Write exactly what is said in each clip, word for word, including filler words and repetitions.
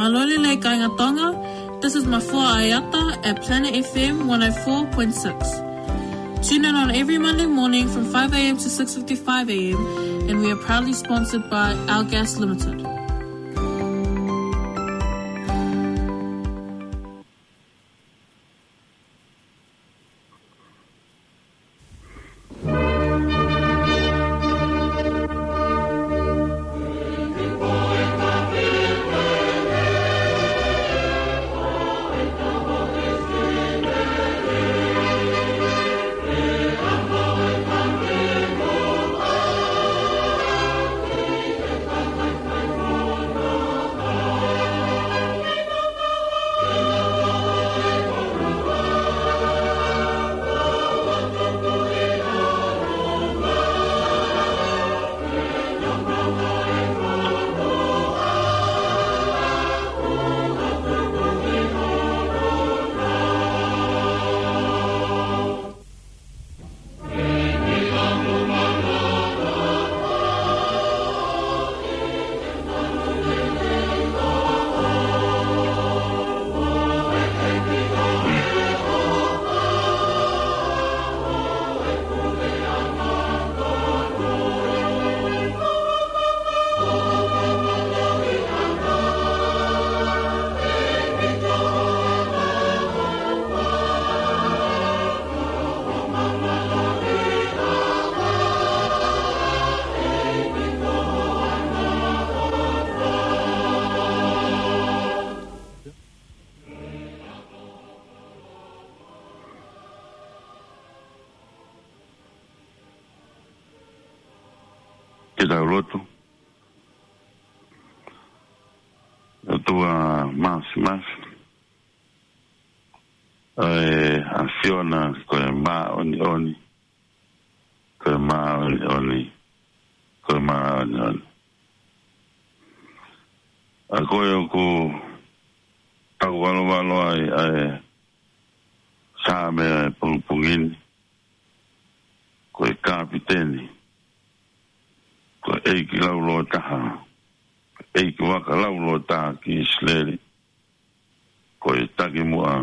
Mālō e lelei kāinga Tonga. This is Mafua Aiata at Planet F M one oh four point six. Tune in on every Monday morning from five a.m. to six fifty-five a.m., and we are proudly sponsored by Our Gas Limited. Ke tau lotu. ʻOtua Māfimafi, ʻa e ʻAfiona ko e māʻoniʻoni, ko e māʻoniʻoni, ko e māʻoniʻoni. ʻA koe ʻoku tau valovalo ai ʻa e Saame ʻa e pongipongi ni, ko e kapiteni, ko e ʻeiki laulōtaha, ko e ʻeiki vaka laulōtaha ki ʻIsileli, ko e takimuʻa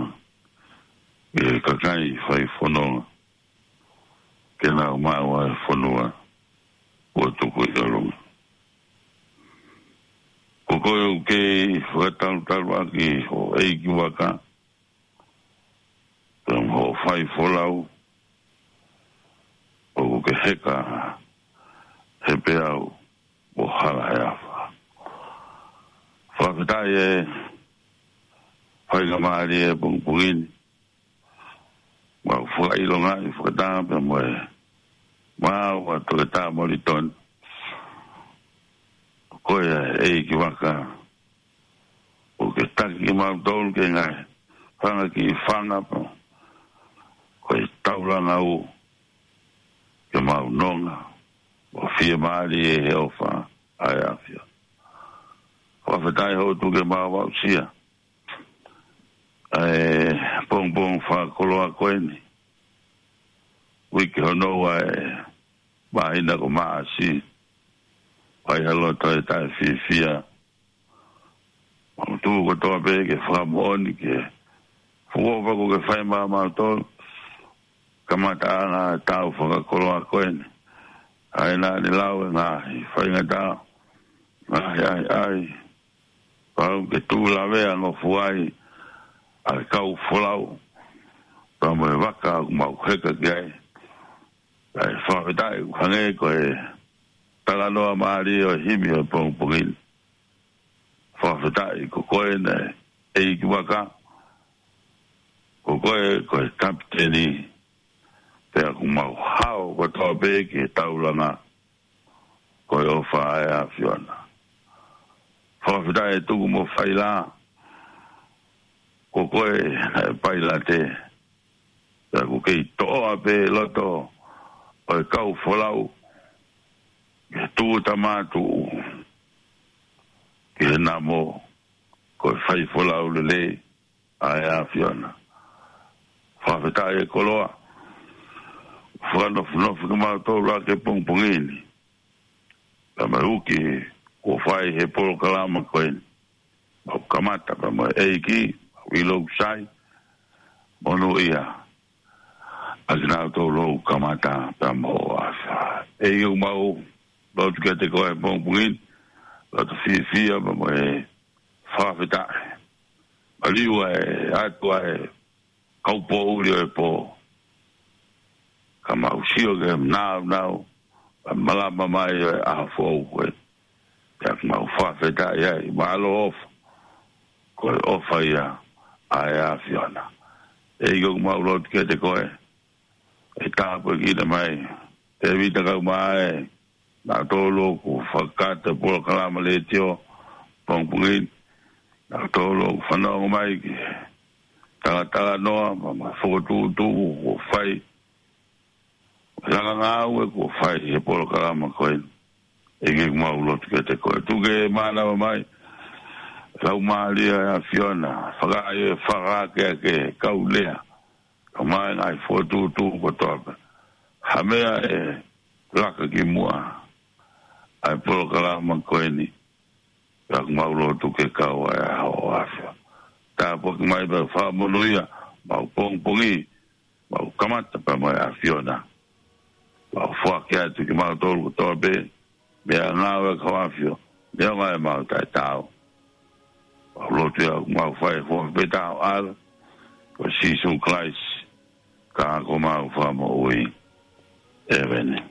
ʻi he kakai fai fononga, ke nau maʻu ʻa e fonua ʻoku tuku ʻi ʻolunga. Ko koe ʻoku kei fakatalutalu ʻaki ho ʻeiki vaka, pea mo hoʻo fai folau, ʻoku ke heka he peau mo hala he afa. Fakafetaʻi e faingamālie ʻo e pongipongi ni. Mau fakaʻilongaʻi fakataha pea mo e maau ʻa Toketā Molitoni. Ko e ʻeiki vaka, ʻoku ke taki kimautolu ki he ngaahi fanga kiʻi fanga pea ko e taulanga ʻoku ke mau nonga, ʻo fiemālie he ʻofa ʻa e ʻAfiona. Fakafetaʻi hoʻo tuku ke mau aʻusia ʻa e pongipongi fakakoloa ko eni. Uike hono ua ʻo e māhina ko Maʻasi. Fai ha loto ʻe taʻefiefia. Mau tuku kotoa pē ke fakamoʻoni ki he fuofua ʻoku ke fai maʻamautolu. Kamataʻanga ʻa e taʻu fakakoloa ko eni. ʻA ia naʻa ne lau e ngaahi faingataʻa, ngaahi ʻahiʻahi, pau ke tuʻu lavea ngofua ai ʻa e kau folau, pea mo e vaka ʻoku mau heka ki ai. ʻA e fakafetaʻi ʻoku hangē ko e talanoa mālie ʻo e himi ʻo e pongipongi ni. Fakafetaʻi ko koe naʻe ʻeiki vaka, Ko koe, ko e kapiteni, pea ʻoku mau hao kotoa pē ki he taulanga, ko e ʻofa ʻa e ʻAfiona. Fakafetaʻi ʻe tuku mo faila, ko koe naʻe pailate, pea ʻoku kei toʻoa pē loto ʻo e kau folau, ki he tūʻuta mātuʻu, ki he namo, ko e fai folau lelei, ʻa e ʻAfiona. Fakafetaʻi e koloa, fakanofonofo kimautolu ʻaki he pongipongi ni. Pea mo e uki, kuo fai he polokalama ko eni. Mau kamata, pea mo e ʻEiki, mau ʻilo ʻoku sai, monūʻia, ʻa kinautolu ʻoku kamata, pea mo ʻAfiona. ʻEiki ʻoku mau, lotu kiate koe he pongipongi ni, lotu fiefia, pea mo e fakafetaʻi. Maliu ʻa e ʻOtua ʻa e kaupoʻuli ʻo e pō. Ka mau sio ki he nāunau, ʻa e malama mai ʻo e ʻaho foʻou ko ē. Pea ʻoku mau fakafetaʻi ai, mālō ʻofa. Ko e ʻofa ia, ʻa e ʻAfiona. ʻEiki ʻoku mau lotu kiate koe, ʻe tāpuekina mai, Tēvita Kaumaʻa, nautolu ʻoku fakakakato e polokalama letiō, pongipongi ni, nautolu ʻoku fanongo mai ki he talatalanoa, pea mo e fokotuʻutuʻu, kuo fai, langa ngāue kuo fai he polokalama ko eni. ʻEiki ʻoku mau lotu kiate koe. Tuku ke mānava mai, Laumālie ʻa e ʻAfiona, fakaʻai e fakaakeake kau lea, ka mai ngaahi fokotuʻutuʻu kotoa pē. Ha meʻa ʻe laka ki muʻa, ʻa e polokalama ko eni, pea ʻoku mau lotu ke kau ai ʻa e ʻAfiona. Tāpuaki mai pea fakamonūʻia, mau pongipongi, mau kamata pea mo e ʻAfiona. Mau foaki atu kimautolu kotoa pē, meʻangāue ʻa e kau ʻAfio, neongo ʻemau taʻetaau. Mau lotu ia, mau fai foki pē ʻetau ʻAlo, ko Sīsū Kalaisi, ko homau Fakamoʻui. ʻEmeni.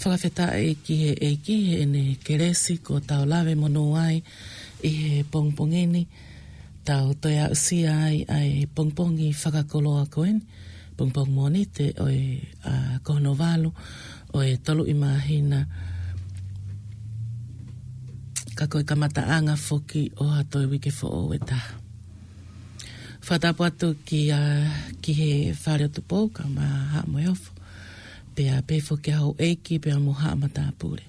Fakafetaʻi ki he ʻEiki heʻene kelesi kuo tau lave monū ai ʻi he pongipongi ni. Tau toe aʻusia ai ʻa e pongipongi fakakoloa ko eni, pongipongi Mōnite ʻo e, ʻa, ko hono valu ʻo e tolu ʻi māhina. Ka ko e kamataʻanga foki ʻo ha toe uike foʻou ʻe taha. Fakatapu atu ki, ʻa, ki he Fale ʻo Tupou, kae ʻumaʻā Haʻa Moheofo. Pea pehē foki ki he houʻeiki, pea mo Haʻa Matāpule.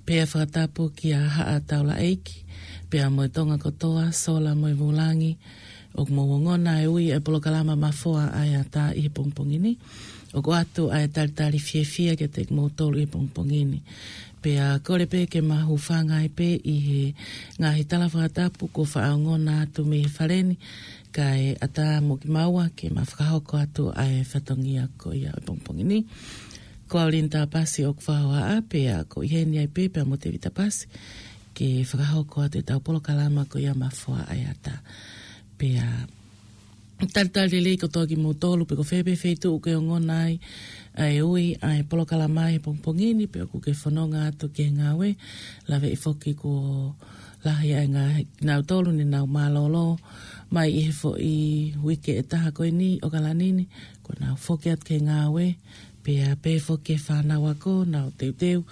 Pea fakatapu ki he Haʻa Taulaʻeiki, pea mo e Tonga kotoa, sola mo e vūlangi, ʻoku mou ongona e ui e polokalama Mafoa ʻa e Ata ʻi he pongipongi ni. ʻOku ʻoatu ʻa e talitali fiefia kiate kimoutolu ʻi he pongipongi ni. Pea kole pē ke ma hūfanga ai pē ʻi he ngaahi tala fakatapu kuo faʻa ongona atu mei he fale ni, kae ʻatā mo kimaua ke ma fakahoko atu ʻa e fatongia ko ia ʻo e pongipongi ni. Ko au Lini Tapasi ʻoku fakahohaʻa, pea ko ʻi heni ai pē pea mo Tēvita Pasi. ke fakahoko atu ʻetau polokalama ko ia Mafoa ʻa e Ata. Pea talitali lelei kotoa kimoutolu pe ko fē pē feituʻu ʻoku ke ongona ai ʻa e ui ʻa e polokalama ʻi he pongipongi ni pe ʻoku ke fononga atu ki he ngāue, laveʻi foki kuo lahi ʻa e ngaahi, kinautolu ne nau mālōlō mai ʻi he foʻi uike ʻe taha ko eni ʻo ʻAokalani ni, kuo nau foki atu ki he ngāue, pea pehē foki ki he fānau ako, nau teuteu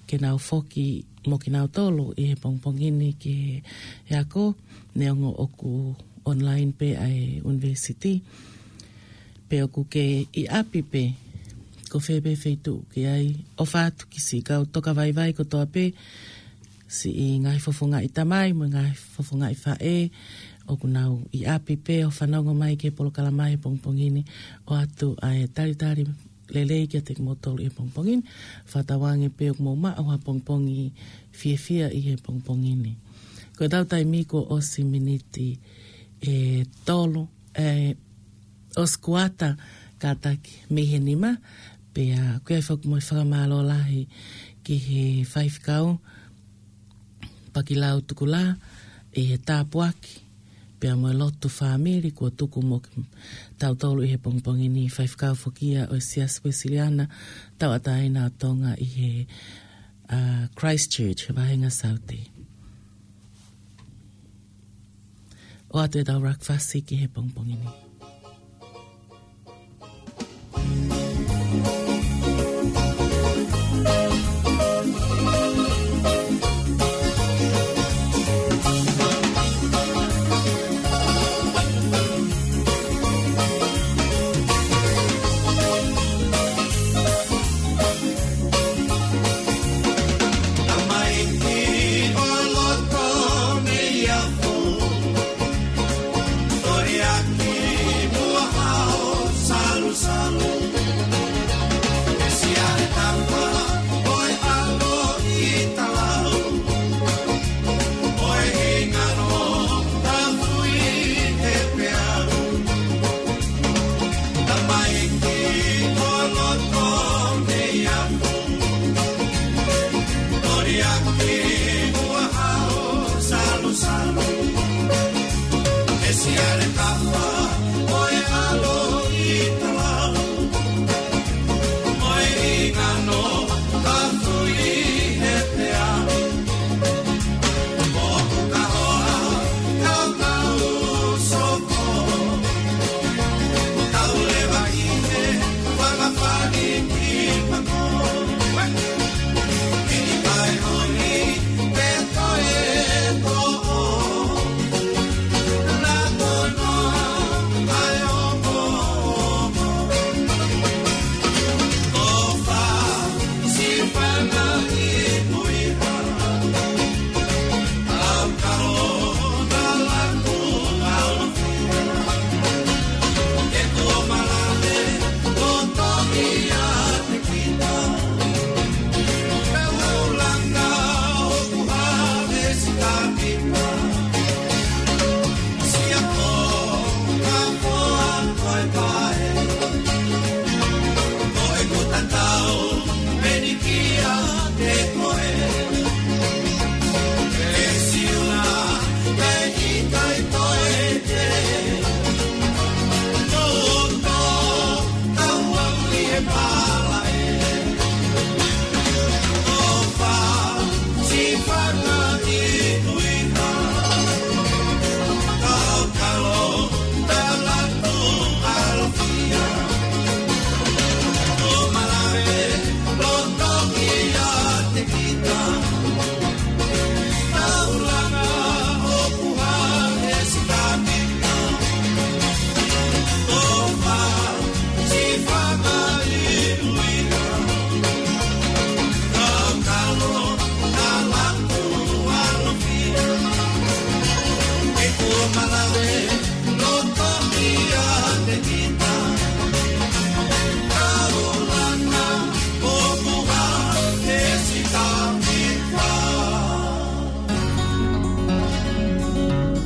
ke nau foki mo kinautolu ʻi he pongipongi ni ki he ako, neongo ʻoku online pē ʻa e university. Pe ʻoku ke ʻi ʻapi pē, ko fē pē feituʻu ʻoku ke ʻi ai, ʻofa atu ki siʻi kau tokavaivai kotoa pē, siʻi ngaahi fofongaʻi tamai mo e ngaahi fofongaʻi faʻē ʻoku nau ʻi ʻapi pē ʻo fanongo mai ki he polokalama ʻi he pongipongi ni, ʻoatu ʻa e talitali lelei kiate kimoutolu ʻi he pongipongi ni. Fakatauange pē ʻoku mou maʻu ha pongipongi fiefia ʻi he pongipongi ni. Ko ʻetau taimi kuo ʻosi miniti ʻe tolu, ʻe, ʻosi kuata kātaki mei he nima, pea ʻoku ʻi ai foki mo e fakamālō lahi ki he faifekau Pakilau Tukulā ʻi he tāpuaki pea mo e lotu fāmili kuo tuku mo kitautolu ʻi he pongipongi ni, faifekau foki ia ʻo e Siasi Uēsiliana Tauʻatāina ʻo Tonga ʻi he, ʻa, Christchurch, he vahenga Saute. ʻOatu ʻetau rakafasi ki he pongipongi ni.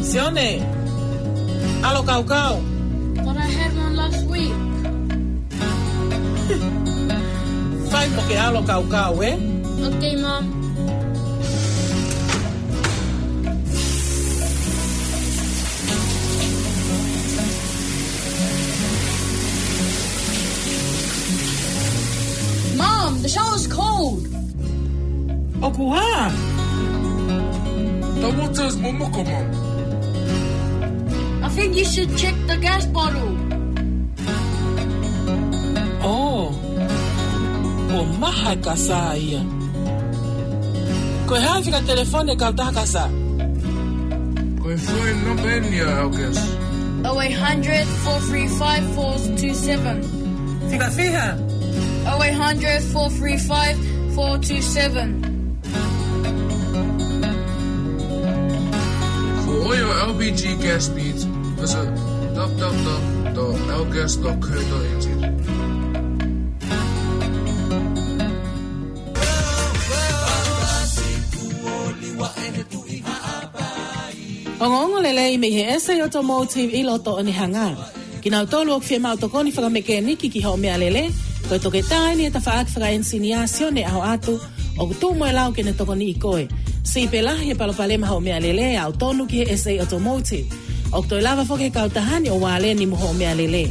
Sione, ʻAlo Kaukau. But I had one last week. Fai mo ke ʻalo kaukau, ē? Okay, Mom. ʻOku hā? Tau motos momoko mau. I think you should check the gas bottle. Oh, kuo maha e kasa ia. Ko e hā e fika telefoni e kautaha kasa? Ko e foʻi namba eni ʻa e Algas. Oh eight hundred, four three five, four two seven. Fika fiha? Oh eight hundred, four three five, four two seven. For all your L P G gas needs, visit w w w dot algas dot co dot n z. Ongoongo lelei mei he S A Automotive ʻi loto Onehunga. Kinautolu ʻoku fiemaʻu tokoni fakamekēniki ki hoʻo meʻalele, ko e toketā eni he tafaʻaki fakaʻenisiniā Sione ʻAhoʻatu, ʻoku tuʻu mo e lau ke ne tokoniʻi koe. Siʻi pē lahi e palopalema hoʻo meʻalele, aʻu tonu ki he S A Automotive. ʻOku toe lava foki he kautaha ni ʻo vāleni mo hoʻo meʻalele.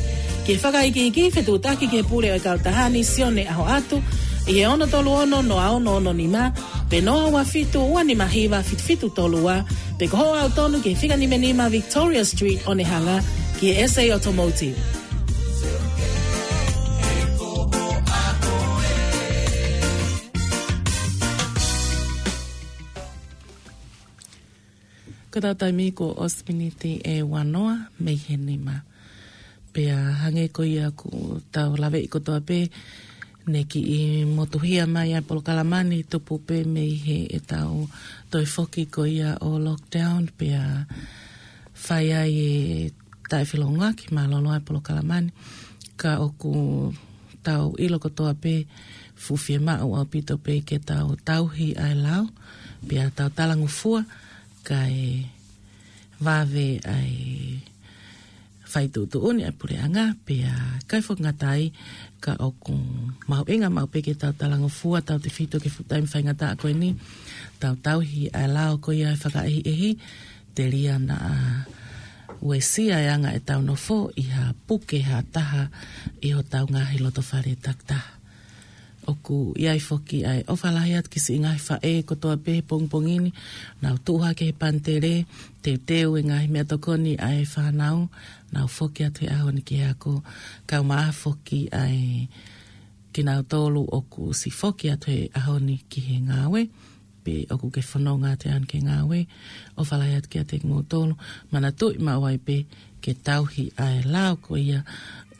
Ki he fakaikiiki, fetuʻutaki ki he pule ʻo e kautaha ni, Sione ʻAhoʻatu, ʻi he ono tolu ono, noa ono ono nima, pe noa ua fitu, ua nima hiva, fitu fitu tolu ua, pe ko hoʻo aʻu tonu ki he fika nima nima Victoria Street, Onehunga, ki he S A Automotive. Ko ʻetau taimi kuo ʻosi miniti ʻe uanoa mei he nima. Pea hangē ko ia kuo tau laveʻi kotoa pē, ne kiʻi motuhia mai ʻa e polokalama ni tupu pē mei heʻetau toe foki ko ia ʻo lockdown, pea fai ai e taʻefeʻiloaki mālōlō ʻa e polokalama ni. Ka ʻoku tau ʻilo kotoa pē fuʻu fiemaʻu ʻaupito pē ke tau tauhi ʻa e lao, pea tau talangofua, kae vave ʻa e fai tuʻutuʻuni ʻa e puleʻanga, pea ʻikai foki ngata ai, ka ʻoku mahuʻinga maʻu pē ke tau talangofua, tautefito ki he fuʻu taimi faingataʻa ko eni, tau tauhi ʻa e lao ko ia ʻe fakaʻehiʻehi, telia naʻa uesia e anga ʻetau nofo ʻi ha puke ha taha ʻi hotau ngaahi lotofale takitaha. ʻOku ʻi ai foki ʻa e ʻofa lahi atu ki siʻi ngaahi faʻē kotoa pē he pongipongi ni, nau tuʻu hake he panitele, teuteu e ngaahi meʻatokoni ʻa e fānau, nau foki atu he ʻaho ni ki he ako, kae ʻumaʻā foki ʻa e kinautolu ʻoku siʻi foki atu he ʻaho ni ki he ngāue, pe ʻoku ke fononga atu he ʻaho ni ki he ngāue, ʻofa lahi atu kiate kimoutolu, manatuʻi maʻu ai pē ke tauhi ʻa e lao ko ia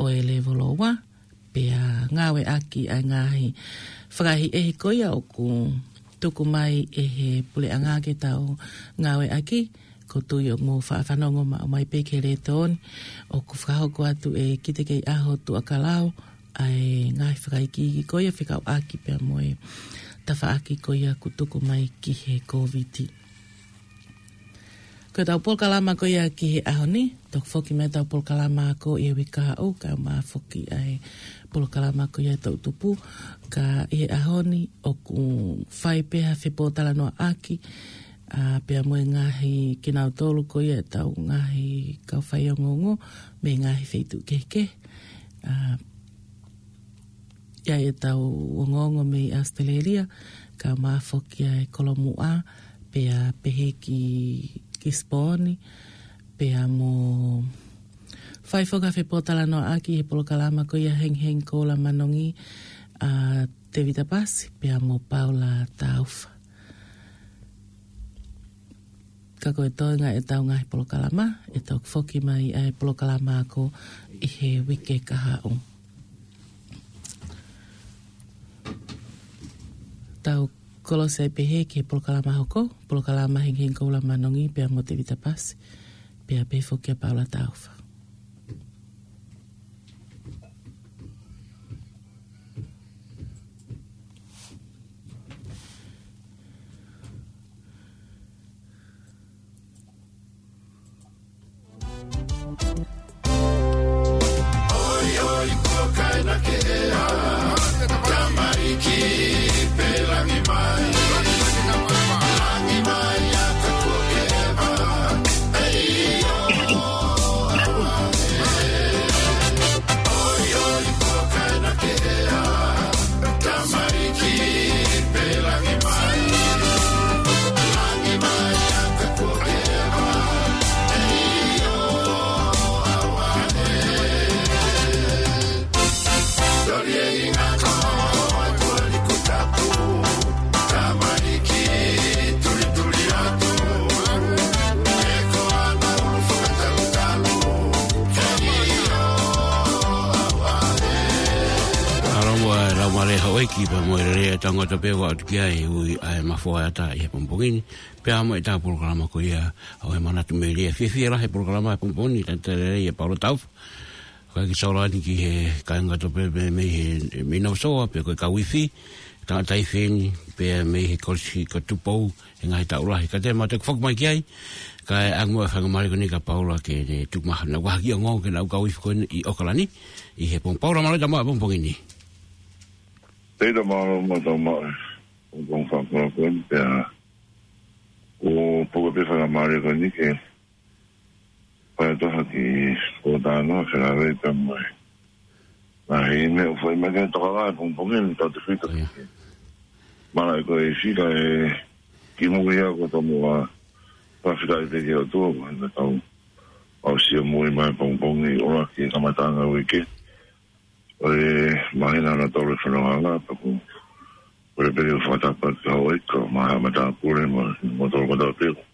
ʻo e lēvolo ua, pea ngāueʻaki ʻa e ngaahi fakaʻehiʻehi ko ia ʻoku tuku mai ʻe he puleʻanga ke tau ngāueʻaki, ʻoku ou tui ʻoku mou faʻa fanongo maʻu mai pē ki he letiō ni, ʻoku fakahoko atu ʻe Kitekeiʻaho Tuʻakalau ʻa e ngaahi fakaikiiki ko ia fekauʻaki pea mo e tafaʻaki ko ia kuo tuku mai ki he Kōviti. Ko ʻetau polokalama ko ia ki he ʻaho ni, toki foki mai ʻetau polokalama ako ʻi he uike kahaʻu, kae ʻumaʻā foki ʻa e polokalama ko ia ʻe toʻutupu, ka ʻi he ʻaho ni ʻoku fai pē ha fepōtalanoaʻaki, ʻa, pea mo e ngaahi kinautolu ko ia ʻetau ngaahi kau faiongoongo, mei he ngaahi feituʻu kehekehe, ʻa, ʻi ai ʻetau ongoongo mei ʻAositelēlia, kae ʻumaʻā foki ʻa e Kolomuʻa, pea pehē ki, ki Sipōni, pea mo fai foki ha fepōtalanoaʻaki he polokalama ko ia Hengihengi Koula Manongi, ʻa Tevita Pasi, pea mo Paula Taufa. Ka ko e toenga ʻetau ngaahi polokalama, ʻe toki foki mai ʻa e polokalama ako ʻi he uike kahaʻu. Tau kolosi ai pehē ki he polokalama hoko, polokalama Hengihengi Koula Manongi, pea mo Tevita Pasi, pea pehē foki kia Paula Taufa. ʻEiki pea mo e lelei ʻa e tangata pē ua atu ki ai ʻa e ui ʻa e mafoa ʻata ʻi he pongipongi ni. Pea mo e tā polokalama ko ia ʻo e manatu melie. Fiefia lahi e polokalama he pongipongi ni, talitali lelei ʻa Paula Taufa. Ko e ki Saulani ki he kāinga ʻata pē, pē mei he, mei Nausou, pea ko e kau ifi, tangata ifi eni, pea mei he Kolisi ko Tupou, he ngaahi taʻu lahi. Ka te mau toe foki mai ki ai, kae ʻange muʻa e faingamālie ko eni kia Paula ke ne tuku mai haʻanau vahaʻa kiʻi ongoongo ki heʻenau kau ifi ko eni ʻi ʻOkalani, ʻi he pongipongi. Paula, mālō e tau mai he pongipongi ni. Tēnā, mālō muʻa e tau mai he pongipongi fakaʻofoʻofa ko eni, pea ʻoku ou pehē pē faingamālie ko eni ke fai atu ha kiʻi pōtalanoa felāveʻi pea mo e ngaahi meʻa ʻoku fai mai ki he tokanga he pongipongi ni, tau te fita. ʻIo. Mālō e kau ifi kae kimuʻa ia ko e tau muʻa fakafetaʻi pē ki he ʻOtua, ko e tau aʻusia moʻui mai he pongipongi, ʻo aʻu ki he kamataʻanga e uike. ʻO e māhina hono tolu e fononga, pea ʻoku ou kole pē ke u fakatapu ki he houʻeiki, mo e haʻa matāpule, mo, mo e tolu kotoa pē ʻoku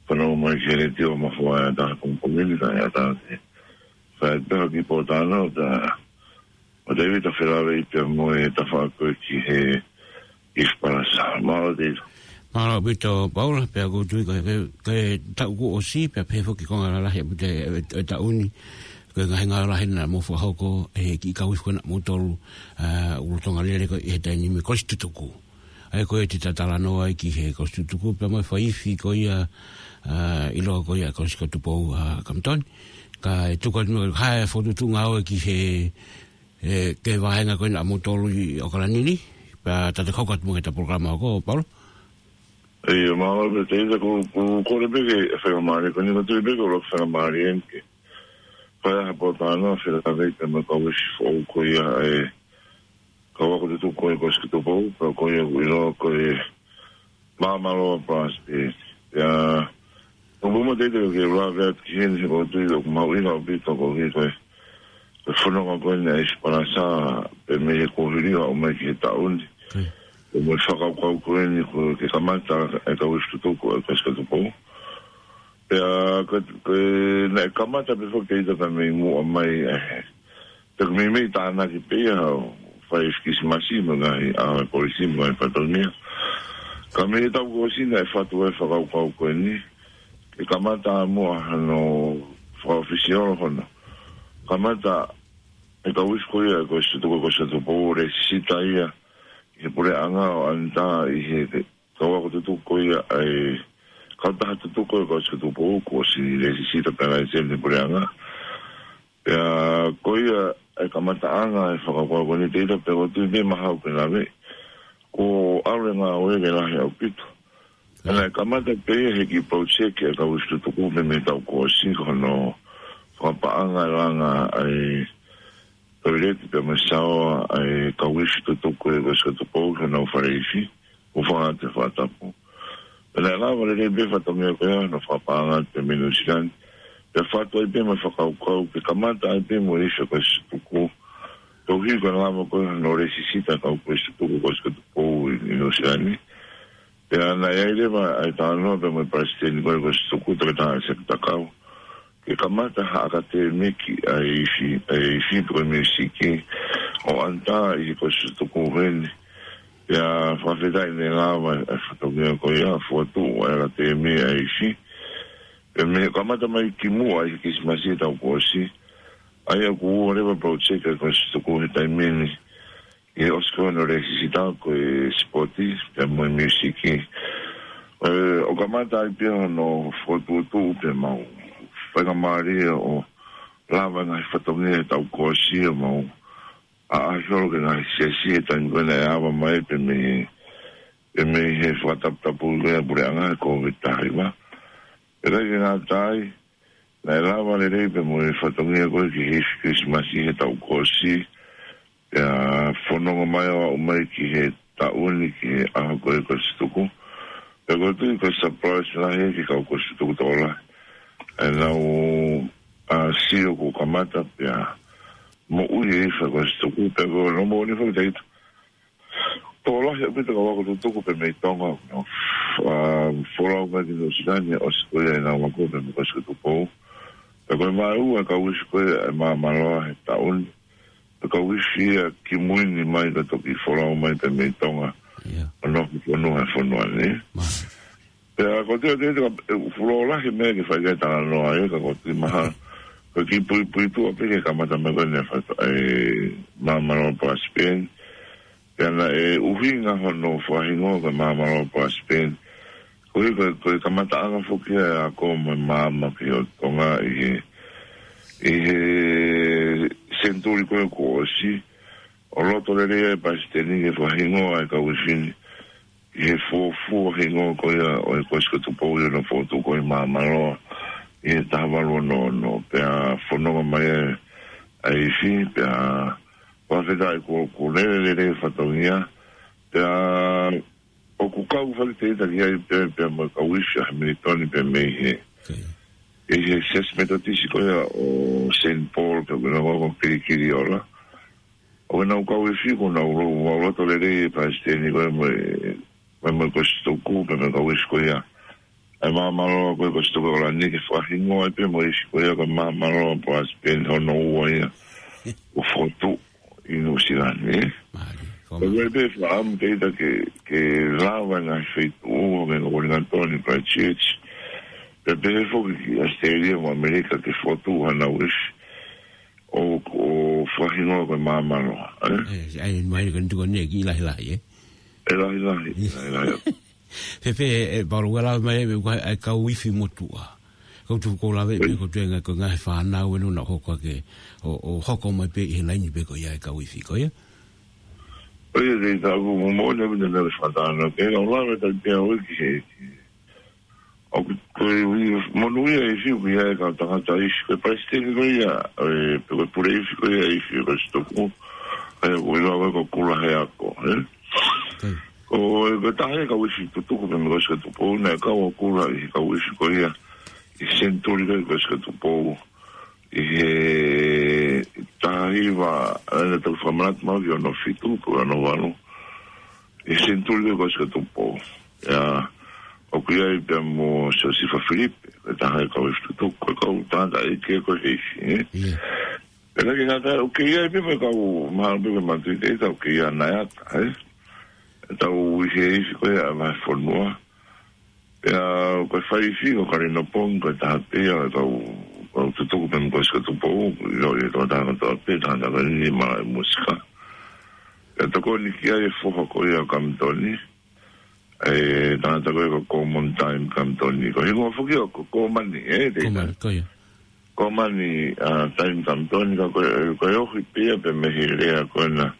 fanongo mai ki he letiō mafoa ʻata he pongipongi ni, kae ʻatā ke fai pē ha kiʻi pōtalanoa, tā, ʻo Tēvita felāveʻi pea mo e tafaʻaki ko ē ki he ʻIsi Palasa. Mālō Tēvita. Mālō ʻaupito Paula, pea ʻoku ou tui ko e, ko e, ko e taʻu kuo ʻosi, pea pehē foki ki he konga lalahi ʻaupito e, e, e taʻu ni, ko e ngaahi ngāue lahi naʻa mou fakahoko, ʻe he kiʻi kau ifi ko ena ʻa moutolu, ʻa, ʻUlutonga Lele ko ē he taimi ni mo e Kolisi Tutuku. ʻA ia ko e te tau talanoa ai ki he Kolisi Tutuku, pea mo e fai ifi ko ia, ʻa, ʻiloa ko ia Kolisi ko Tupou, ʻa, Kamitoni. Kae tuku atu mo e hā e fokotuʻutuʻu ngāue ki he, ʻe, ki he vāhenga ko ena ʻa moutolu ʻi ʻOkalani ni, pea tau toe kau atu mo e ta polokalama ko Paula. ʻIo, mālō pē Tēvita, ʻoku, ʻoku ou kole pē ke faingamālie ko eni, ʻoku ou tui pē ʻoku ou lava faingamālie eni ke fai ha pōtalanoa felāveʻi pea mo e kau ifi foʻou ko ia ʻa e kau ako tutuku ko ē Kolisi ko Tupou, pea ko ia ʻoku ʻiloa ko e Māmaloa Prospect. Pea, ʻoku ou moʻoni Tēvita ke u lave atu ki heni he ʻoku ou tui ʻoku mahuʻinga ʻaupito ko e, ko e, ko e fononga ko eni ʻa e ʻIsi Palasa, pea mei he kuohili ʻo aʻu mai ki he taʻu ni. Mm. Pea mo e fakakaukau ko eni ko e ke kamata e kau ifi tutuku ʻa e Kolisi ko Tupou. Pea ko, ko e naʻe kamata pē foki Tēvita pea mei muʻa mai, ʻe, pea ko e meimei tānaki pē ia ʻo fai e Kilisimasi mo e ngaahi ʻaho e kolisi mo e fatongia. Ka mei he taʻu kuo ʻosi naʻe fatu e fakakaukau ko eni, ke kamata muʻa hano fakaʻofisiolo hono kamata e kau ifi ko ia e Kolisi Tutuku, Kolisi Tupou, lēsisita ia ki he puleʻanga ʻo ʻAna ʻi he kau ako tutuku ko ia ʻa e kautaha tutuku ko ē Kolisi ko Tupou, kuo ʻosi lēsisita pea laiseni he puleʻanga. Pea ko ia e kamataʻanga e fakakaukau ko eni Tēvita, pea ʻoku ou tui pē mahalo pē lave, kuo ʻalu e ngāue ke lahi ʻaupito. Naʻe kamata pē ia he kiʻi project e kau ifi tutuku pea mei he taʻu kuo ʻosi ko hono fakapaʻanga e langa ʻa e toileti pea mo e saoa ʻa e kau ifi tutuku e Kolisi ko Tupou ki honau fale ifi, ʻo fakahā atu he fakatapu. Pea naʻe lava lelei pē fatongia ko ia hono fakapaʻanga atu pē mei Nuʻu Sila ni. Pea fatu ai pē mo e fakakaukau ke kamata ai pē mo e ifi Kolisi Tutuku. Tohi ko e lava ko ē hono lēsisita e kau Kolisi Tutuku, Kolisi ko Tupou ʻi, ʻi Nuʻu Sila ni. Pea naʻe ʻi ai leva ʻa e talanoa pea mo e palesiteni ko ē Kolisi Tutuku, Toketā ʻAisake Takau, ke kamata ha ʻakatēmiki ʻa e ifi, ʻa e ifi pe ko e miusiki ʻo ʻAna ʻi he Kolisi Tutuku heni. Pea fakafetaʻi naʻe lava e fatongia ko ia ʻo fokotuʻu ʻa e ʻakatēmia ʻa e ifi. Pea mei he kamata mai kimuʻa ʻi he Kilisimasi he taʻu kuo ʻosi, ʻa ia kuo ua leva project e Kolisi Tutuku he taimi ni, ʻi he ʻosi ko ē hono lēsisita ko e sipoti pea mo e miusiki. ʻE, ʻo kamata ai pē hono fokotuʻutuʻu pea mau faingamālie ʻo lava e ngaahi fatongia he taʻu kuo ʻosi ʻo mau ʻaʻahi holo ki he ngaahi siasi he taimi ko ē naʻe ava mai pē mei, pē mei he fakataputapu ko ē ʻa e puleʻanga he Kōviti taha hiva. Pea ʻikai ke ngata ai, naʻe lava lelei pē mo e fatongia ko ē ki he ifi Kilisimasi he taʻu kuo ʻosi, pea fononga mai ʻo aʻu mai ki he taʻu ni ki he ʻaho ko ē Kolisi Tutuku. Pea ʻoku ou tui ko e surprise lahi ki he kau Kolisi Tutuku tokolahi ʻenau, ʻa, sio kuo kamata pea moʻui e ifi Kolisi Tutuku, pea ko hono moʻoni foki Tēvita, tokolahi ʻaupito e kau ako tutuku pē mei Tonga, no, ʻa, folau mai ki Nuʻu Sila ni ʻosi ko ia ʻenau ako pē mei Kolisi ko Tupou. Pea ko e vaeua e kau ifi ko ē ʻa Māmaloa he taʻu ni, Ko e kauifi ia kimui ni mai ka toki folau mai pē mei Tonga. ʻIo. ʻO nofo fonua he fonua ni. Mālie. Pea ko e teu te ka, e, fulo lahi meʻa ke fai ke talanoa ai, ka ko e tui maha. Ko e kiʻi puipuituʻa pē ke kamata mai ko eni ʻa e fata-, e, Māmaloa Brisbane. Pea naʻe ʻuhinga hono fakahingoa ko e Māmaloa Brisbane. Ko e, ko e, ko e kamataʻanga foki ʻa e ako mo e maama ki ʻo Tonga ʻi he, ʻi he senituli ko ē kuo ʻosi. ʻO loto lelei ai ʻa e palesiteni ke fakahingoa ʻa e kauifi ni ʻi he fuofua hingoa ko ia ʻo e Kolisi ko Tupou ʻi hono fokotuʻu ko ē ʻi Māmaloa ʻi he taha valu ono ono. Pea fononga mai ai ʻa e ifi, pea fakafetaʻi kuo, kuo lele lelei e fatongia, pea ʻoku kau fakataha ki ai pē, pea mo e kauifi ʻa Hamilton pē mei he, ʻi he Siasi Metotisi ko ia ʻo Saint Paul, pea ko e nongo ko Kilikiliola. ʻO nau kauifi ko nau lo-, ʻo loto lelei e palesiteni ko ē mo e, mo e, mo e Kolisi Tutuku, pea mo e kauifi ko ia ʻa e Māmaloa ko ē Kolisi Tutuku ʻo Laniki, fakahingoa ai pē mo e ifi ko ia ko e Māmaloa Brisbane hono ua ia. ʻO fokotuʻu ʻi Nuʻusila ni, ē? Mālie. Ko e meʻa pē fakaʻamu te ita ke, ke lava ngaahi feituʻu, ʻo ngai ko Wellington, Christchurch. Pea pehē foki ki ʻAositelēlia mo ʻAmelika ke fokotuʻu hanau ifi. ʻO, ʻo fakahingoa ko e Māmaloa, ē? ʻE, ʻai mai ko e tuku ne ki lahilahi, ē? ʻE lahilahi, lahilahi. Fēfē, ʻe, Paulo, ʻoku lava mai, ʻe, ʻa e kauifi motuʻa. Kau tu ko lave, ʻe, ko e tuʻunga ko e ngaahi fānau ʻe nau hoko ake, ʻo, ʻo hoko mai pē ʻi he laini pē ko ia e kauifi, ko ia? ʻOi, ʻe, te ita ʻoku mo mo ne pina na fānau, ke lau lave ta te au ki he, ki he. ʻOku, ko e ui, monūʻia e ifi, ʻoku ʻi ai e kau tangata ifi, ko e palesiteni ko ia, ʻe, pe ko e pule ifi ko ia e ifi, Kolisi Tutuku, ʻe, ʻoku ʻiloa ko Kula Heako, ē? Ko e, ko e taha e kauifi Tutuku pē mei he Kolisi ko Tupou, naʻe kau ʻa Kula ʻi he kauifi ko ia, ʻi he senituli ko ia Kolisi ko Tupou, ʻi he taha hiva, ʻe, naʻa tau fakamanatu mai ki hono fitu, pe ko hono valu. ʻI he senituli ko ia Kolisi ko Tupou. ʻIa, ʻoku ʻi ai pea mo Siosifa Filipe, ko e taha e kauifi Tutuku, ko e kau tangataʻeiki ko ē he ifi, ē? ʻIa. Pea naʻe ngata, ʻoku ʻi ai pē mo e kau mahalo pē ko e matuʻi te ita, ʻoku ʻi ai ʻa Naiata, ē? ʻE tau ui he ifi ko ia ʻa e fonua. Pea ko e faifi ko Kalino Pongi, ko e taha pē ia ʻo e kau, kau Tutuku pē mei he Kolisi ko Tupou, ʻio, ʻio, tau tangata pē, tangata pē ni mala e musika. Pea tokoni ki ai e foha ko ia ʻo Kamitoni, ʻe, tangata ko ia ko Komoni Taimi Kamitoni. Ko e hingoa foki ʻo ko Komoni, ē, te Komoni, ko ia. Komoni, ʻa, Taimi Kamitoni, ka ko e, ko e ohi pē ia pē mei he lea ko ena,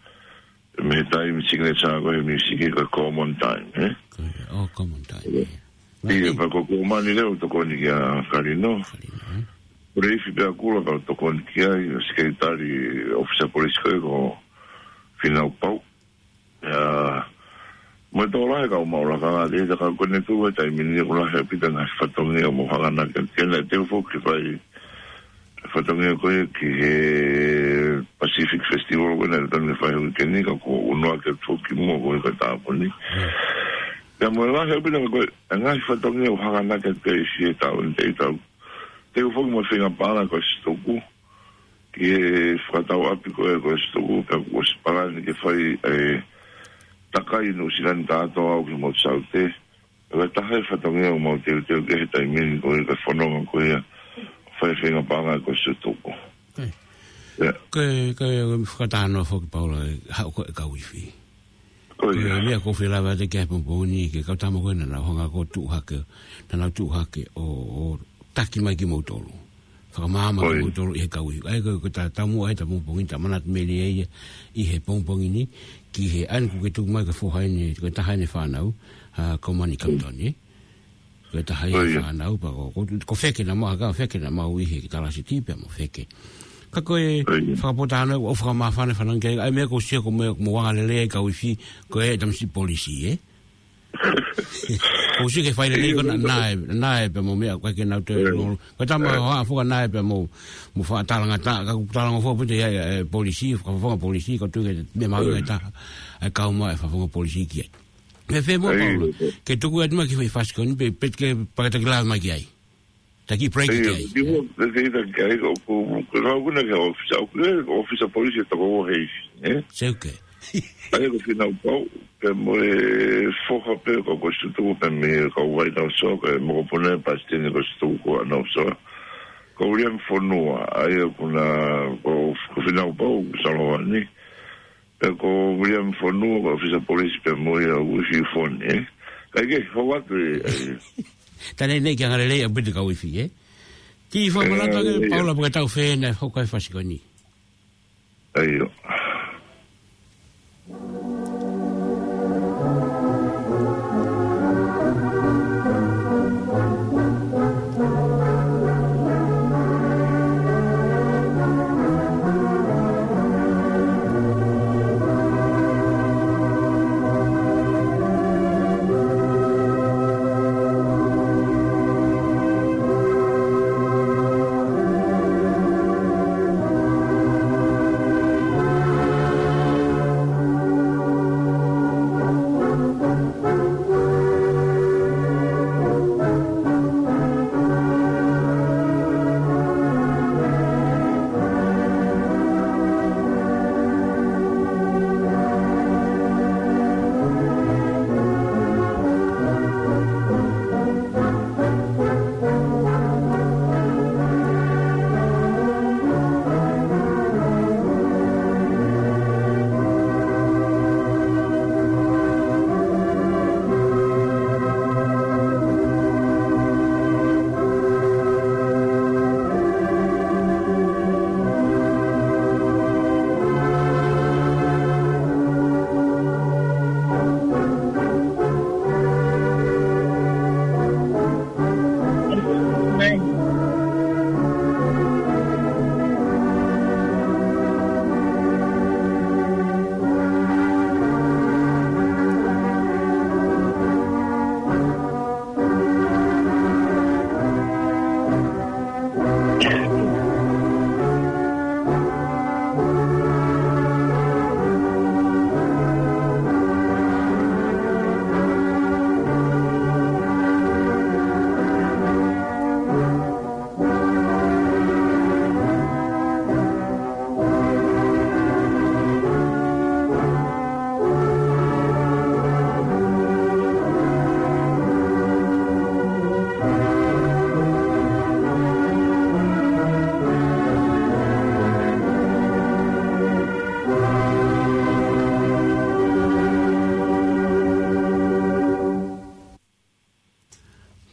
mei he taimi signature ko e he music ko e Komoni Taimi, ē? Ko ia, ʻo Komoni Taimi, ʻio. ʻIa, pea ko Komoni leva ʻoku tokoni kia Kalino. Kalino, ē? Pule ifi pea Kula pea tokoni ki ai, ʻo sekelitali ʻōfisa polisi ko ē ko Fīnau Pau. ʻIa, mo e tokolahi e kau maʻu lakanga te ita ka ko eni tuʻu he taimi ni ʻoku lahi ʻaupito e ngaahi fatongia ʻoku mou hanganaki ki ai, te u foki fai e fatongia ko ia ki he Pacific Festival ko ena ʻe tonu ke fai he uike ni ka kuo ʻunu ake foki muʻa ko ia ko e tāpuni. ʻIa mo e lahi ʻaupito ko e ngaahi fatongia ʻoku hanganaki ki ai ʻi he taʻu ni te ita. Te u foki mo e feinga paʻanga ko e Kolisi Tutuku. Ki he fakatau ʻapi ko ē ko e Kolisi Tutuku, pea kuo ʻosi palani ke fai e takai Nuʻusila ni kātoa au ki Motu Saute. Ko e taha e fatongia ʻoku mau teuteu ki ai he taimi ni ko e ka fononga ko ia, fai feinga paʻanga ko e Kolisi Tutuku. ʻIa. Ko e, ko e, ko e fakatātā foki Paula, ʻe, haʻu ko e kauifi. Ko ia. Ko e meʻa ʻoku ou fie lave atu ki ai he pongipongi ni, ki he kau tama ko ē naʻa nau hanga ʻo tuʻu hake, naʻa nau tuʻu hake ʻo, ʻo taki mai kimoutolu. Fakamaama kimoutolu ʻi he kauifi. ʻA ia ko, ko e taumuʻa ʻa e pongipongi, ta manatu mai ai ʻi he pongipongi ni, ki he ʻaho ni kuo ke tuku mai ko e foha eni, ko e taha eni e fānau, ʻa Komoni Kamitoni. Ko e taha ia e fānau pea ko, ko, ko Feke naʻa mau, ka Feke naʻa mau ʻi he ki Talasiti pea mo Feke. Ka ko e fakapōtalanoa ʻoku fakamāfana fanongo ki ai, ʻa e meʻa ʻoku ou sio ko e meʻa ʻoku mou angalelei ai e kauifi, ko e tamasiʻi polisi, ē? ʻOku ou sio ki he failelei ko ena naʻe, naʻe pea mo e meʻa ko ē ke nau toe lolo. Ko e tama ʻo haʻa foka naʻe pea mo, mo fakatalangataʻa, ka ʻoku talangofua pē ʻe he, e, polisi, fakafofonga polisi, ko e tuʻu ki he meʻa mahuʻinga taha, e kau mai e fakafofonga polisi ki ai. Fēfē muʻa Paula, ke tuku atu mai ki he fasi ko eni, pe, pe ke paka taki lave mai ki ai. Ta ki break ʻIo, ki ai. Ki mo, te te ita ki ai, ʻoku, ʻoku, ʻoku, ʻoku na ke ofisa, ʻoku ke ofisa polisi e toko ua he ifi, ē? Seuke. ʻA ia ko Fīnau Pau, pea mo e foha pē ko Kosituku, pea mo e kau Vainausoa, ko e mokopuna e palesiteni Kosituku ko Anausoa. Ko Uliami Fonua, ʻa ia ko na, ko, ko Fīnau Pau, Salovani. Pea ko Uliami Fonua, ko e ofisa polisi pea mo ia ʻoku ifi foni, ē? Kae kehe, hou atu ē, ē. Tane nei ki anga lelei ʻa Pita Kauifi, ē? Ti fakamanatu atu ʻe Paula pe ko e tau fē naʻe hoko ai e fasi ko eni. ʻAio.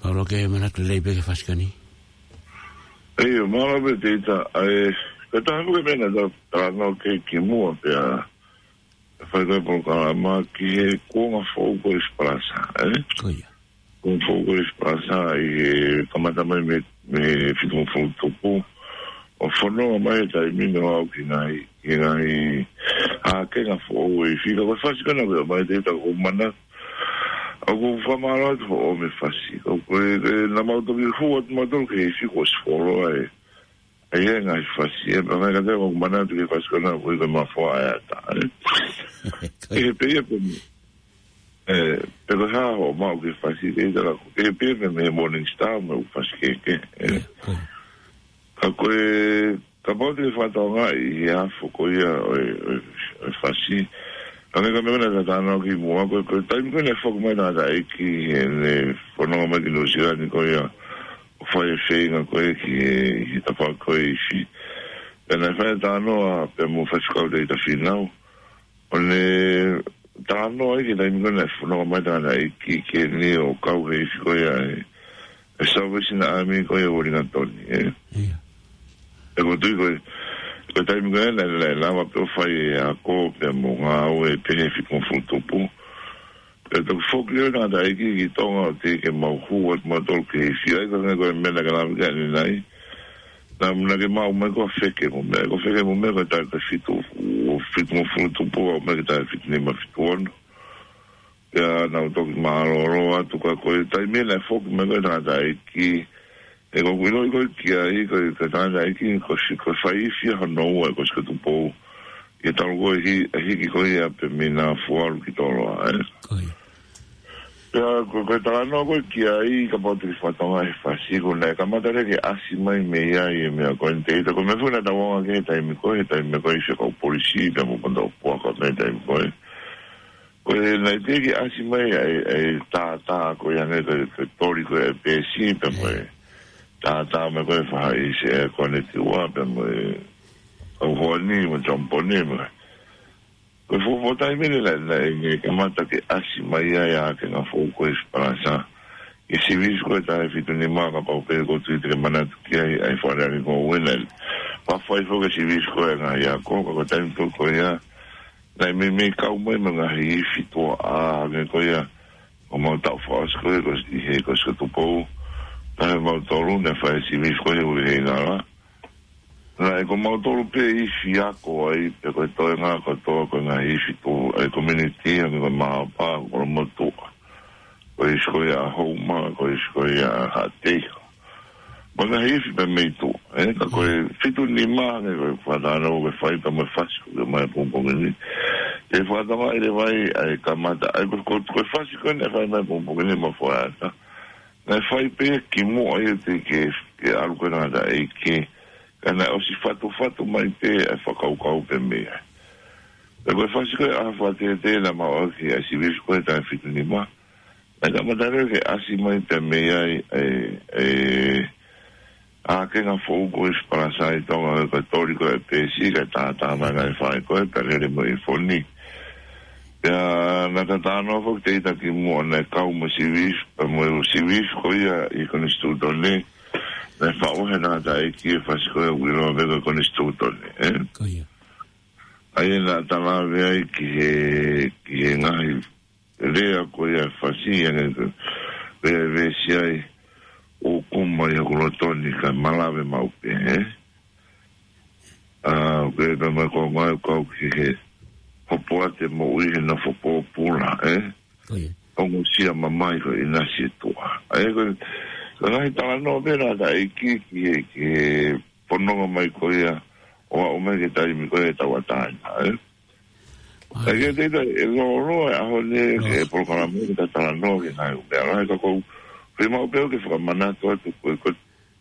Paula, ke manatu lelei pē ki he fasi ko eni. ʻIo, mālō pē Tita, ʻa e, ko e taha pē meʻa naʻa ta talanoa ki ai kimuʻa pea, ʻe fai ko e polokalama ki he kuonga foʻou ko ē ʻo e Sipalasa, ē? Ko ia. Kuonga foʻou ko ē ʻo e Sipalasa ʻi he kamata mai mei, mei he fitungofulu tupu. ʻO fononga mai he taimi ni ʻo aʻu ki he ngaahi, ki he ngaahi ʻākenga foʻou ʻo e ifi. Ka ko e fasi ko ena ʻoku ʻomai Tita ʻoku ou manatu ʻoku ou fakamālō atu foʻou mei he fasi. Ko e, ko e, naʻa mau toki hū atu mautolu ki he ifi kuo ʻosi fuoloa ē. ʻA ia e ngaahi fasi, ē, pea ngaahi kātaki ʻoku ou manatu ki he fasi ko ena ʻoku ui ko e Mafoa ʻa e Ata, ē. Ko ia. Pehē pē ia pē, ē, pe ko e hā hoʻo maʻu ki he fasi, ke ʻita la, pehē pē ia pē mei he Morning Star, mo e fasi kehekehe, ē. Ia, ko ia. Ka ko e, kapau te ke fakatokangaʻi ʻi he afo ko ia ʻo e, ʻo e, ʻo e fasi. Ka ko e meʻa naʻa ta talanoa kimuʻa, ko e, ko e taimi ko ē naʻe foki mai e tangataʻeiki, ʻene fononga mai ki Nuʻu Sila ni ko ia, ʻo fai e feinga ko ē ki he, ki he tafaʻaki ko ē ʻo e ifi. Pea naʻe fai e talanoa pea mo Faifekau Tita Fīnau. ʻO ne talanoa ai ki he taimi ko ē naʻe fononga mai e tangataʻeiki ki heni ʻo kau he ifi ko ia ʻa e, ʻa e Salvation Army ko ia ʻo Uelingatoni, ē. Ia. ʻOku ou tui ko e, ko e taimi ko ē naʻe, naʻe lava pē ʻo fai e ako pea mo e ngāue pē he fitungofulu tupu. Pea toki foki leva e tangataʻeiki ki Tonga ʻo teʻeki ke mau hū atu mautolu ki he ifi, ʻa ia ko e ngaahi ko e meʻa naʻa ke lave ki ai ʻanenai. Naʻa, naʻa ke maʻu mai ko e fekemumea, ko e fekemumea ko e taʻu ko e fitu, ʻo fitungofulu tupu, aʻu mai ki he taʻu fitu nima fitu ono. Pea naʻa ku toki mālōlō atu ka ko e taimi naʻe foki mai ko ē e tangataʻeiki, ē, ʻoku ou ʻiloʻi ko ē ki ai, ko e, ko e tangataʻeiki, ko e si-, ko e fai ifi ia hono ua, ko Sikotu Pou. ʻI he talu ko ē hi-, hiki ko ia pē mei Nafualu ki Toloa, ē. Ko ia. Pea ko, ko e talanoa ko ē ki ai, kapau te ke fakatokangaʻi e fasi, ko ē naʻe kamata leva ke ʻasi mai mei ai e meʻa ko eni, teʻeki ai, ko e meʻa foki naʻa tau ʻaonga ki ai he taimi ko ē, he taimi ko ē ʻi he kau polisi, pea mo e kau puaka mei he taimi ko ē. Ko e naʻe teʻeki ke ʻasi mai ʻa e, ʻa e tātā ko ē hangē ko e, ko e toli ko ē ʻa e peesi, pea mo e tātā mai ko ē faʻahi ʻi he air condition, pea mo e kau hoani, mo e tamponi, mo e Ko e fuofua taimi eni naʻe, naʻe, naʻe kamata ke ʻasi mai ai ʻa e ʻakenga foʻou ko ē ʻi Sipalasa. Ko e sivisi ko ē taha fitu nima, kapau pē ʻoku ou tui te ke manatu ki ai, ʻa e Fale Alea ko ē naʻe fai foki e sivisi ko ē ngaahi ako, ka ko e taimi foki ko ia, naʻe meimei kau mai mo e ngaahi ifi tuʻa, hangē ko ia, ʻo mau taʻu fakaʻosi ko ē, ko e ʻi he, ko Sikotupou, taha mautolu, naʻe fai e sivisi ko ē ʻi he ngala. Naʻe ko mautolu pē ifi ako ai, pea ko e toenga kotoa ko e ngaahi ifi tuʻa ʻa e community, hangē ko e Maʻapa, ko Kolomotuʻa. Ko e ʻIsi ko ia Houma, ko e ʻIsi ko ia Haʻateiho. Mo e ngaahi ifi pē mei tuʻa, ē, ka ko e fitu nima, hangē ko e fakatalanoa ko ē fai pea mo e fasi ko ē mai pongipongi ni. Ke fakatokangaʻi leva ai ʻa e kamata, ʻa e ko, ko, ko e fasi ko ē naʻe fai mai pongipongi ni mo Foʻi Ata. Naʻe fai pē kimuʻa ia teʻeki ke, ke ʻalu ko ē tangataʻeiki. Ka naʻe ʻosi fatufatu mai pē ʻa e fakakaukau pē mei ai. Pea ko e fasi ko ē ʻAho Fakatētē naʻa mau ʻalu ki ai, sivisi ko ē taha fitu nima. Naʻe kamata leva ke ʻasi mai pē mei ai e, e, ʻakenga foʻou ko ē ʻi Sipalasa ʻi Tonga, ko e toli ko ē ʻa e peesi, kae tātā mai ngaahi faʻahi ko ē, pea lele mo e ifo ni. Pea naʻa ta talanoa foki teʻeki ai kimuʻa naʻe kau mo e sivisi, pea mo e sivisi ko ia ʻi he Konisitūtone, naʻe faʻu he tangataʻeiki e fasi ko ē ʻoku ʻiloa pē ko e Konisitūtone, ē? Ko ia. ʻA ia naʻa ta lave ai ki he, ki he ngaahi lea ko ia e fasi, ʻa ē ko e lea ʻe veesi ai, ʻoku ʻomai ʻi hoku loto ni kae malave maʻu pē, ē? ʻA, ko e pea mai ko e ngaahi kau ki he hopo atu e moʻui he nofo pōpula, ē? Ko ia. Ongosia mamahi ko e ʻinasi ʻa e tuʻa. ʻA ia ko e, ko e ngaahi talanoa pē ʻa e tangataʻeiki ki he, ki he fononga mai ko ia ʻo aʻu mai ki he taimi ko ē ʻe tauʻatāina, ē? ʻA ia. ʻA ia ke te ita e lōloa e ʻaho ni, ke polokalama ke ta talanoa ki he ngaahi ʻū meʻa lahi ka ʻoku ou fiemaʻu pē ke fakamanatu atu ko e, ko e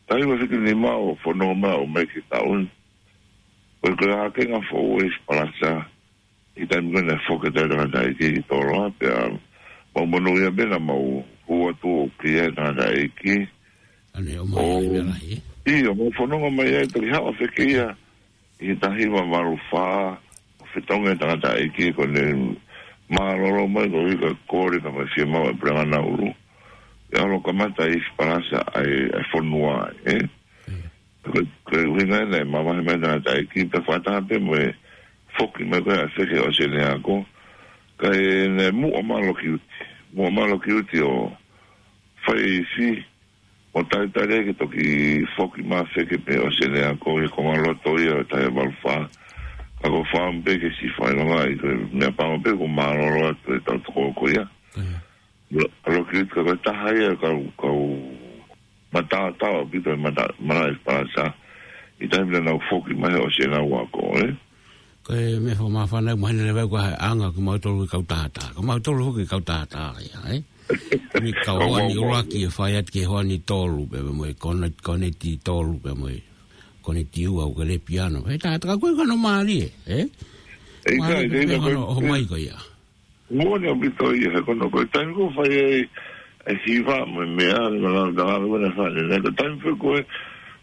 taimi ʻa e fitu nima ʻo fononga mai ʻo aʻu mai ki he taʻu ni. Ko e, ko e ʻakenga foʻou ʻi Sipalasa, ʻi he taimi ko ē naʻe foki ai e tangataʻeiki ki Toloa, pea mau monūʻia pē naʻa mau hū atu ʻo kei ʻi ai e tangataʻeiki. ʻA ē ʻomai ʻo, e meʻa lahi, ē? ʻIo, mau fononga mai ai, toki haʻu ʻa Feke ia ʻi he taha hiva valu fā, ʻo fetongi e tangataʻeiki, ko ʻene mālōlō mai ko e ika kole ka mai fiemaʻu e Puleʻanga Nauru. ʻE ʻalu ʻo kamata ʻi Sipalasa ʻa e, ʻa e fonua, ē? Ko e, ko e ʻuhinga ia naʻe mavahe mai e tangataʻeiki, pea fakataha pē mo e foki mai ko ē ʻa Feke ʻo ʻosi ʻene ako. Kae naʻe muʻa mai ʻa Lokiuti. Muʻa mai ʻa Lokiuti ʻo fai e ifi, ʻo talitali ai ke toki foki mai ʻa Feke pē ʻosi ʻene ako ʻi he konga loto ia ʻo e taha hiva valu fā. Ka ʻoku ou fakaʻamu pē ke siʻi fakaʻilongaʻi ko e meʻapango pē ʻoku mālōlō atu e tautokō ko ia. ʻA Lokiuti ka ko e taha ia e kau, kau matātau ʻaupito e mata-, malaʻe Sipalasa ʻi he taimi naʻa nau foki mai he ʻosi ʻenau ako, ē? Ko e meʻa fakamāfana ʻoku mahino leva ko e anga ʻo kimautolu e kau tātā. Ko mautolu foki e kau tātā ia, ē? Ko e kau hoani ʻuluaki ʻe fai atu ki he hoani tolu, pea mo e kone-, koneti tolu, pea mo e koneti ua ʻoku ke lele piano. He tātā ka ko e kano mālie, ē? ʻIkai, mālie ʻikai, pē ʻikai, hono ʻomai ko ia. Moʻoni ʻaupito ia, he ko hono, ko e taimi ko ē ʻoku fai ai e hiva mo e meʻa, mo e langa, langa, mo e fale, naʻe ko e taimi foki ko ē,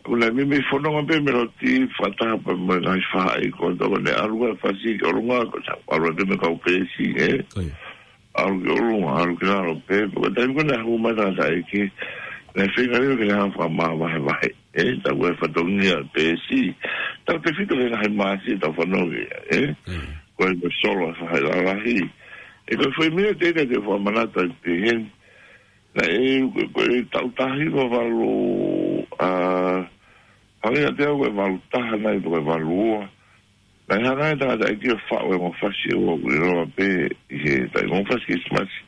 ʻoku nau meimei fononga pē meloti, fakataha pē mo e ngaahi faʻahi ko ē, ko ʻene ʻalu ʻa fasi ki ʻolunga, ko e ʻalu pē mo e kau peesi, ē? Ko ia. ʻAlu ki ʻolunga, ʻalu ki lalo pē, ko e taimi ko ē naʻe hū mai e tangataʻeiki, naʻe feinga leva ke ne hanga ʻo fakamāvahevahe. Ē, tau ʻai e fatongia peesi. Tautefito ki he ngaahi māsi ʻe tau fanongo ki ai, ē? Mm. Ko e ko e solo ʻa e faʻahi lalahi. Ē, ko e foʻi meʻa teʻeki ai ke u fakamanatu ai pē heni. Naʻe, ko e, ko e taʻu taha hiva valu, ʻa, hangē kiate au ko e valu taha nai pe ko e valu ua. Naʻe hanga ʻe he tangataʻeiki ʻo faʻu e ongo fasi ʻoku ʻiloa pē ʻi he taimi, ongo fasi Kilisimasi.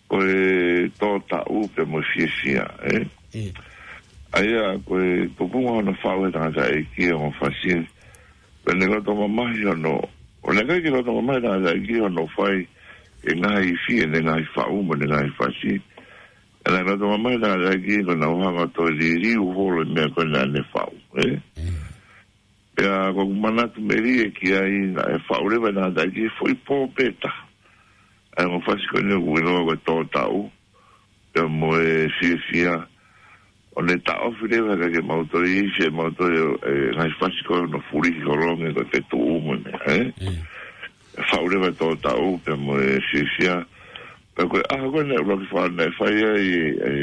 Ko e Tō Taʻu pea mo e Fiefia, ē? ʻIo. ʻA ia, ko e tupunga hono faʻu ʻe he tangataʻeiki e ongo fasi. Pea naʻe loto mamahi hono, ʻo naʻe ʻikai ke loto mamahi e tangataʻeiki hono fai ʻe ngaahi ifi, ʻene ngaahi faʻu mo ʻene ngaahi fasi. ʻE naʻe ʻikai ke toe mamahi e tangataʻeiki ko ʻenau hanga ʻo toe liliu holo e meʻa ko ē naʻa ne faʻu, ē? Pea ko ʻeku manatu melie ki ai naʻe faʻu leva e tangataʻeiki he foʻi pō pē taha ʻa e ongo fasi ko eni ʻoku ʻiloa ko e Tōtaʻu, pea mo e Fiefia. ʻO ne taʻofi leva kae ʻikai ke mau toe ifi, mau toe, ē, ngaahi fasi ko ē ʻo fulihi holongi ko e fetuʻu mo e meʻa, ē? Faʻu leva e Tōtaʻu pea mo e Fiefia. Pea ko e ʻaho ko ē naʻe ʻuluaki faʻu naʻe fai ai, ē,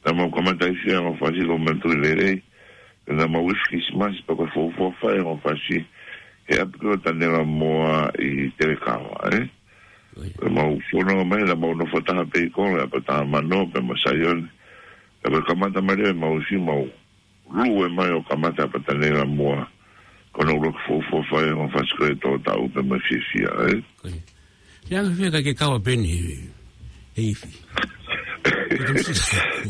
naʻa mau kamata ifi e ongo fasi ko e Manatuʻi Lelei. Pea naʻa mau ifi Kilisimasi pea ko e fuofua fai e ongo fasi he ʻapi ko Tanelamoa ʻi Telekava, ē? Pea mau fononga mai, naʻa mau nofo taha pē ʻi kolo, ʻi ʻApatā Mano, pea mo Saione. Pea ko e kamata mai leva ʻemau ifi, mau lue mai ʻo kamata ʻi ʻApatā Tanelamoa. Ko hono ʻuluaki fuofua fai e ongo fasi ko e Tōtaʻu pea mo e Fiefia, ē? He anga fē ʻikai ke kau ʻa Peni he, he ifi? Ko e tonu si-,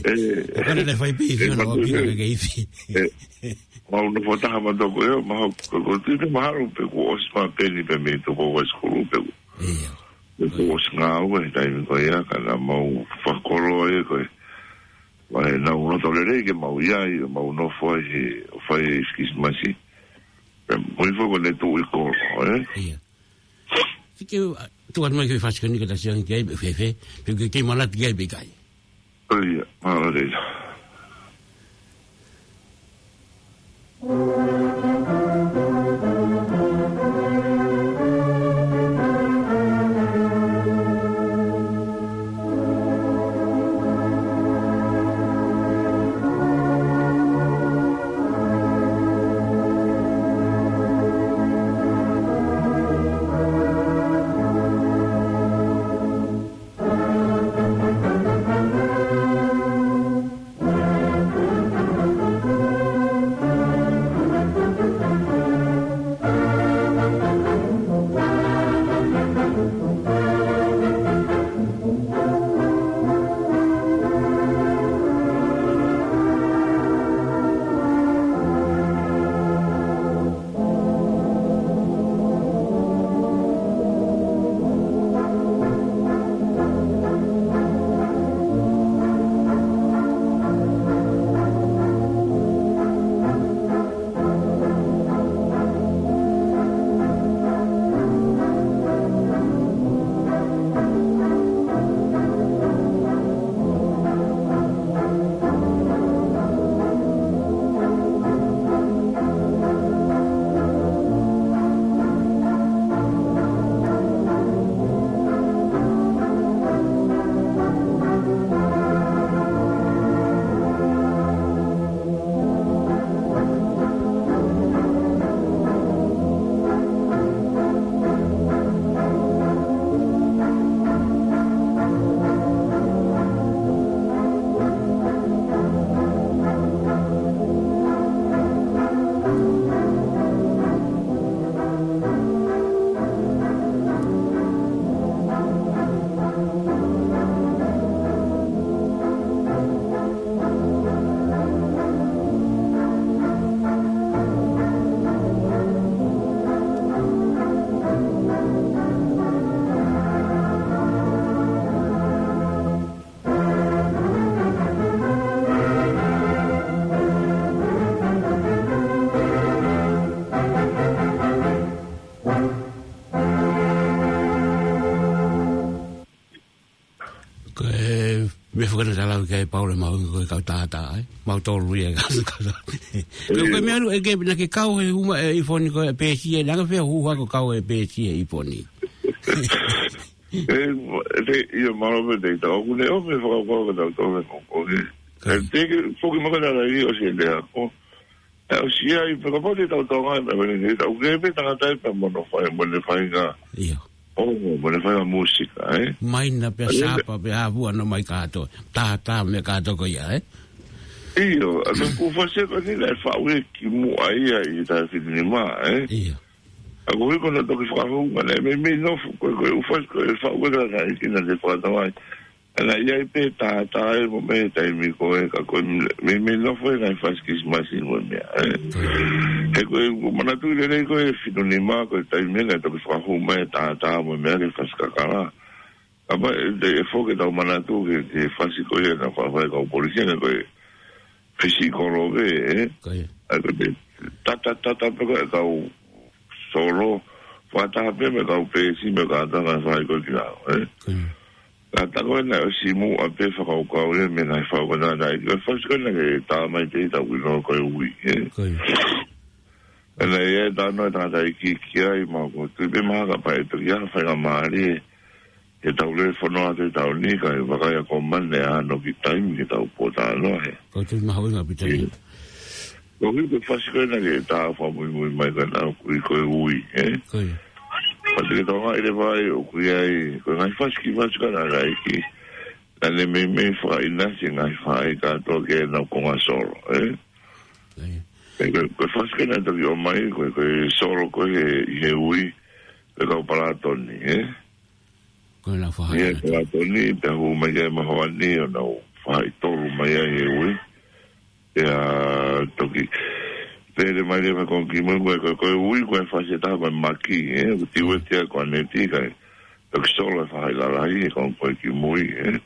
ē, ʻa Peni naʻe fai pē ifi, ē, ʻo na ʻo Peni ʻikai ke ifi. Ē, mau nofo taha mātuʻa ko ē, mahalo, ko, ko e tui pē mahalo pē kuo ʻosi mai ʻa Peni pē mei Tupou High School pē. Pē kuo ʻosi ngāue he taimi ko ia, ka naʻa mau fakakoloa ia ko ē. Pea naʻa nau loto lelei ke mau ʻi ai, mau nofo ai he, ʻo fai e Kilisimasi. Pea mo e foʻi ko ē naʻe tuʻu ʻi kolo, ē? Fiki, ʻa, tuʻu atu mai ki he fasi ko eni ka tau sio ange ki ai, pe fēfē, pe ʻoku ke kei manatu ki ai pe ʻikai. ʻIo, mālō lelei. Ko e meʻa fakatātā lau ki ai Paula mo au ko e kau tātā, ē? Mau tolu ia ka, ka, ka. Ko e, ko e meʻa ʻalu ʻe ke, naʻa ke kau he hū mai ʻi Foni ko e pēsi ē, naʻa ke fea hū hako kau he pēsi ʻi Foni. Ē, ē, ʻio, mālō pē te tau, ʻoku ne ʻomi e fakakaukau ka tau tau me ko, ko, ē. Ē, te ke, foki maka nana i o se te ako. Ē, ʻosi ia, ʻi he kapau te tau tau ngai, me, me, me, tau ke pe tangata ʻi pea mo hono fai, mo ʻene faʻahinga. ʻIo. ʻO, mo ʻene faʻahinga mūsika, ē. Mai na pea sapa, pea hāvua no mai kātoa. Tātā mo e kātoa ko ia, ē. ʻIo, ʻa ka ku fase ko ni la fa we ki mu ai ai ta fiti ni ma, ē. ʻIo. ʻA ko hiko na toki fakahū, ma ne, me, me no fu, ko, ko, u fas, ko, e fa we ka ka, i kina te fakatau ai. Naʻe ʻi ai pē tātā ʻi he mo e meʻa he taimi ko ē ka ko e meimei nofo he ngaahi fasi Kilisimasi mo e meʻa, ē. He ko e, ʻoku ou manatuʻi lelei ko e fitu nima ko e taimi naʻe toki fakahū mai e tātā mo e meʻa ki he fasi kakala. Kapau ʻe, ʻe foki ʻetau manatu ki he, ki he fasi ko ia naʻe fakafai ʻe he kau polisi, naʻe ko e fisi kolo pē, ē. Ko ia. ʻA ia ko e tata, tata pē ko e kau solo, fakataha pē mo e kau peesi mo e kātoanga fai ko ē ki lalo, ē. Ko ia. Ka tā ko ē naʻe ʻosi muʻa pē fakakaukau ia mei he ngaahi fau ko ē naʻe ʻi ai. Ko e fasi ko ē naʻe tā mai te ita wino ko e ui, ē. Ko ia. ʻE naʻe ʻi ai e talanoa ʻa e tangataʻeiki ki ai, mahalo ʻoku ou tui pē mahalo kapau ʻe toki ʻi ai ha faingamālie ke tau lele fononga atu he taʻu ni, kae vakai ʻa Komani ʻe ʻi ai hano kiʻi taimi ke tau pōtalanoa he. Ko e tui mahuʻinga ʻaupito ia. Ko e ui ko e fasi ko ē naʻe tā fakamuimui mai ko ē naʻe ui ko e ui, ē? Ko ia. Pea te ke tokangaʻi leva ai ʻoku ʻi ai, ko e ngaahi fasi kiʻi fasi ko ē naʻe ʻi ai ki. Naʻe meimei fakaʻinasi e ngaahi faʻahi kātoa ki heʻenau konga solo, ē? Ko ia. Ē, ko e, ko e fasi ko ē naʻe toki ʻomai, ko e, ko e solo ko ē he, he ui, ko e kau Palatoni, ē? Ko e lau faʻahi ʻIa kātoa. Palatoni, pea hū mai ki ai Mahoani, ʻo nau faʻahi tolu mai ai he ui. Pea toki lele mai leva ko ē ki mui, ko e, ko e, ko e ui, ko e fasi ʻe taha ko e maki, ē? ʻOku tiueti ʻa Koaneti kae toki solo e faʻahi lalahi, he ko ē ki mui, ē?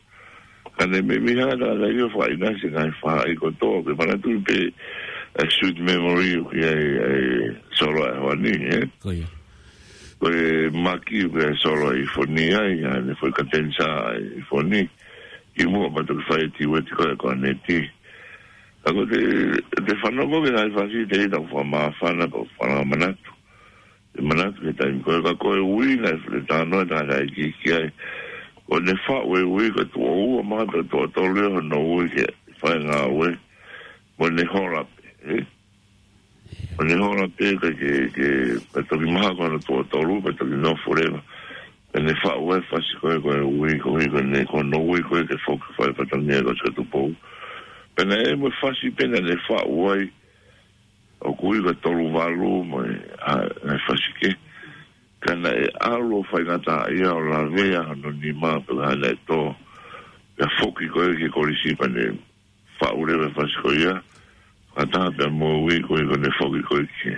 Ka naʻe meimei hanga ʻe he tangataʻeiki ʻo fakaʻinasi e ngaahi faʻahi kotoa, ʻoku ou manatuʻi pē, ē, Sweet Memory, ʻoku ʻi ai, ē, solo ʻa Hoani, ē? Ko ia. Ko e maki, ʻoku ʻi ai e solo ʻa ʻIfoni ai, ʻa ʻene foʻi katenisa ʻa ʻIfoni. Kimuʻa pea toki fai e tiueti ko ē ʻa Koaneti. Ka ko e, te fanongo ki he ngaahi fasi te ita ʻoku fakamāfana, ʻoku ou fakamāfana atu. ʻE manatu ki he taimi ko ē ka ko e ui naʻe fai e talanoa ʻa e tangataʻeiki ki ai. Ko ʻene faʻu e ui ko e tuʻo ua mahalo tuʻo tolu ia hono ui ke fai e ngāue. Mo ʻene hola pē, ē? Mo ʻene hola pē ka ke, ke, ka toki mahalo ko hono tuʻo tolu, ka toki nofo leva. Pea ne faʻu e fasi ko ē ko e ui, ko e ui ko ē, ko hono ui ko ē ke foki fai fatongia ko Sika Tupou. Pea naʻe ʻi ai mo e fasi pē naʻe faʻu ai, ʻoku ui ko e tolu valu mo e, ʻa, ʻa e fasi kehe. Ka naʻe ʻalu ʻo faingataʻaʻia ʻo lavea hono nima pea naʻe tō. Pea foki ko ē ki he kolisi pea ne faʻu leva e fasi ko ia. Fakataha pea mo e ui ko ē ko ʻene foki ko ē ki he.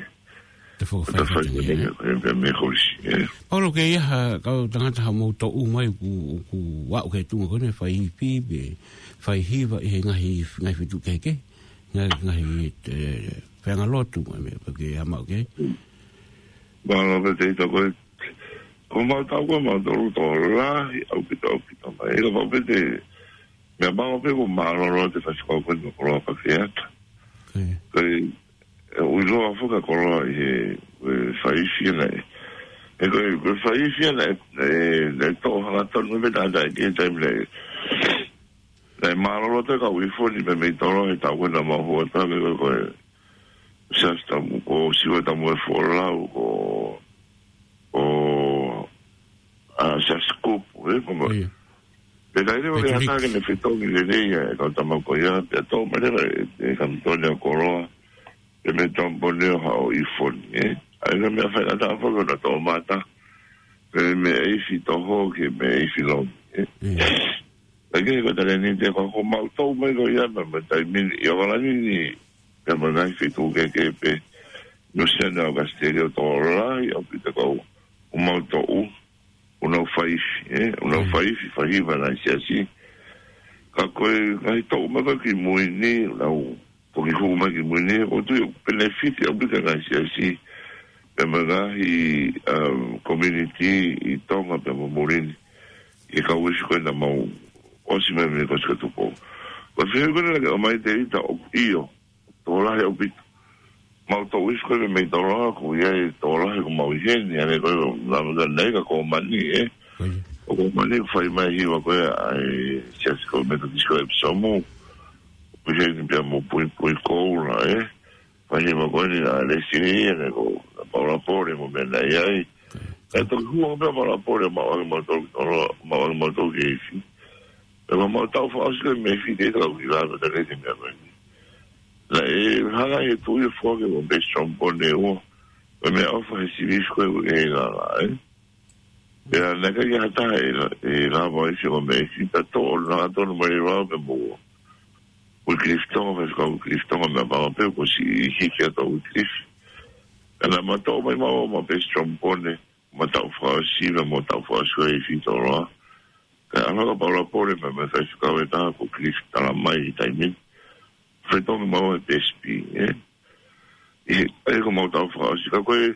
Te foki ko e fai fai fatongia, fatongia, ē? Ko e pea mei he kolisi, ē? Paulo, ʻoku ʻi ai ha kau tangata ha mou toʻu mai ʻoku, ʻoku aʻu ki he tuʻunga ko eni fai ifi pe fai hiva ʻi he ngaahi, ngaahi feituʻu kehekehe. Ngaahi, ngaahi, ē, feʻanga lotu, ʻa e meʻa, pea ke hā mai ki ai. Mālō pē Teita ko e, ko mau tau ko mau tolu tō lahi ʻaupito, ʻaupito mai. ʻIlo pau pē te, meʻa mau pē ko mālōlō te fasi kau ko eni koloa pea ke ata. Ko ia. Ko e, ʻe, ʻoku ʻiloa foki ʻa e koloa ʻi he, ʻe, fai ifi naʻe. ʻE ko e, ko e fai ifi naʻe, ʻe, naʻe tō hangatonu mei he tangataʻeiki he taimi naʻe. Naʻe mālōlō atu e kau ʻIfoni mei, mei tolo he taʻu ko ē naʻa mau hū atu ai ko e Siaosi Tamu, ko Siua Tamu e Folau, ko, ko, ʻa, Siaosi Kupu, ē, ko mo. Ko ia. Pea naʻe leva ke hata ke ne fetongi lelei ʻa e kau tama ko ia, pea tō mai leva e, e kau tone ʻo koloa, pea mei Tompone ʻo haʻu ʻIfoni, ē. ʻA ia ko e meʻa faingataʻa foki ʻo na tō mata, pea mei he ifi toho ki he ifi lomi, ē. Ia. ʻA ia ko e talēniti ko, ko mau tō mai ko ia, pea mo e taimi ni, ʻi ʻOkalani ni, pea mo e ngaahi feituʻu kehekehe pē, Nuʻusila, ʻAositelēlia, tō lahi ʻaupito kau, ʻoku mau toʻu, ʻoku nau fai ifi, ē, ʻoku nau fai ifi, fai hiva ʻa e siasi. Ka ko e ngaahi toʻu mai ko ē ki mui ni, ʻoku nau toki hū mai ki mui ni, ʻoku ou tui ʻoku penefiti ʻaupito e ngaahi siasi, pea mo e ngaahi, um, community ʻi Tonga pea mo muli ni, ʻi he kau ifi ko ē naʻa mau ʻosi mai mei Kosika Tupou. Ko e fehuʻi ko ē naʻa ke ʻomai Teita ʻoku ʻio, tō lahi ʻaupito. Mau toʻu ifi ko ē mei tolo ʻoku ʻi ai tō lahi ko mau ʻi heni, ʻa ē ko e naʻa maka nei ka ko mani, ē. Ko ia. ʻOku mani fai mai hiva ko ē ʻa e siasi ko Metotisi ko ē ʻEpisomu. ʻOku ʻi heni pea mo Puipui Koula, ē. Fai hiva ko eni ʻa Lesili, ʻa ē ko Paula Pole mo meʻa naʻe ʻi ai. Ko ia. Ka toki hū ange pē ʻa Paula Pole, mau ʻoange mautolu ki tolo, mau ʻoange mautolu ki he ifi. Pea mau tau fakaʻosi ko ē mei he ifi ke tau ki lalo ka te leti meʻa ko eni. Naʻe hanga ʻe he tuʻi ʻo foaki mo Bishop Pone ua. Ko e meʻaʻofa he sivi ko ē ʻoku ʻi he lala, ē. Pea naʻe ʻikai ke ha taha ʻe, ʻe lava ʻo ʻifi ʻa e meʻa ʻifi, pea toʻo, naʻa tonu mai leva au pea mo Wycliffe Tonga, faifekau Wycliffe Tonga, meʻapango pē kuo ʻosi hiki atu ʻa Wycliffe. Pea naʻa ma toʻo mai maua mo Pesi Trombone, mo Tau Fakaʻosi, mo Tau Fakaʻosi ko e ifi tolo. Kae ʻalu hake ʻa Paula Pole, meʻa mai faifekau ʻe taha ko Cliff Talamai he taimi ni. Fai toʻo mai maua he P S P, ē? ʻI he, ʻa ia ko mau Tau Fakaʻosi, ka ko e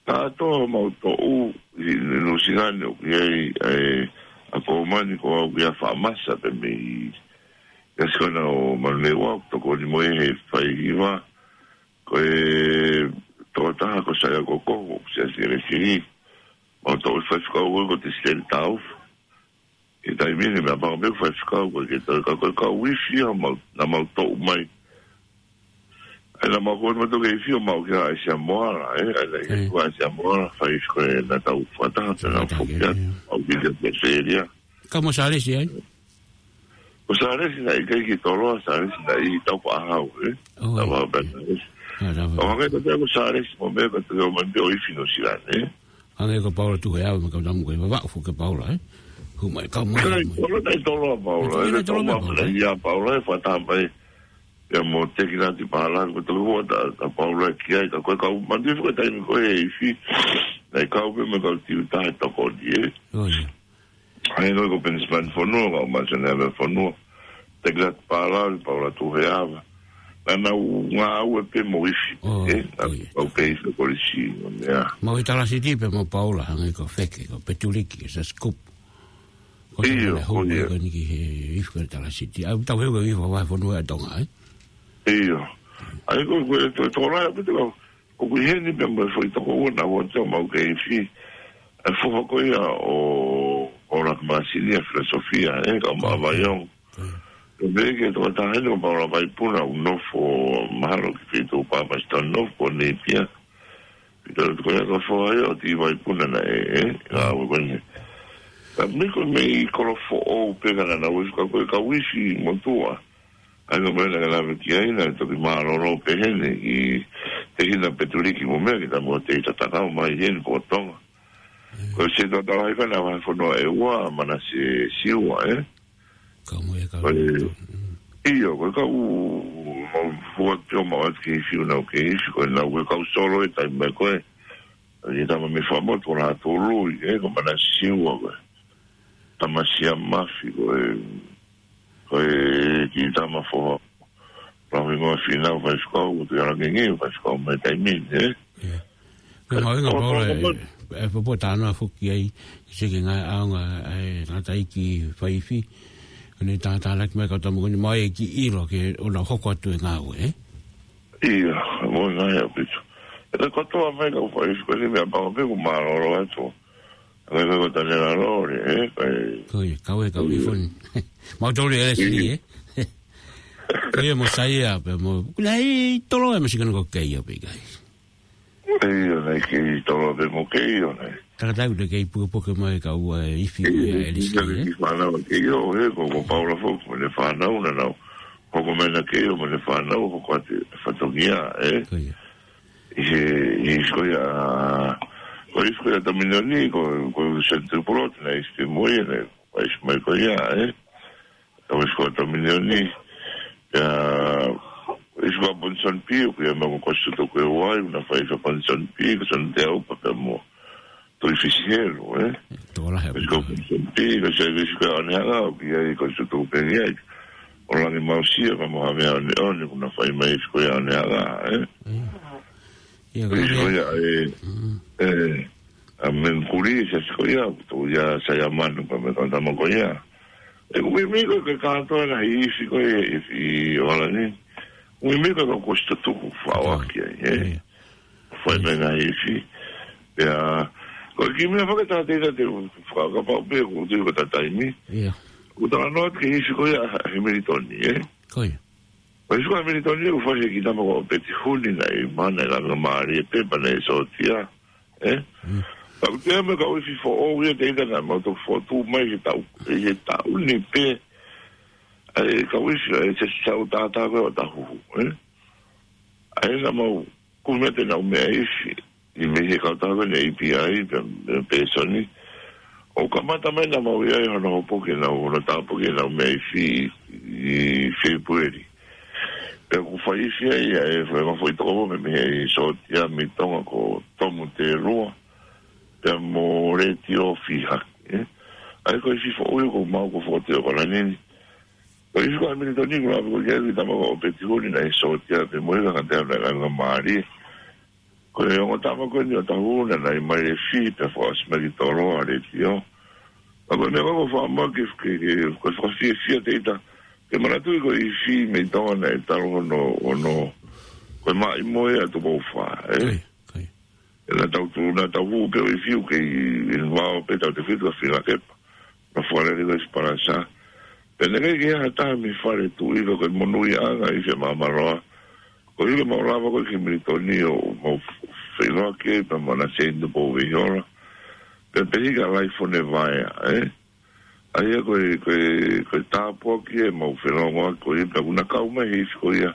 kātoa mau toʻu ʻi Nuʻusila ni ʻoku ʻi ai, ʻa e, ʻa Komani ko au ia Faʻamasa pē mei, ia Sikana ʻo Manurewa, tokoni mo ia he fai hiva, ko e tokotaha ko Saia Kokoho, Siasi Kelesili, mau toʻu faifekau ko Tisiteli Taufa. ʻI he taimi ni meʻapango pē faifekau ko e ke tau ka ko e kau ifi ia mau, naʻa mau toʻu mai. ʻA ia naʻa mau ko e mau toki ifi ʻo mau ki ai Samoa, ē, ʻa ia naʻe Mm. ko ai Samoa, fai ko e naʻa tau fakataha, pea naʻa Fakataha, foki atu, ē. Au ki ai Australia. Ka mo Salesi ai? Ko Salesi naʻe ʻikai ke tolo, Salesi naʻe ʻi Taufaʻāhau, ē? Oh, Taufaʻāhau ē. Pea Salesi. Ah, Taufaʻāhau. Ka ʻoku ʻikai ke tau ko Salesi mo meʻa ka tau ʻomai pē ʻo ifi Nuʻusila, ē? Hangē ko Paula Tuheava, mo e kau tamu ko e vavaʻu foki ʻa Paula, ē? Hu mai, kau mai, Kai, hu mai. Tolo naʻe tolo ʻa Paula, Kai, ē, naʻe tolo tolo ʻa Paula. Paula, ia Paula, ē, fakataha mai. Ia mo Tekinati Pālani, ko e toki hua ʻa, ʻa Paula ki ai, ka ko e kau, manatuʻi foki taimi ko e ifi. Naʻe kau pē mo e kau tiuta he tokoni, ē? Oh, ia. ʻA ia ko e ko Penisipani Fonua, kau Masone ʻa Fonua. Tekinati Pālani, Paula Tuheava. Naʻa nau ngāue pē mo ifi, Oh, ē? oh, ia. Naʻa nau pē ifi kolisi, ia. Mau ʻi Talasiti pē mo Paula, hangē ko Feke, ko Petuliki, Siasi Kupu. Ko ʻIo, Tangata Hou, ʻio. Ko eni ki he ifi ko Talasiti. ʻA ia tau he ko e ifi vahefonua ʻa Tonga, ē? ʻIo. ʻA ia ko, ko e to-, tokolahi ʻaupito, ko ʻoku ʻi heni pē mo e foʻi tokoua naʻa ʻoatu mau ke ifi. ʻA e foha ko ia ʻo, ʻo Laka Māsini ʻa Filosofia, ē, kau Maʻa Vaiong. ʻIo. Ko e meʻa ke tokotaha heni ko Paula Vaipuna, ʻoku nofo mahalo ki he feituʻu Palmerston North ko Napier. Pea ko e ko e foha ia ʻo Tivaipuna naʻe, ē, ngāue ko eni. Ka mei ko e meʻa ʻi Kolofoʻou pē ka naʻa nau ifi ka ko e kau ifi motuʻa. ʻA ia ko e meʻa naʻa ke lave ki ai naʻe toki mālōlō pē heni ʻi Tehina Petuliki mo meʻa ki he tamu ʻo Teita Takau mai heni ko Tonga. Ko e se tau tala hai ka naʻa vahefonua ʻe ua, Manase Siua, ē? Kau mo e kau Ko e, ʻio, ko e kau mau fua tio mau atu ke ifi ʻo nau ke ifi, ko e nau ko e kau solo he taimi mai ko ē. Ko e tama mei Fuaʻamotu ko Lātūlui, ē, ko Manase Siua ko ē. Tama Siamafi ko ē, ko e kiʻi tama foha. Lahi mo Finau faifekau, ko Tuʻialangingī faifekau mai taimi ni, ē. ʻIo. Ko e mahuʻinga Paula ē, ʻe popo tāna foki ai, ke seke ngaahi ʻaonga ʻa e tangataʻeiki faifi, ʻo ne tātānaki mai kau tamu ko eni mo e kiʻi ʻilo ke ʻoua naʻa hoko atu e ngāue, ē? ʻIo, mo e ngaahi ʻaupito. ʻE kotoa mai kau faifi ko eni meʻapango pē ʻoku mālōlō atu. Ko e ko Tanela Lole, ē, ko e Ko ia, kau e kau ifi ni. Mau tolu e ʻIo. Leslie, ē? Ko ia mo Saia, pea mo, kuna i tolo e masikana ko Keio pē kai. ʻIo, naʻe kei tolo pē mo Keio, naʻe. Takatau te kei pukepuke mai kau, ē, ifi ko ia ʻe Leslie, ē? Ki fānau ʻa Keio, ē, ko, ko Paula foki, mo ʻene fānau, naʻa nau. Hoko mai ʻa Keio, mo ʻene fānau, hoko atu e fatongia, ē? Ko ia. ʻI he, ʻi he ifi ko ia, ko e ifi ko ia Taminioni, ko, ko Sentupulot, naʻe ifi mo ia, naʻe, ko e ifi mai ko ia, ē? Ko e ifi ko ia Taminioni, ia, ifi ko ia Ponson Pi, ko ia mau ko Kosi Tuku e Uai, naʻe fai ifi Ponson Pi, ko Son Teupa, pea mo Tuʻi Fisihelu, ē? Tō lahi Ifi ko ia Ponson Pi, ko se ifi ko ia ʻAnehaʻa, ko ia i Kosi Tuku pē ia, ʻo Langi Mausia, pea mo Havea ʻOneʻone, ko naʻe fai mai ifi ko ia ʻAnehaʻa, ē? Mm. Ia, ko Ifi ko ia, ē, Mm. ē, ʻa Mengkuli, se ifi ko ia, ko ia Saiamanu, pea mo e kau tama ko ia. ʻE, ʻoku ʻi ai ko e kātoa ngaahi ifi ko ē, ifi ʻo ʻAlani. ʻOku ʻi ai ko e kau Kosi Tuku, faʻo ʻaki ai, ē? Ia. Fai mai ngaahi ifi. Ia, ko e kiʻi meʻa fakatātā te u fakakapau pē, ko e tui ko e taimi. Ia. ʻOku talanoa atu ki he ifi ko ia ʻa Hemilitoni, ē? Ko ia. Ko e ifi ko ia ʻa Hemilitoni, ʻoku fai he kiʻi tama ko Peti Huni naʻe ʻi Mana, ʻi Langamālie pē, pea naʻe sōtia, ē? Mm. Ka ʻoku ʻi ai mo e kau ifi foʻou ia te ita naʻa mau toki fotu mai he taʻu, he taʻu ni pē. ʻAi, kau ifi, ʻai, se sau tātā ko ē ʻo Tahuhu, ē? ʻAi, naʻa mau, ko e meʻa te nau meʻa ifi, ʻi mei he kau taha ko ē ne A P I, pe, pe, Pēsoni. ʻO kamata mai naʻa mau ʻi ai hono hopo ke nau, hono tāpuaki ʻenau meʻa ifi ʻi Fēpueli. Pea ʻoku fai ifi ai ʻa e fai ma foʻi toko mo me he sōtia mei Tonga ko Tomu Telua. Pea mo Letiō Fihaki, ē? ʻA ia ko e ifi foʻou ʻoku mau ko foʻou te o kala nini. Ko e ifi ko ʻa Militoni ko la ko ke ʻi tama ko ʻOpeti Huni naʻe sōtia pē mo e kaka te ana langa mālie. Ko e ongo tama ko eni ʻo Tahuna naʻe mai e fi pea fo asmaki tolo a Letiō. Ka ko e meʻa ko e fāmaki ke, ke, ko e fakafiefia te ita. Ke manatuʻi ko e ifi mei Tonga naʻe talu hono, hono, ko e maʻimoe ʻa Tupoufa, ē? Kai, kai. ʻE naʻa tau tu, naʻa tau hū pē ʻo ifi ʻoku kei, ʻi vao pē tau te fitu ka fila kepa. Na fuare ko e sparasa. Pea naʻe ʻikai ke ʻi ai ha taha mei fale tuʻi ka ko e monūʻiaʻanga ifi ʻa Maʻamaloa. Ko ia mau lava ko ē ki Militoni ʻo mau feʻiloaki pea mo ʻAna Seini Tupou Veihiola. Pea pehē ki Laifone Vaea, ē? ʻA ia ko e, ko e, ko e tāpuaki ʻemau felongoaki ko ia, pea ʻoku na kau mai he ifi ko ia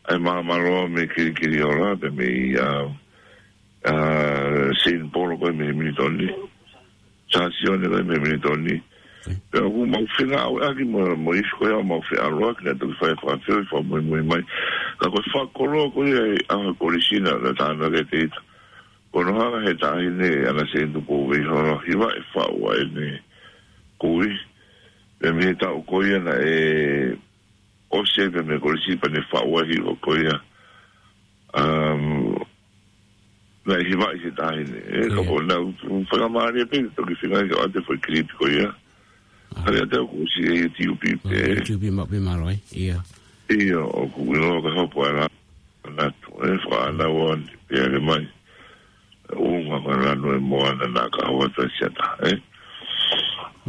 ʻa e Maʻamaloa mei Kilikiliola, pea mei, ā, ā, Seini Polo ko ē mei Militoni. Sāsione ko ē mei Militoni. Pea ʻoku mau fengāueʻaki mo, mo e ifi ko ia ʻo mau feʻaluʻaki naʻe toki fai fakafeʻao, fakamuimui mai. Ka ko e fakakoloa ko ia ʻa e ʻaho kolisi naʻa tānaki ʻe te ita. Ko hono hanga he taʻahine ʻAna Seini Tupou Veihiola ʻo hivaʻi e faʻu ʻa ʻene kui. Pea mei he taʻu ko ia naʻe ʻosi ai pea mei he kolisi pea ne faʻu ai e hiva ko ia. Um, naʻe hivaʻi he taʻahine. Ē, ka ko e naʻa ku fakamālie pē, toki feinga ke ʻoatu e foʻi kilipi ko ia. Hale atu ʻoku ʻosi e YouTube pē. YouTube ma-, pē mālō ai, ia. Ia, ʻoku ʻiloa ka hopo ai la. Natu, ē, fakaʻanau ʻo ni, pea ke mai. ʻUnga ka lanu e moana naʻa ka hoa ta siata, ē.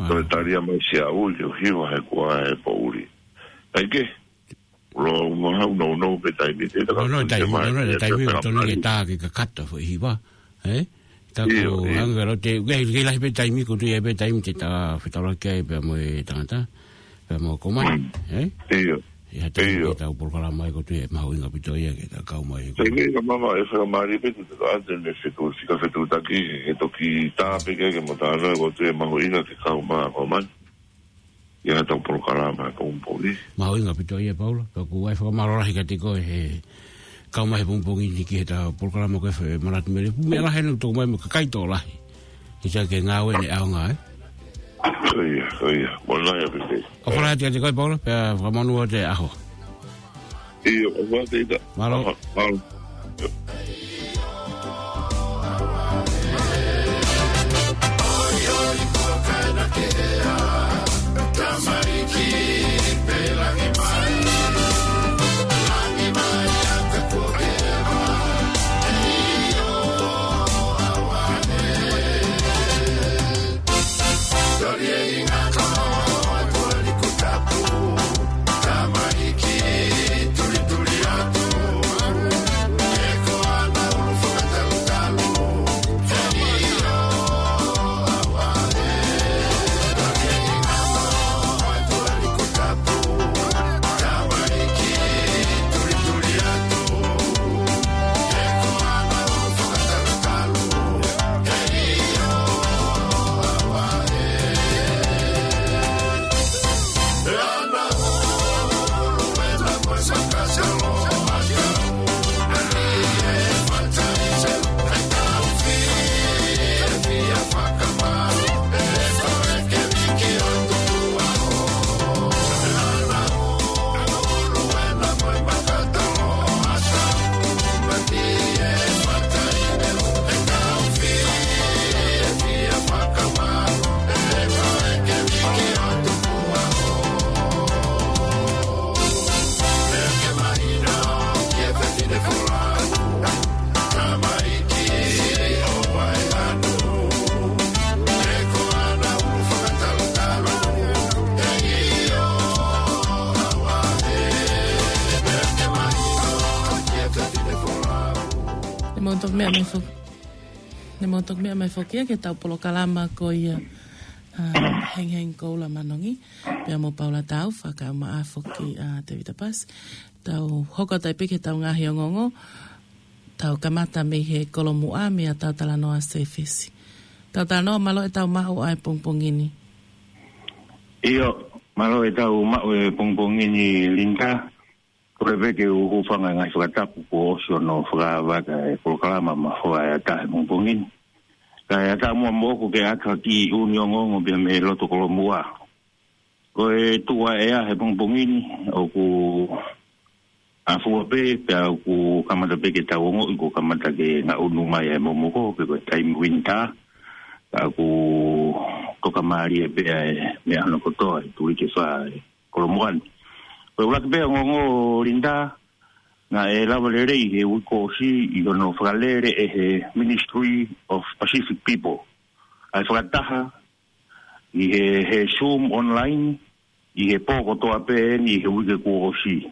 Ko e talia mai sia ui ke hiva he kua he poʻuli. ʻAi ke, lo ma hau no no pe taimi te ta. No, no, taimi, no, no, taimi, tonu ke tā ke kakata foʻi hiva, ē? Io, io. Hanga lo te, ke, ke lahi pē taimi, ko tu ia pē taimi te ta fetaulaki ai pea mo e tangata, pea mo ko mai, ē? Io. ʻI ha taimi ʻi heʻetau polokalama ko tu e mahuʻinga ʻaupito ia ke ta kau mai. Taimi ka mama e fakamālie pē te ta ante ne fetu, fika fetuʻutaki, he toki tā pē ke, ke mo tā no ko tu e mahuʻinga ke kau mai ko mai. ʻI heʻetau polokalama he pongipongi. Mahuʻinga ʻaupito ia Paula, pea ʻoku ou fakamālō lahi kiate koe he kau mai he pongipongi ni ki heʻetau polokalama ko e Manatu Mele. Meʻa lahi ʻena tō mai mo e kakai tō lahi. Ki sa ke ngāue ne ʻaonga, ē? Ko ia, ko ia. Mo nai a pite. ʻOfa lahi atu kiate koe Paula, pea fakamonū atu e ʻaho. ʻIo, ʻofa atu ita. Mālō. Mālō. Ne mau toki meʻa mai foki. Ne mau toki meʻa mai foki ia ki heʻetau polokalama ko ia, ā, Hengihengi Koula Manongi. Pea mo Paula Tau, fakaʻumaʻā foki ʻa Tevita Pasi. Tau hoko atu ai pē ki heʻetau ngaahi ongoongo. Tau kamata mei he kolomuʻa mei ʻetau talanoa sēfesi. Tautanoa, mālō e tau maʻu ʻa e pongipongi ni. ʻIo, mālō e tau maʻu e pongipongi ni, Linda. Kole pē ke u hūfanga he ngaahi fakatapu kuo ʻosi hono fakaava ʻa e polokalama Mafoa ʻa e ʻAta he pongipongi ni. Kae ʻatā muʻa moʻoku ke ʻatu ha kiʻi ʻū ongoongo pea mei loto Kolomuʻa. Ko e tuʻu ʻa e ʻea he pongipongi ni, ʻoku ʻafua pē, pea ʻoku kamata pē ke tau ongoʻi kuo kamata ke ngaʻunu mai e momoko, pe ko e taimi winter, ka ʻoku tokamālie pē ʻa e meʻa hono kotoa, ʻi he uike ʻe fā ʻi Kolomuʻa ni. Ko e ʻuluaki pē ongoongo, Linda, naʻe lava lelei he uike kuo ʻosi ʻi hono fakalele ʻe he Ministry of Pacific People ʻa e fakataha ʻi he, he Zoom online, ʻi he pō kotoa pē eni he uike kuo ʻosi.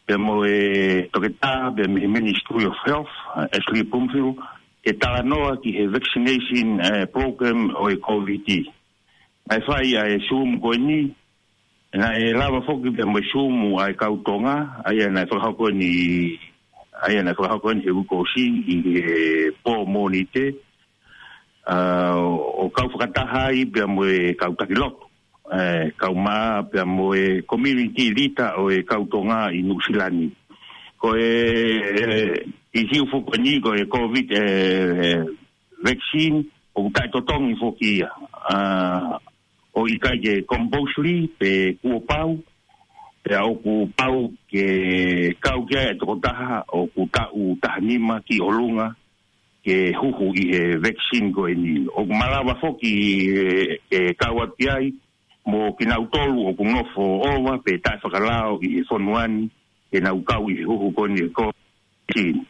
Pea mo e toketā, pea mei he Ministry of Health, ʻa Ashley Bloomfield, ke talanoa ki he vaccination, ʻa e program ʻo e COVID. Naʻe fai ʻa e Zoom ko eni, naʻe lava foki pea mo e Zoom ʻa e kau Tonga, ʻa ia naʻe fakahoko eni, ʻa ia naʻe fakahoko eni he uike kuo ʻosi ʻi he pō Mōnite, ʻa, ʻo kau fakataha ai pea mo e kau taki lotu, ʻe, kau mā pea mo e community leader ʻo e kau Tonga ʻi Nuʻusila ni. Ko e, ʻe, ʻisiū foki eni ko e COVID, ʻe, vaccine, ʻoku taʻetotongi foki ia. ʻA, ʻoku ʻikai ke compulsory pe kuo pau, pea ʻoku pau ke kau ki ai e tokotaha ʻoku taʻu taha nima ki ʻolunga, ke huhu ʻi he vaccine ko eni. ʻOku malava foki ʻe, ʻe kau atu ki ai, mo kinautolu ʻoku nofo ʻova pe taʻefakalao ʻi he fonua ni, ke nau kau ʻi he huhu ko eni ʻo e COVID nineteen.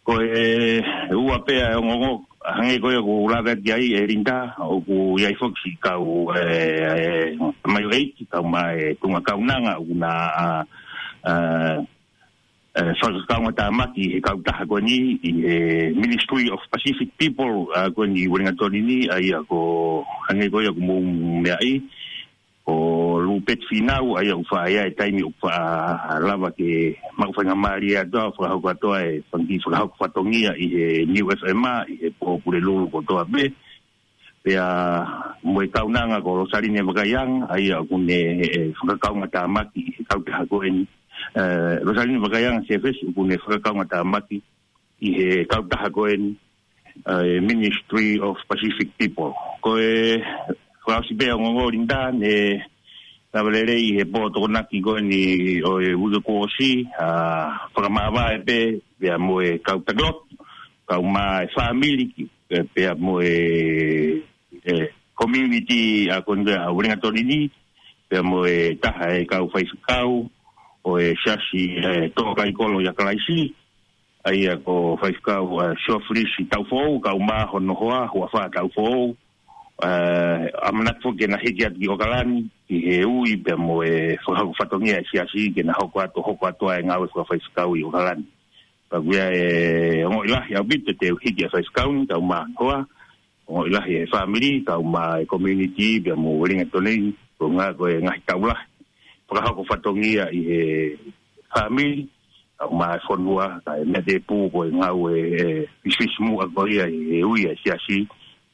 Ko e ua pē ʻa e ongoongo, hangē ko ia ʻoku ou lave atu ki ai, ʻe Linda, ʻoku ʻi ai foki siʻi kau, ʻe, ʻe, mai ʻo ʻeiki, kau mai e tuʻunga kaunanga, ʻoku na, ʻa, ʻa, ʻe, fakakaungātāmaki he kautaha ko eni, ʻi he Ministry of Pacific People, ʻa, ko eni ʻi Uelingatoni ni, ʻa ia ko, hangē ko ia ʻoku mou meaʻi, ko Lupeti Fīnau, ʻa ia ʻoku faʻa ʻi ai e taimi ʻoku faʻa lava ke maʻu faingamālie atu ʻo fakahoko atu ʻa e fanga kiʻi fakahoko fatongia ʻi he Niu F M, ʻi he pō Pulelulu kotoa pē. Pea mo e kaunanga ko Losaline Vakaianga, ʻa ia ʻoku ne, ʻe, fakakaungātāmaki ʻi he kautaha ko eni. ʻE, Losaline Vakaianga Sefesi ʻoku ne fakakaungātāmaki ʻi he kautaha ko eni, ʻa e Ministry of Pacific People. Ko e fakaʻosi pē ʻa e ongoongo, Linda, naʻe lava lelei ʻi he pō Tokonaki ko eni ʻo e uike kuo ʻosi, ʻa, fakamāvae pē, pea mo e kau taki lotu, kau mā e fāmili ki, pea, pea mo e, ʻe, community ʻa ko eni ʻa Uelingatoni ni, pea mo e taha e kau faifekau ʻo e siasi, ʻe, Tōkaikolo ʻia Kalaisi, ʻa ia ko Faifekau, ʻe, Siofilisi Taufoʻou, kau mā hono hoa, Huafa Taufoʻou, ʻe, ʻamanaki foki ke na hiki atu ki ʻOkalani, ki he ui pea mo e fakahoko fatongia e siasi, ke na hoko atu, hoko atu ʻa e ngāue fakafaifekau ʻi ʻOkalani. Ka ʻoku ʻi ai e ongoʻi lahi ʻaupito te u hiki ʻa e faifekau ni, kau mā hono hoa, ongoʻi lahi e fāmili, kau mā e community, pea mo Uelingatoni, ko e ngā-, ko e ngaahi tau lahi fakahoko fatongia ʻi he fāmili, kau mā e fonua, kae meʻa tēpū ko e ngāue, ʻe, fisifisimuʻa ko ia ʻi he ui ʻa e siasi,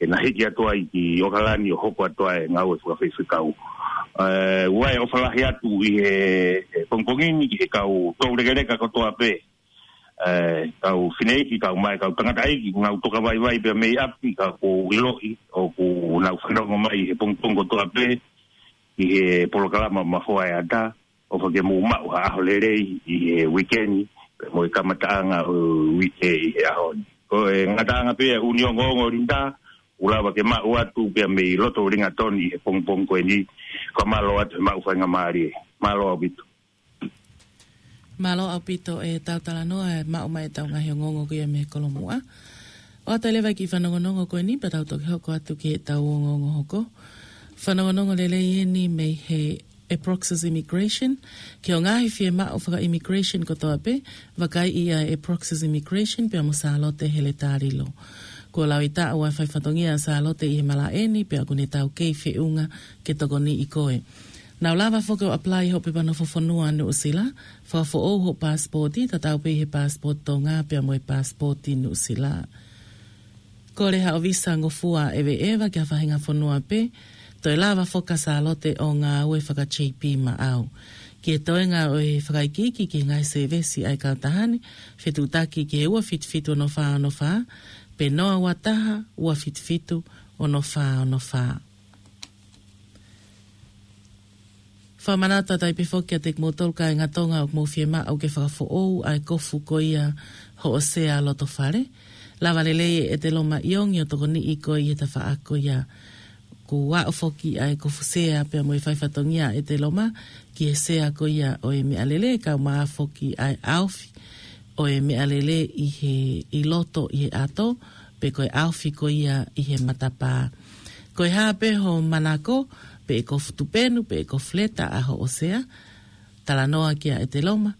ke na hiki atu ai ki ʻOkalani ʻo hoko atu ʻa e ngāue fakafaifekau. ʻE, ʻoku ʻi ai e ʻofa lahi atu ʻi he, ʻe, pongipongi ni ki he kau toulekeleka kotoa pē, ʻe, kau fineʻeiki, kau mā e kau tangataʻeiki, ʻoku nau toka vaivai pea mei ʻapi, ka ʻoku ou ʻiloʻi ʻoku nau fanongo mai he pongipongi kotoa pē ʻi he polokalama Mafoa ʻa e ʻAta, ʻofa ke mou maʻu ha ʻaho lelei ʻi he uike ni, pea mo e kamataʻanga ʻo e uike ʻi he ʻaho ni. Ko e ngataʻanga pē ʻa e ʻū ongoongo, Linda, ʻoku lava ke maʻu atu pea mei loto Uelingatoni ʻi he pongipongi ko eni, ka mālō atu he maʻu faingamālie. Mālō ʻaupito. Mālō ʻaupito e tau talanoa, ʻe maʻu mai e tau ngaahi ongoongo ko ia mei Kolomuʻa. ʻOatu leva e kiʻi fanongonongo ko eni, pea tau toki hoko atu ki he tau ongoongo hoko. Fanongonongo lelei eni mei he ʻEproxis Immigration. Ki he ngaahi fiemaʻu faka-immigration kotoa pē, vakaiʻi ʻa e ʻEproxis Immigration pea mo Sālote Heletalilo. Kuo laui taʻu ʻa e fai fatongia ʻa Sālote ʻi he malaʻe ni, pea ʻoku ne taukei feʻunga ke tokoniʻi koe. Nau lava foki ʻo apply hoʻo pepa nofo fonua Nuʻusila, fakafoʻou hoʻo paasipooti, tatau pē ʻi he paasipooti Tonga pea mo e paasipooti Nuʻusila. Kole haʻo visa ngofua ʻeveʻeva ki ha faʻahinga fonua pē, toe lava foki ʻa Sālote ʻo ngāue faka-J P Maʻau. Ki he toenga ʻo e fakaikiiki ki he ngaahi sēvesi ʻa e kautaha ni, fetuʻutaki ki he ua fitu fitu ono fā ono fā, pe noa ua taha, ua fitu fitu ono fā ono fā. Fakamanatu atu ai pē foki kiate kimoutolu kāinga Tonga ʻoku mou fiemaʻu ke fakafoʻou ʻa e kofu ko ia hoʻo sea loto fale. Lava lelei ʻe ʻEteloma ʻIongi ʻo tokoniʻi koe ʻi he tafaʻaki ko ia. Kuo aʻu foki ʻa e kofu sea pea mo e fai fatongia ʻa ʻEteloma ki he sea ko ia ʻo e meʻalele, kae ʻumaʻā foki ʻa e ʻaofi ʻo e meʻalele ʻi he, ʻi loto ʻi he ʻato, pe ko e ʻaofi ko ia ʻi he matapā. Ko e hā pē hoʻo manako, pe ko e kofu tupenu, pe ko e kofu leta ʻa hoʻo sea, talanoa kia ʻEteloma,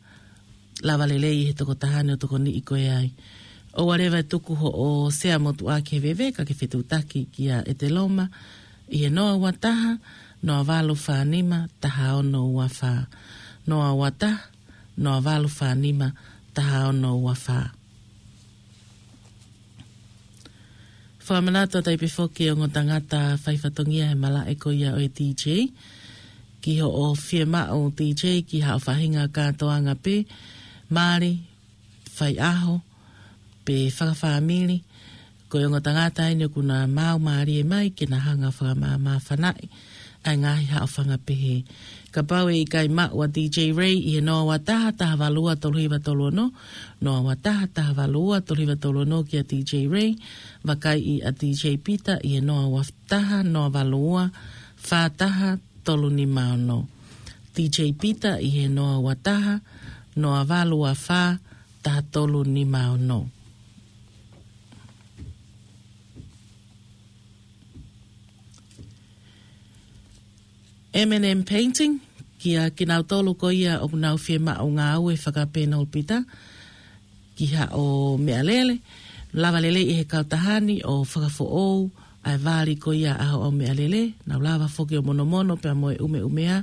lava lelei ʻe he tokotaha ni ʻo tokoniʻi koe ai. ʻOua leva ʻe tuku hoʻo sea motuʻa ke veve, ka ke fetuʻutaki kia ʻEteloma ʻi he noa ua taha, noa valu fā nima, taha ono ua fā. Noa ua taha, noa valu fā nima, taha ono ua fā. Fakamanatu atu ai pē foki ʻa e ongo tangata fai fatongia he malaʻe ko ia ʻo e D J. Ki hoʻo fiemaʻu D J ki haʻo faʻahinga kātoanga pē, mali, faiʻaho, pe fakafāmili, ko e ongo tangata eni ʻoku na maau mālie mai ke na hanga ʻo fakamāmāfanaʻi ʻa e ngaahi haʻofanga pehē. Kapau ʻe ʻikai maʻu ʻa D J Ray ʻi he noa ua taha, taha valu ua tolu hiva tolu ono, noa ua taha, taha valu ua tolu hiva tolu ono kia D J Ray, vakaiʻi ʻa D J Peter ʻi he noa ua taha, noa valu ua, fā taha, tolu nima ono. D J Peter ʻi he noa ua taha, noa valu ua fā, taha tolu nima ono. M and M Painting, kia kinautolu ko ia ʻoku nau fiemaʻu ngāue fakapenolipita ki haʻo meʻalele, lava lelei ʻe he kautaha ni ʻo fakafoʻou ʻa e vali ko ia ʻa hoʻo meʻalele, nau lava foki ʻo monomono pea mo e ʻumeʻumea,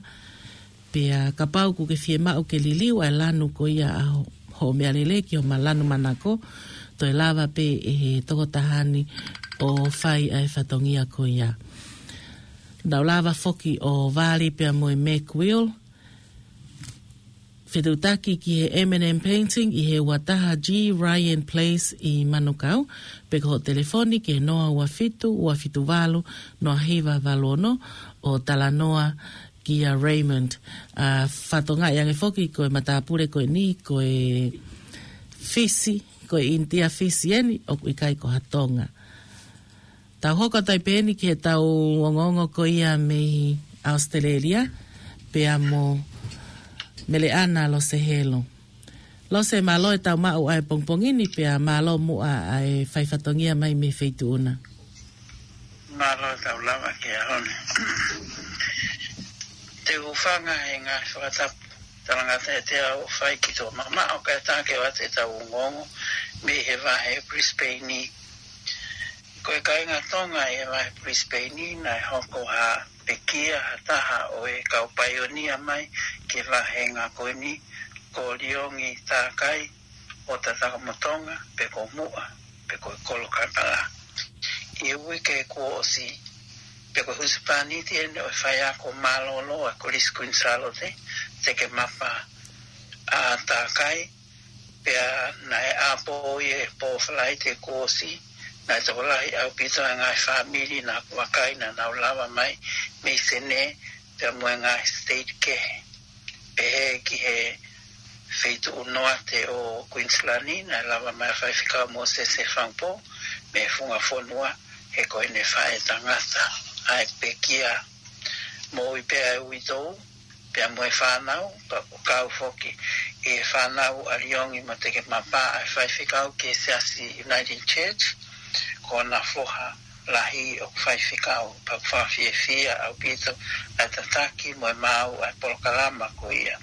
pea kapau ʻoku ke fiemaʻu ke liliu ʻa e lanu ko ia ʻa ho-, hoʻo meʻalele ki homa lanu manako, toe lava pē ʻe he tokotaha ni ʻo fai ʻa e fatongia ko ia. Nau lava foki ʻo vali pea mo e Mac Wheel, fetuʻutaki ki he M and M Painting ʻi he ua taha G Ryan Place ʻi Manukau, pe ko hoʻo telefoni ki he noa ua fitu, ua fitu valu, noa hiva valu ono ʻo talanoa kia Raymond. ʻA, fakatokangaʻi ange foki ko e matāpule ko eni, ko e Fisi, ko e ʻInitia Fisi eni, ʻoku ʻikai ko ha Tonga. Tau hoko atu ai pē eni ki heʻetau ongoongo ko ia mei ʻAositelēlia, pea mo Meleʻana Losehelo. Lose, mālō ʻetau maʻu ʻa e pongipongi ni, pea mālō muʻa ʻa e fai fatongia mai mei he feituʻu na. Mālō ʻetau lava ki he ʻaho ni. Te u hūfanga he ngaahi fakatapu talangata ʻe teau ʻo fai ki tuʻa maʻamaʻa, ʻo ka e tā ke ʻoatu ʻetau ongoongo mei he vahe Brisbane ni. Ko e kāinga Tonga ʻi he vahe Brisbane ni, naʻe hoko ha pekia ha taha ʻo e kau paionia mai ki he vāhenga ko eni, ko Liongi Takai ʻo Tatakamotonga, pe ko Muʻa, pe ko e Kolo Kaipala. ʻI he uike kuo ʻosi, pe ko e husepāniti eni ʻo e faiako mālōlō ʻa e Kolisi Kuini Sālote, Tekemapa ʻa Takai, pea naʻe ʻapō ia he pō Falaite kuo ʻosi, naʻe tokolahi ʻaupito ʻa e ngaahi fāmili naʻa ku vakai naʻa nau lava mai mei Senē, pea mo e ngaahi state kehe. Pehē ki he feituʻu noate ʻo Queensland, naʻe lava mai ʻa Faifekau Mōsese Fangpo mei he funga fonua, he ko ʻene faʻētangata ʻa e pekia. Moʻui pē ʻa e uitou, pea mo e fānau, pea ʻoku kau foki ʻi he fānau ʻa Liongi mo Tekemapa ʻa e faifekau ki he Siasi Uniting Church, ko hona foha lahi ʻoku faifekau, pea ʻoku fakafiefia ʻaupito ʻa e tataki mo e maau ʻa e polokalama ko ia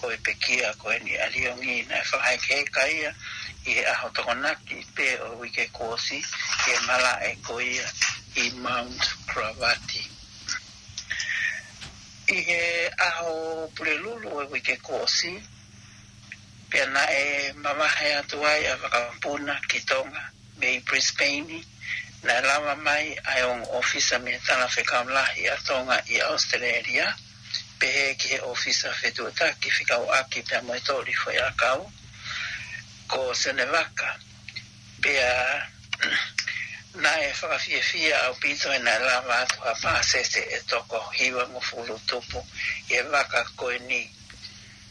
ʻo e pekia ko eni ʻa Liongi, naʻe fakahekeheka ia ʻi he ʻaho Tokonaki pē ʻo e uike kuo ʻosi, ʻi he malaʻe ko ia ʻi Mount Gravatt. ʻI he ʻaho Pulelulu ʻo e uike kuo ʻosi, pea naʻe mavahe atu ai ʻa e vakapuna ki Tonga mei Brisbane, naʻe lava mai ʻa e ongo ʻōfisa mei he Talafekau Lahi ʻa Tonga ʻi ʻAositelēlia, pehē ki he ʻōfisa fetuʻutaki fekauʻaki pea mo e toli foʻiʻakau, ko Sione Vaka. Pea naʻe fakafiefia ʻaupito he naʻe lava atu ha pāsese ʻe toko hivangofulu tupu ʻi he vaka ko eni.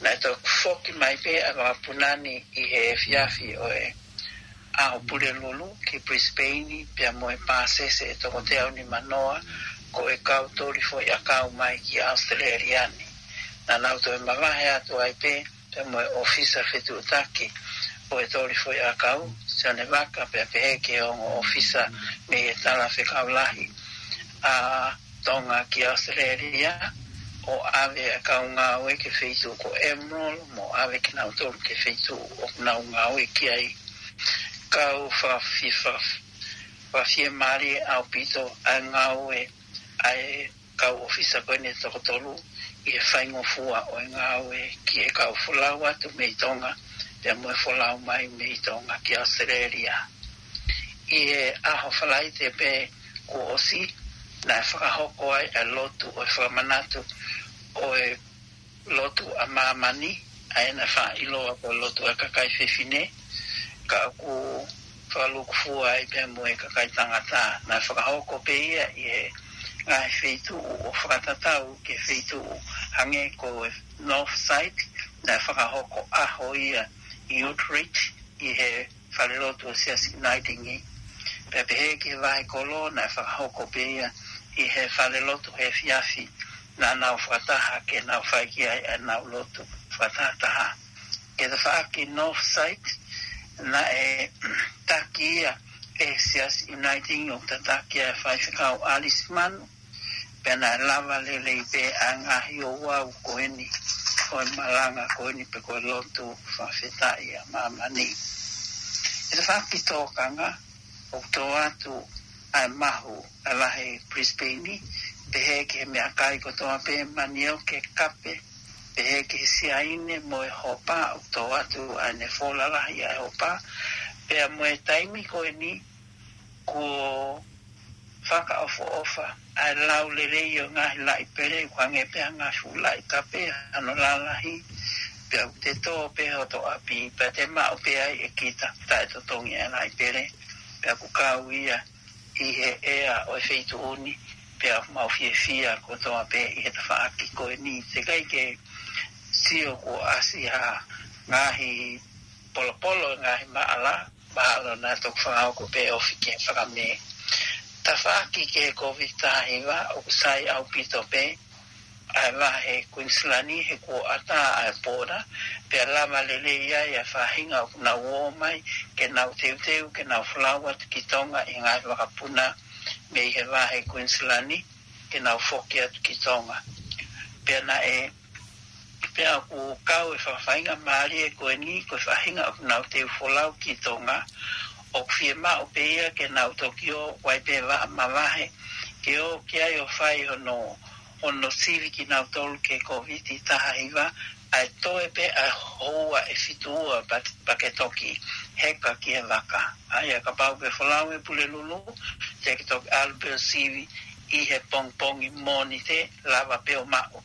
Naʻe toki foki mai pē ʻa e vakapuna ni ʻi he efiafi ʻo e ʻaho Pulelulu ki Brisbane pea mo e pāsese ʻe toko teau nimanoa ko e kau toli foʻiʻakau mai ki ʻAositelēlia ni. Naʻa nau toe mavahe atu ai pē pea mo e ʻōfisa fetuʻutaki ʻo e toli foʻiʻakau, Sione Vaka, pea pehē ki he ongo ʻōfisa mei he Talafekau Lahi ʻa Tonga ki ʻAositelēlia, ʻo ʻave ʻa e kau ngāue ki he feituʻu ko Emerald, mo ʻave kinautolu ki he feituʻu ʻoku nau ngāue ki ai. Kau fakafi-, fakafi-, fakafiemālie ʻaupito ʻa e ngāue ʻa e kau ʻōfisa ko eni ʻe toko tolu ʻi he faingofua ʻo e ngāue ki he kau folau atu mei Tonga, pea mo e folau mai mei Tonga ki ʻAositelēlia. ʻI he ʻaho Falaite pē kuo ʻosi, naʻe fakahoko ai ʻa e lotu ʻo e fakamanatu ʻo e lotu ʻa māmani, ʻa ia naʻe faʻa ʻiloa ko e lotu ʻa e kakai fefine, ka ʻoku fakalūkufua ai pea mo e kakai tangata. Naʻe fakahoko pē ia ʻi he ngaahi feituʻu ʻo fakatatau ki he feituʻu hangē ko e North Side, naʻe fakahoko ʻaho ia ʻi Ute Reach, ʻi he falelotu ʻo e Siasi Uniting. Pea pehē ki he vahe kolo, naʻe fakahoko pē ia ʻi he falelotu he efiafi naʻa nau fakataha ke nau fai ki ai ʻenau lotu fakatahataha. Ki he tafaʻaki North Side, naʻe taki ia ʻe he Siasi Uniting ʻo tataki ʻe he faifekau Alice Manu, pea naʻe lava lelei pē ʻa e ngaahi ouau ko eni, ʻo e malanga ko eni pe ko e lotu fakafetaʻi ʻa māmani. ʻI he tafaʻaki tōkanga, ʻoku tō atu ʻa e mahu ʻa e Lahi Brisbane, pehē ki he meʻakai kotoa pē, manioke, kape, pehē ki he siaine mo e hopa, ʻoku tō atu ʻa e nefola lahi ʻa e hopa, pea mo e taimi ko eni kuo fakaʻofoʻofa ʻa e lau lelei ʻo e ngaahi laʻi pele, ʻoku hangē pē ha ngaahi fuʻu laʻi kape, hano lalahi, pea ʻoku te tō pē hoto ʻapi, pea te maʻu pē ai ʻe kita, taʻetotongi ʻa e laʻi pele, pea ʻoku kau ia ʻi he ʻea ʻo e feituʻu ni, pea ʻoku mau fiefia kotoa pē ʻi he tafaʻaki ko eni. Teʻeki ai ke sio kuo ʻasi ha ngaahi polopolo, ngaahi maʻala, mahalo naʻa toki fakahoko pē ofi ke fakamē. Tafaʻaki ki he Covid taha hiva, ʻoku sai ʻaupito pē ʻa e vahe Queensland he kuo ʻatā ʻa e pōna, pea lava lelei ai ʻa e faʻahinga ʻoku nau ō mai ke nau teuteu ke nau folau atu ki Tonga ʻi he ngaahi vakapuna mei he vahe Queensland ke nau foki atu ki Tonga. Pea naʻe, pea ʻoku kau e faʻahinga mālie ko eni, ko e faʻahinga ʻoku nau teu folau ki Tonga, ʻoku fiemaʻu pē ia ke nau toki ō, ʻoku ʻi ai pē vaʻa mavahe, ke ō ki ai ʻo fai hono, hono sivi kinautolu ki he Covid taha hiva, ʻa e toe pē ʻa e houa ʻe fitu ua pea, pea ke toki heka ki he vaka. ʻA ia kapau ke folau ʻi he Pulelulu, te ke toki ʻalu pē ʻo sivi ʻi he pongipongi Mōnite, lava pē ʻo maʻu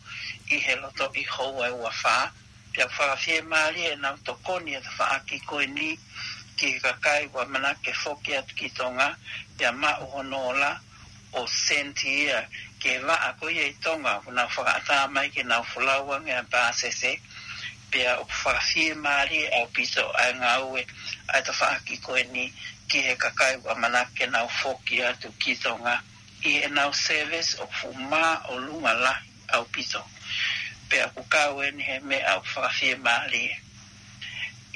ʻi he lotoʻi houa ʻe ua fā, pea fakafiemālie ʻenau tokoni ʻa e tafaʻaki ko eni ki he kakai ʻoku ʻamanaki ke foki atu ki Tonga, pea maʻu hono ola ʻo send ia ki he vaʻa ko ia ʻi Tonga, ʻoku nau fakaʻatā mai ke nau folau ange ʻa e pāsese, pea ʻoku fakafiemālie ʻaupito ʻa e ngāue ʻa e tafaʻaki ko eni ki he kakai ʻoku ʻamanaki ke nau foki atu ki Tonga. ʻI heʻenau service ʻoku fuʻu māʻolunga lahi ʻaupito. Pea ʻoku kau eni he meʻa ʻoku fakafiemālie.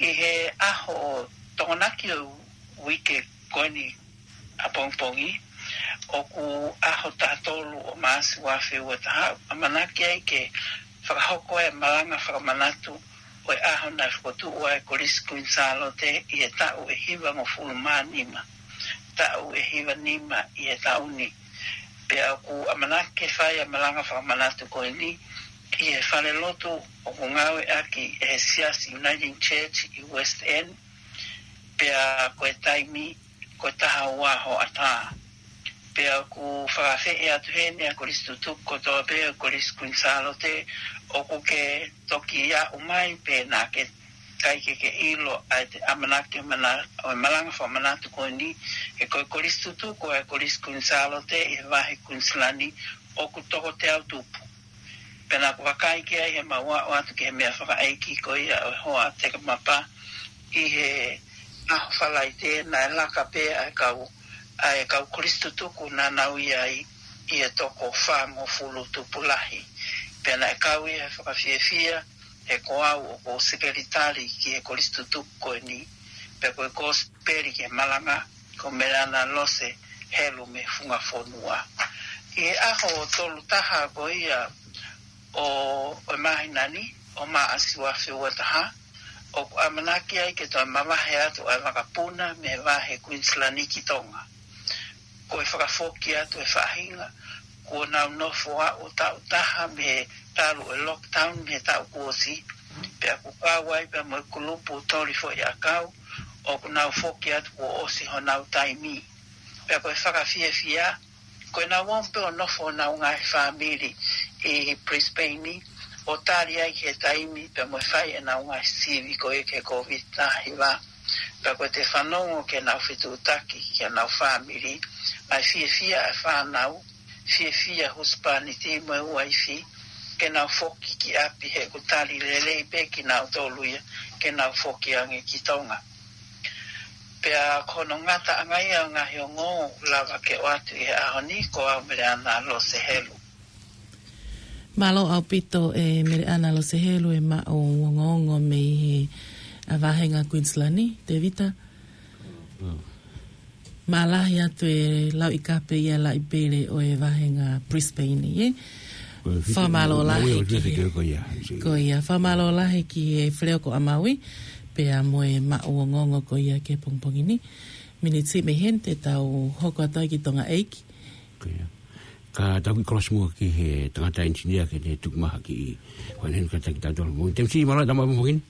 ʻI he ʻaho Tokonaki ʻo e uike ko eni ʻapongipongi, ʻoku ʻaho taha tolu ʻo Maʻasi ua afe ua taha, ʻamanaki ai ke fakahoko e malanga fakamanatu ʻo e ʻaho naʻe fokotuʻu ai e Kolisi Kuini Sālote ʻi he taʻu ʻe hivangofulu mā nima, taʻu ʻe hiva nima ʻi he taʻu ni. Pea ʻoku ʻamanaki ke fai ʻa e malanga fakamanatu ko eni ʻi he falelotu ʻoku ngāueʻaki ʻe he Siasi Uniting Church ʻi West End, pea ko e taimi ko e taha ua hoʻatā. Pea ʻoku fakafeʻi atu heni ʻa e kolisi tutuku kotoa pē ʻo e Kolisi Kuini Sālote, ʻoku ke toki aʻu mai pē naʻa ke ʻikai ke ke ʻilo ʻa e ʻamanaki mana-, ʻo e malanga fakamanatu ko eni, he ko e kolisi tutuku ʻa e Kolisi Kuini Sālote ʻi he vahe Kuinisilani ʻoku toko teau tupu. Pea naʻa ku vakai ki ai heʻemau aʻu atu ki he meʻafakaʻeiki ko ia ʻo e hoa Tekamapa ʻi he ʻaho Falaite, naʻe laka pē ʻa e kau, ʻa e kau kolisi tutuku naʻa nau ʻi ai ʻi he toko fāngofulu tupulahi. Pea naʻe kau ia he fakafiefia, he ko au ʻoku ou sekelitali ki he kolisi tutuku ko eni, pea ko e kosipeli ki he malanga, ko Meleana Lose Helu mei Funga Fonua. ʻI he ʻaho tolu taha ko ia ʻo, ʻo e māhina ni, ʻo Maʻasi ua afe ua taha, ʻoku ʻamanaki ai ke toe mavahe atu ʻa e vakapuna mei he vahe Kuinisilani ki Tonga. Ko e fakafoki atu e faʻahinga, kuo nau nofo ʻo taʻu taha mei he talu e lockdown mei he taʻu kuo ʻosi, pea ʻoku kau ai pea mo e kulupu toli foʻi ʻakau, ʻoku nau foki atu kuo ʻosi honau taimi. Pea ko e fakafiefia, ko ʻenau ō pē ʻo nofo honau ngaahi fāmili ʻi Brisbane, ʻo tali ai ki he taimi pea mo e fai ʻenau ngaahi sivi ko ia ki he Kōviti taha hiva. Pea ko e te fanongo ki heʻenau fetuʻutaki ki honau fāmili, ʻa e fiefia ʻa e fānau, fiefia husepāniti mo e uaifi, ke nau foki ki ʻapi he ʻoku tali lelei pē kinautolu ia, ke nau foki ange ki Tonga. Pea ko hono ngataʻanga ia ʻo e ngaahi ongoongo ʻoku lava ke ʻoatu ʻi he ʻaho ni, ko au Meleana Lose Helu. Mālō ʻaupito ʻe Meleana Lose Helu e maʻu ongoongo mei he, ʻa, vāhenga Kuinisilani, Tēvita. Mālahi atu e lauʻi kape ia laʻi pele ʻo e vāhenga Brisbane, ē? Ko e fiki-, Fakamālō lahi ki he, ko ia. Ko ia, fakamālō lahi ki he Feleoko ʻa Maui, pea mo e maʻu ongoongo ko ia ki he pongipongi ni. Miniti mei heni te tau hoko atu ai ki Tonga ʻEiki. Ko ia. Ka tau kiʻi kolosi muʻa ki he tangata engineer ke ne tuku mai ha kiʻi, ko ʻene kātaki tautolu. Mo Temsi, mālō e tau maʻu pongipongi ni.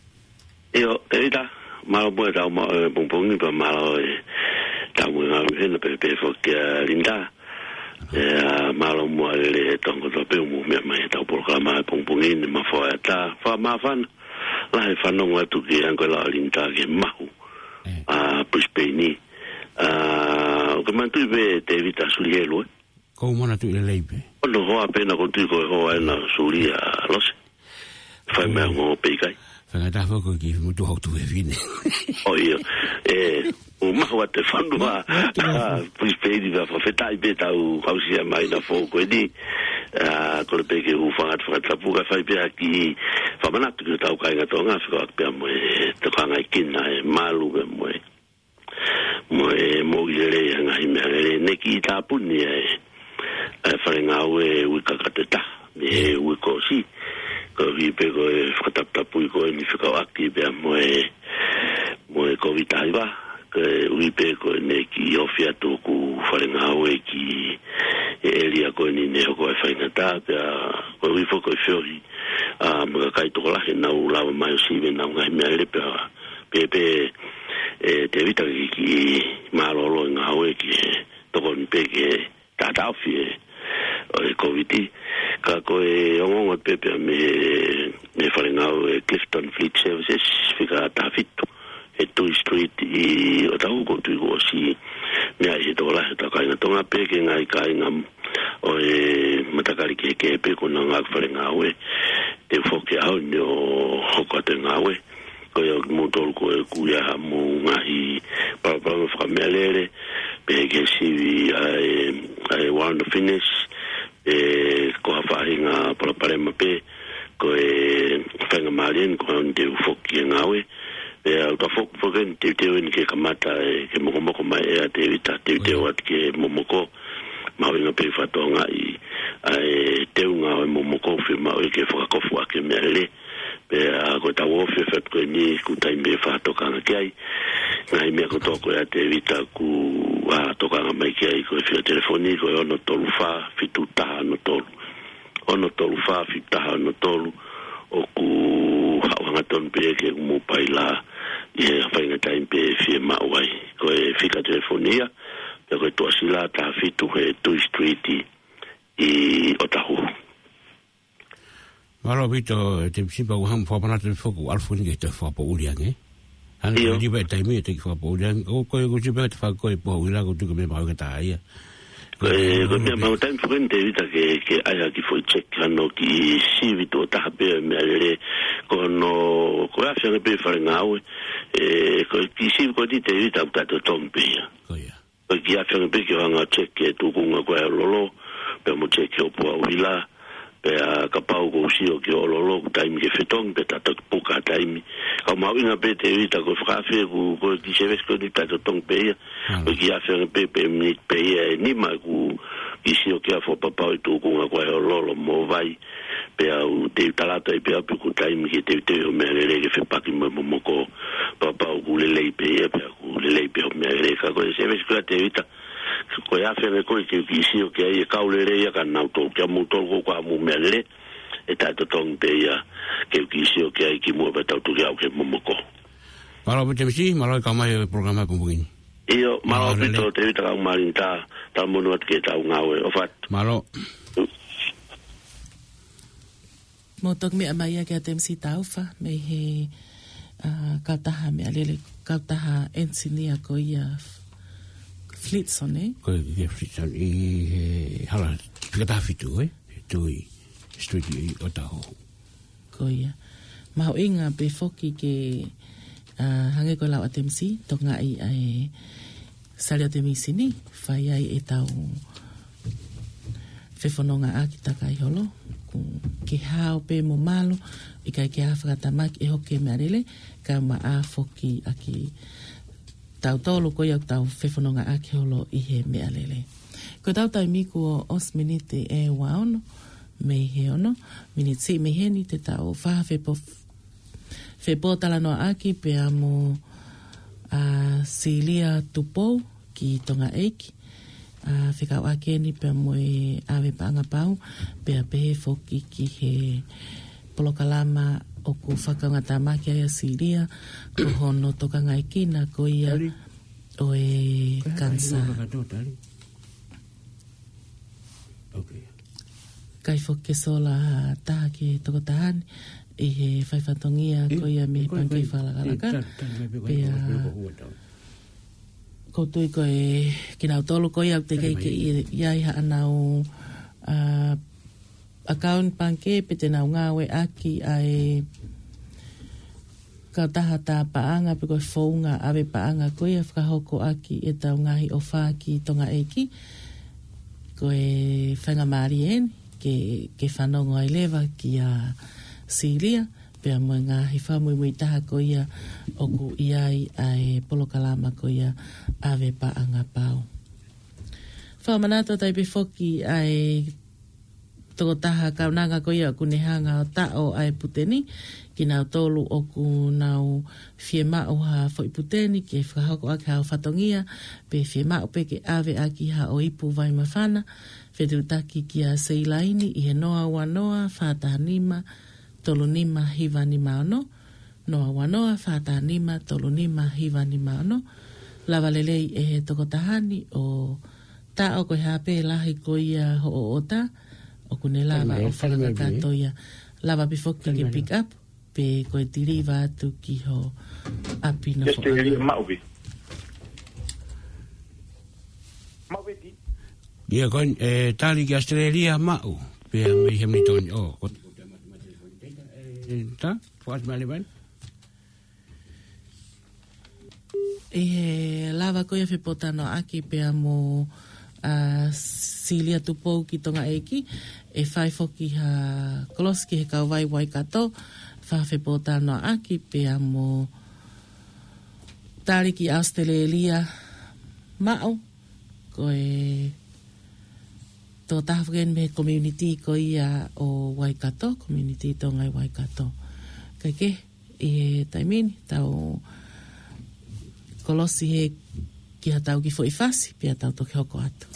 ʻIo, Tēvita, mālō muʻa e tau maʻu, ē, pongipongi, pea mālō e tau maʻu e ngāue hena pē, pea foki kia Linda. ʻIo, mālō muʻa e lele e tongo tō pē ʻoku mou meʻa mai he tau polokalama he pongipongi ni, mafoa e ata, fakamāfana lahi e fanongo atu ki he anga ko e lau ʻa Linda ki he mahu, ē, ʻa Brisbane ni. ʻA, ʻoku ke manatuʻi pē Tēvita Sulihelu, ē? Ko u manatuʻi lelei pē. Ko hono hoa pē naʻa ku tui ko e hoa ena Sulia Lose. Fai mai ʻo ngō pē ʻikai. Faingataʻa foki ki mutu hau tu e vine. ʻO ʻio. Ē, ʻoku mahu atu e fanua. Mahu atu e fanua. Brisbane, pea fakafetaʻi pē tau aʻusia mai na fou ko eni. ʻA, kole pē ke u hūfanga atu fakatapu kae fai pē ha kiʻi fakamanatu ki hotau kāinga Tonga, fekauʻaki pea mo e tokanga ʻi kina e malu pea mo e mo e moʻui lelei ʻa e ngaahi meʻalele. Ne kiʻi tāpuni ʻa e, ʻa e fale ngāue uike kakato ʻe taha mei he uike kuo ʻosi. Koeʻuhi pē ko e fakataputapui ko eni fekauʻaki pea mo e, mo e Kōviti taha hiva. Koeʻuhi pē ko ʻene kiʻi ofi atu hoku fale ngāue ki he ʻēlia ko eni ne hoko ai e faingataʻa, pea koeʻuhi foki ko e feohi, ʻa, mo e kakai tokolahi naʻa nau lava mai ʻo sivi ʻenau ngaahi meʻalele, pea pehē pē, ē, Tēvita, ke kiʻi mālōlō e ngāue ki he tokoni pē ki he taʻataʻofi ʻo e Kōviti. Ka ko e ongoongo pē pea mei he, mei he fale ngāue Clifton Fleet Services, fika taha fitu, ʻi he Tui Street ʻi ʻŌtāhuhu, ʻoku ou tui kuo ʻosi meaʻi ʻe he tokolahi ʻo hotau kāinga Tonga pē ki he ngaahi kāinga ʻo e matakali kehekehe pē kuo nau ngāueʻaki e fale ngāue. Te u foki he ʻaho ni ʻo hoko atu e ngāue. Ko ia kimoutolu ko ē ʻoku ʻi ai haʻamou ngaahi palopalema fakameʻalele, pehē ki he sivi ʻa e, ʻa e warrant of fitness, ē, ko ha faʻahinga palopalema pē, ko e faingamālie eni ko eni te u foki ki he ngāue. Pea ʻoku ta fo-, foki eni teuteu eni ke kamata ē, ke mokomoko mai ʻa Tēvita, teuteu atu ke momoko, mahuʻinga pē ke fakatokangaʻi ʻa e teunga ʻo e momoko, fiemaʻu ke fakakofuʻaki e meʻalele. Pea ko ʻetau ofi ʻa e fatu ko eni, kuo taimi ke fakatokanga ki ai. Ngaahi meʻa kotoa ko ia Tēvita ʻoku, ʻa, tokanga mai ki ai, ko e fika telefoni ko e ono tolu fā fitu taha ono tolu. Ono tolu fā fitu taha ono tolu, ʻoku haʻu hangatonu pē ke mou paila ʻi he faʻahinga taimi pē ʻe fiemaʻu ai. Ko e fika telefoni ia, pea ko e tuʻasila taha fitu he Papito, te sipa ua hamu fakapanatu foki ʻalu foki ke te fakapoʻuli ange. Hanga ʻIo. Ko e liva e taimi e te ki fakapoʻuli ange. Ko, ko, ko sipa te fakapoʻuli ange, ko tuku me mau ke tā ia. Ko e, ko e meʻa mau taimi foki ni Tēvita ke, ke ʻai ha kiʻi foʻi check hano kiʻi sivi tuʻo taha pē meʻalele. Ko hono, ko e afe ange pē fale ngāue. E, ko e kiʻi sivi ko eni Tēvita ʻoku taʻetotongi pē ia. Ko ia. Ko e kiʻi afe ange pē ke hanga check e tūkunga ko ē ʻo e lolo, pea mo check e ʻōpua ʻuhila, pea kapau ʻoku ou sio ki hoʻo lolo, ʻoku taimi ke fetongi, pea ta toki puka taimi. Ka ʻoku mahuʻinga pē Tēvita ko e fakaafe, ʻoku, ko e kiʻi service ko eni taʻetotongi pē ia. Mālō. Ko e kiʻi afe ange pē, pe miniti pē ia ʻe nima ʻoku kiʻi sio ki ai fakapapau e tūkunga ko ē ʻo e lolo mo vai. Pea u te u tala atu ai pē au pe ʻoku taimi ke teuteu hoʻo meʻalele ke fepaki mo e momoko. Kapau ʻoku lelei pē ia, pea ʻoku lelei pē hoʻo meʻalele. Ka ko e service ko ia Tēvita, ko e afe ange ko ē ke u kiʻi sio ki ai e kau lelei ia ka nau tō, kia mou tolu ko ē ʻoku ʻi ai hamou meʻalele, ʻe taʻetotongi pē ia ke u kiʻi sio ki ai kimuʻa pea tau tuki au ki he momoko. Mālō pē Tēmisi, mālō e kau mai e polokalama ko eni. ʻIo, mālō Mālō, ʻaupito lelei. Tēvita Kaumālini, tā, tā monu atu ke tau ngāue, ʻofa atu. Mālō. Mou toki meʻa mai ia kia Tēmisi Taufa, mei he, ā, kautaha meʻalele, kautaha engineer ko ia F-, Flitson, ē? Ko ia Flitson, ʻi he hala, fika taha fitu, ē? Tui, street ʻi Otahuhu. Ko ia. Mahuʻinga pē foki ke, ā, hangē ko e lau ʻa Tēmisi, tokangaʻi ʻa e Saliote Mīsini, fai ai ʻetau fefonongaʻaki takai holo, ʻoku ke hao pē mo malu, ʻikai ke ʻi ai ha fakatamaki ʻe hoko ki he meʻalele, kae ʻumaʻā foki ʻa kitautolu ko ia ʻoku tau fefonongaʻaki holo ʻi he meʻalele. Ko ʻetau taimi kuo ʻosi miniti ʻe ua ono, mei he ono, miniti siʻi mei heni te tau fai ha fepo-, fepōtalanoaʻaki pea mo, ā, Silia Tupou ki Tonga ʻEiki. Ā, fekauʻaki eni pea mo e ʻAve Paʻanga Pau, pea pehē foki ki he polokalama ʻoku fakaongoongo mai ki ai ʻa Silia, ko hono tokangaʻekina ko ia Tali. ʻo e Ko e hā kanisā. Kainga katoa, Tali? Okay. Kai foki ke sola taha ki he tokotaha ni, ʻi he fai fatongia Ē, ko ia mei he ko e pangikē kai, fakalakalaka. ē, ta-, ta-, ta-, Pea ko e, ko e, ko e, ko e, ko e, ʻoku ou tui ko e kinautolu ko ia ʻoku teʻeki Kai ke mai. ʻi, ʻi ai haʻanau, ā, account pangikē pe te nau ngāueʻaki ʻa e kautaha tā paʻanga pe ko e founga ʻave paʻanga ko ia ʻe fakahoko ʻaki ʻetau ngaahi ʻofa ki Tonga ʻEiki. Ko e faingamālie eni ke, ke fanongo ai leva kia Silia, pea mo e ngaahi fakamuimui taha ko ia ʻoku ʻi ai ʻa e polokalama ko ia ʻAve Paʻanga Pau. Fakamanatu atu ai pē foki ʻa e tokotaha kaunanga ko ia ʻoku ne hanga ʻo taʻo ʻa e pute ni, kinautolu ʻoku nau fiemaʻu ha foʻi pute ni ke fakahoko ʻaki haʻo fatongia, pe fiemaʻu pē ke ʻave ʻaki haʻo ipu vai māfana, fetuʻutaki kia Seilaini ʻi he noa ua noa fā taha nima tolu nima hiva nima ono, noa ua noa fā taha nima tolu nima hiva nima ono. Lava lelei ʻe he tokotaha ni ʻo taʻo ko e hā pē lahi ko ia hoʻo ʻota, ʻoku ne lava Kani mai, ʻo kani mai, fakakakato ia. Lava pē foki Kani ke mai. pick up, pe ko e deliver atu ki ho ʻapi nofo ʻAositelēlia ʻana. Maʻu pē. Maʻu pē di. Ia ko eni, ē, tali ki ʻAositelēlia maʻu. Pea mei he minitoni, ʻo, ko, ē, tā, fakaʻosi mai leva eni. ʻI he lava ko ia fepōtalanoaʻaki pea mo, ā, Silia Tupou ki Tonga ʻEiki, ʻe fai foki ha kolosi ki he kauvai Waikato, fai ha fepōtalanoaʻaki pea mo tali ki ʻAositelēlia maʻu, ko e tokotaha foki eni mei he community ko ia ʻo Waikato, community Tonga ʻi Waikato. Kae kehe, ʻi he taimi ni, tau kolosi he ki haʻatau kiʻi foʻi fasi, pea tau toki hoko atu.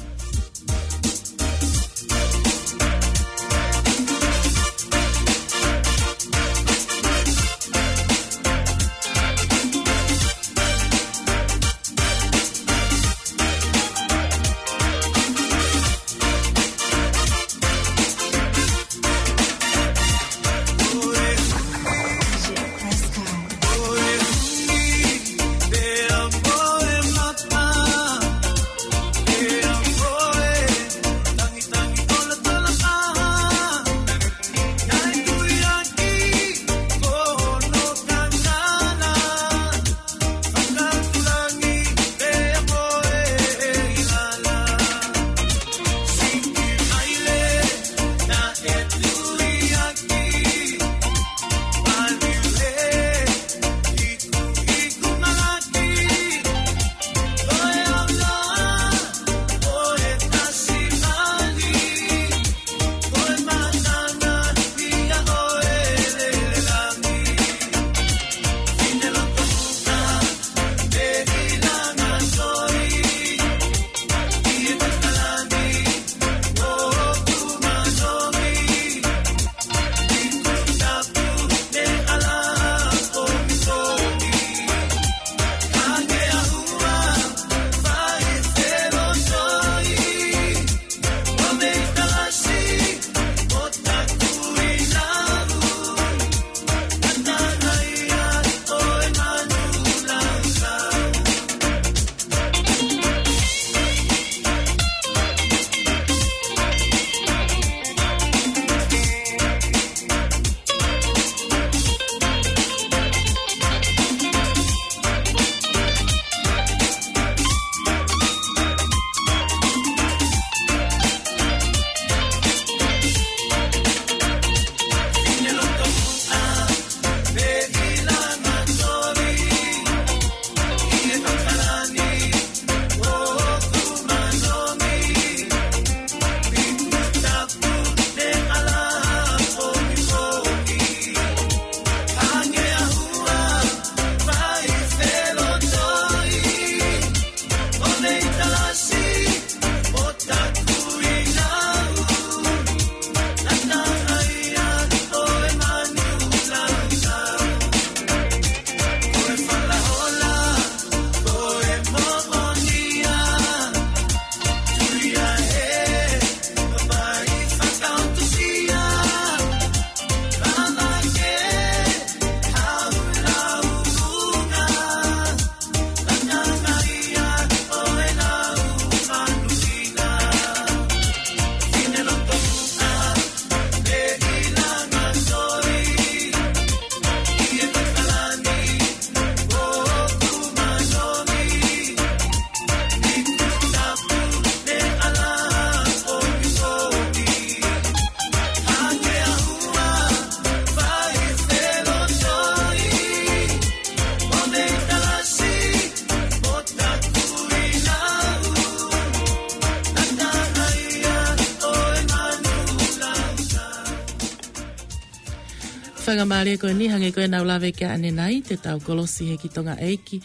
Faingamālie ko eni hangē ko ʻenau lave ki ai ʻanenai, te tau kolosi he ki Tonga ʻEiki,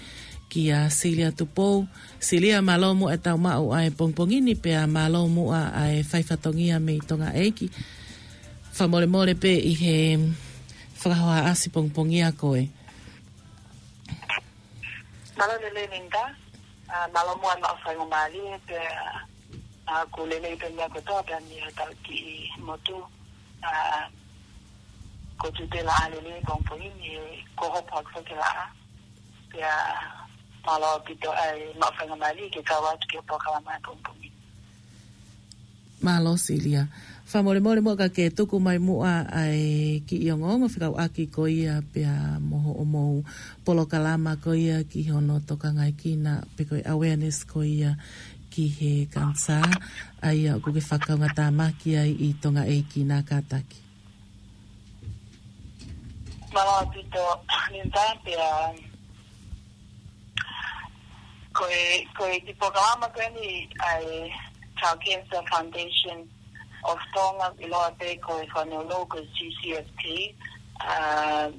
kia Silia Tupou. Silia, mālō muʻa ʻetau maʻu ʻa e pongipongi ni, pea mālō muʻa ʻa e fai fatongia mei Tonga ʻEiki. Fakamolemole pē ʻi he fakahohaʻasi pongipongia koe. Mālō lelei Linda, ʻa, mālō muʻa ʻa e faingamālie pea, ʻa, ʻoku lelei pē meʻa kotoa pē mei hotau kiʻi motu, ʻa, ko tutela ʻa lelei pongipongi ni he ko hopo ʻaki foki laʻā. Pea mālō ʻaupito ʻa e maʻu faingamālie ke kau atu ki he polokalama pongipongi. Mālō Silia. Fakamolemole muʻa ka ke tuku mai muʻa ʻa e kiʻi ongoongo fekauʻaki ko ia pea mo hoʻomou polokalama ko ia ki hono tokangaekina pe ko e awareness ko ia ki he kanisā, ʻa ia ʻoku ke fakaungatāmaki ai ʻi Tonga ʻEiki, na kātaki. Mālō ʻaupito Linda, pea ko e, ko e kiʻi polokalama ko eni ʻa e Child Cancer Foundation of Tonga, ʻiloa pē ko e fonua ko e C C F T, ʻa,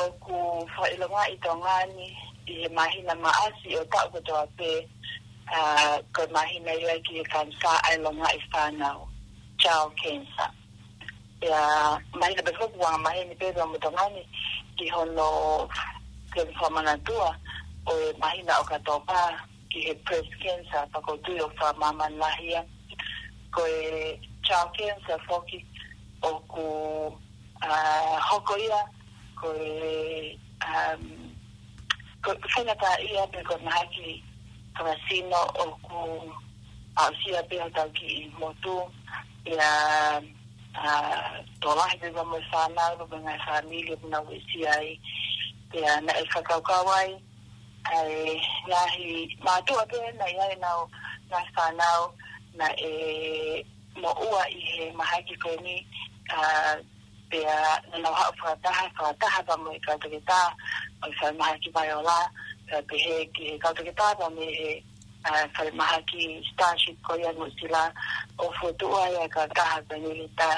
ʻoku fakaʻilongaʻi ʻi Tonga ni ʻi he māhina Maʻasi ʻo e taʻu kotoa pē, ʻa, ko e māhina ia ki he kanisā ʻa e longaʻi fānau, child cancer. Pea māhina pē foki ʻoku angamaheni pē ʻa Tonga ni ki hono, ki hono fakamanatua ʻo e māhina ʻOkatopa ki he breast cancer, pea ʻoku ou tui ʻoku fakamāmani lahi ia. Ko e child cancer foki ʻoku, ʻa, hoko ia ko e, um, ko e faingataʻaʻia pe ko e mahaki fakasino ʻoku aʻusia pē hotau kiʻi motu, ia, ʻa, tokolahi pē mo e fānau, pea mo e ngaahi fāmili ʻoku nau uesia ai. Pea naʻe fakakaukau ai ʻa e ngaahi mātuʻa pē naʻe ʻi ai ʻenau ngaahi fānau naʻe moʻua ʻi he mahaki ko eni, ʻa, pea naʻa nau haʻu fakataha, fakataha pea mo e kau toketā ʻo e falemahaki Vaiola, pea pehē ki he kau toketā pea mei he, ʻa, falemahaki Starship ko ia Nuʻusila, ʻo fokotuʻu ai ʻa e kautaha ko eni Linda,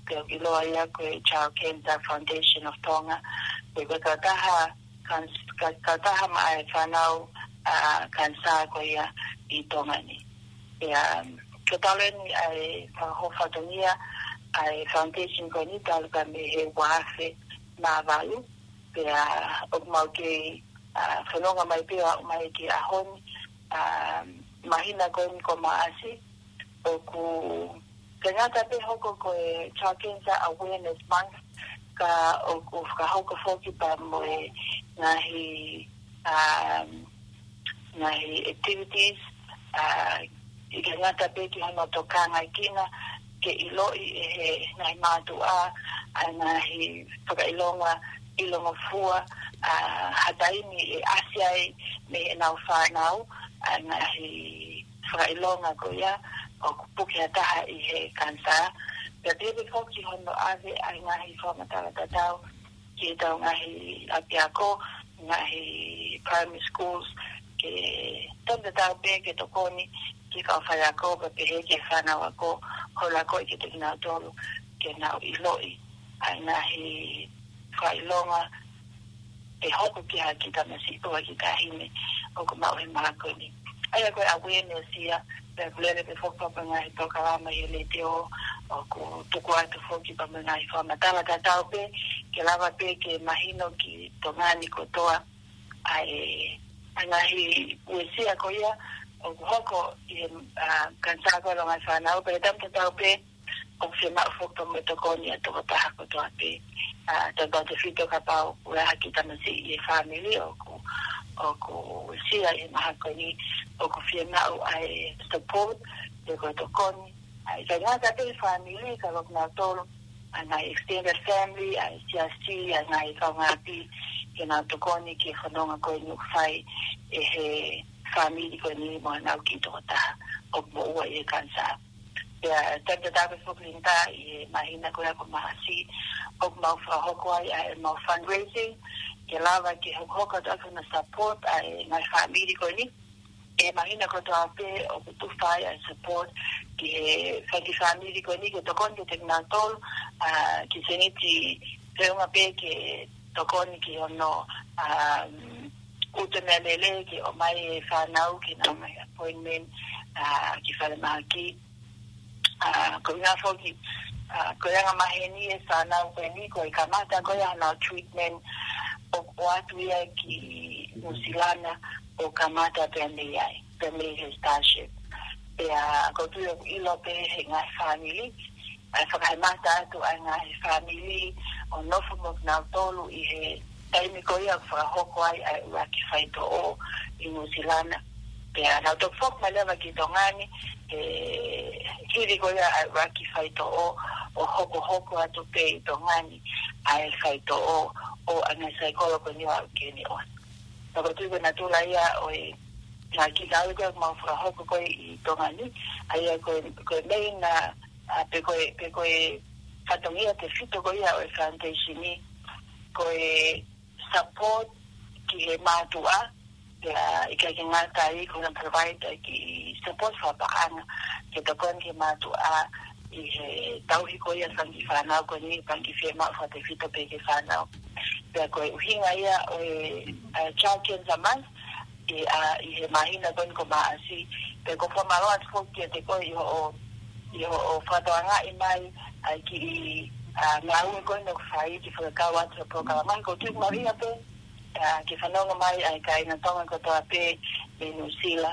pea ʻoku ʻiloa ia ko e Child Cancer Foundation of Tonga, pea ko e kautaha kan-, ka-, kautaha maʻa e fānau, ʻa, kanisā ko ia ʻi Tonga ni. Pea, um, ko e talu eni ʻa e fakahohaʻa fatongia ʻa e foundation ko eni talu pē mei he ua afe mā valu, pea ʻoku mau kei, ʻa, fononga mai pē ʻo aʻu mai ki he ʻaho ni, ʻa, māhina ko eni ko Maʻasi, ʻoku ʻikai ngata pē hoko ko e Child Cancer Awareness Month, ka ʻoku fakahoko foki pea mo e ngaahi, um, ngaahi activities, ʻa, ʻikai ngata pē ki hono tokangaekina, ke ʻiloʻi ʻe he ngaahi mātuʻa ʻa e ngaahi fakaʻilonga ʻilongofua, ʻa, ha taimi ʻe ʻasi ai mei heʻenau fānau ʻa e ngaahi fakaʻilonga ko ia ʻoku puke ha taha ʻi he kanisā. Pea pehē foki hono ʻave ʻa e ngaahi fakamatala tatau ki heʻetau ngaahi ʻapiako, ngaahi primary schools, ke tonu tatau pē ke tokoni ki he kau faiako, pea pehē ki he fānau ako, holo ako ʻi he kinautolu, ke nau ʻiloʻi ʻa e ngaahi fakaʻilonga ʻe hoko ki ha kiʻi tamasiʻi pe ha kiʻi taʻahine ʻoku maʻu he mahaki ko eni. ʻA ia ko e awareness ia, pea ʻoku lele pē foki pea mo e ngaahi polokalama ʻi he letiō, ʻoku tuku atu foki pea mo e ngaahi fakamatala tatau pē, ke lava pē ke mahino ki Tonga ni kotoa ʻa e, ʻa e ngaahi uesia ko ia ʻoku hoko ʻi he, ʻa, kanisā ko ia ʻo e longaʻi fānau, pea ʻi he taimi tatau pē, ʻoku fiemaʻu foki pea mo e tokoni ʻa e tokotaha kotoa pē. ʻA, tautautefito kapau ʻoku ʻi ai ha kiʻi tamasiʻi ʻi he fāmili ʻoku, ʻoku uesia ʻi he mahaki ko eni, ʻoku fiemaʻu ʻa e support, pe ko e tokoni. ʻA, ʻikai ngata pē he fāmili, ka ko kinautolu ʻa e ngaahi extended family, ʻa e siasi, ʻa e ngaahi kaungāʻapi, ke nau tokoni ki he fononga ko eni ʻoku fai ʻe he fāmili ko eni mo ʻenau kiʻi tokotaha ʻoku moʻua ʻi he kanisā. Pea taimi tatau pē foki Linda ʻi he māhina ko ia ko Maʻasi, ʻoku mau fakahoko ai ʻa ʻemau fundraising, ke lava ke hokohoko atu ʻa hono support ʻa e ngaahi fāmili ko eni. ʻI he māhina kotoa pē ʻoku tufa ai ʻa e support ki he fai kiʻi fāmili ko eni ke tokoni kiate kinautolu, ʻa, kiʻi sēniti feʻunga pē ke tokoni ki hono, um, ʻuta meʻalele ke ʻomai e fānau ke nau maʻu appointment, uh, ki falemahaki. Uh, ko e ʻuhinga foki, uh, ko e anga maheni e fānau ko eni, ko e kamata ko ia hono treatment ʻo, ʻoatu ia ki New Zealand ʻo kamata pea mei ai, pea mei he Starship. Pea ʻoku ou tui ʻoku ʻilo pē he ngaahi fāmili, ʻa e fakahemata atu ʻa e ngaahi fāmili ʻo nofo mo kinautolu ʻi he taimi ko ia ʻoku fakahoko ai ʻa e ʻuluaki faitoʻo ʻi New Zealand. Pea nau toki foki mai leva ki Tonga ni, he hili ko ia ʻa e ʻuluaki faitoʻo ʻo hokohoko atu pē ʻi Tonga ni ʻa e faitoʻo ʻo e ngaahi saikolo ko eni ʻoku aʻu ki heni ʻosi. Pea ʻoku ou tui ko e natula ia ʻo e ngaahi kiʻi ngāue ko ia ʻoku mau fakahoko ko ē ʻi Tonga ni, ʻa ia ko e, ko e main, uh, uh, pe ko e, pe ko e fatongia tefito ko ia ʻo e foundation ni, ko e support ki he mātuʻa, pea ʻikai ke ngata ai ko e provide ʻa e kiʻi support fakapaʻanga ke tokoni ki he mātuʻa ʻi he tauhi ko ia e fanga kiʻi fānau ko eni, fanga kiʻi fiemaʻu fakatefito pē ki he fānau. Pea ko e ʻuhinga ia ʻo e, uh, Child Cancer Month, ʻi, uh, ʻi he māhina ko eni ko Maʻasi, pea ʻoku ou fakamālō atu foki kiate koe ʻi hoʻo, ʻi hoʻo fakatokangaʻi mai ʻa e kiʻi, uh, ngāue ko eni ʻoku fai ke fakakau atu e polokalama ni. ʻOku ou tui ʻoku mahuʻinga pē, uh, ke fanongo mai ʻa e kāinga Tonga kotoa pē mei Nuʻu Sila,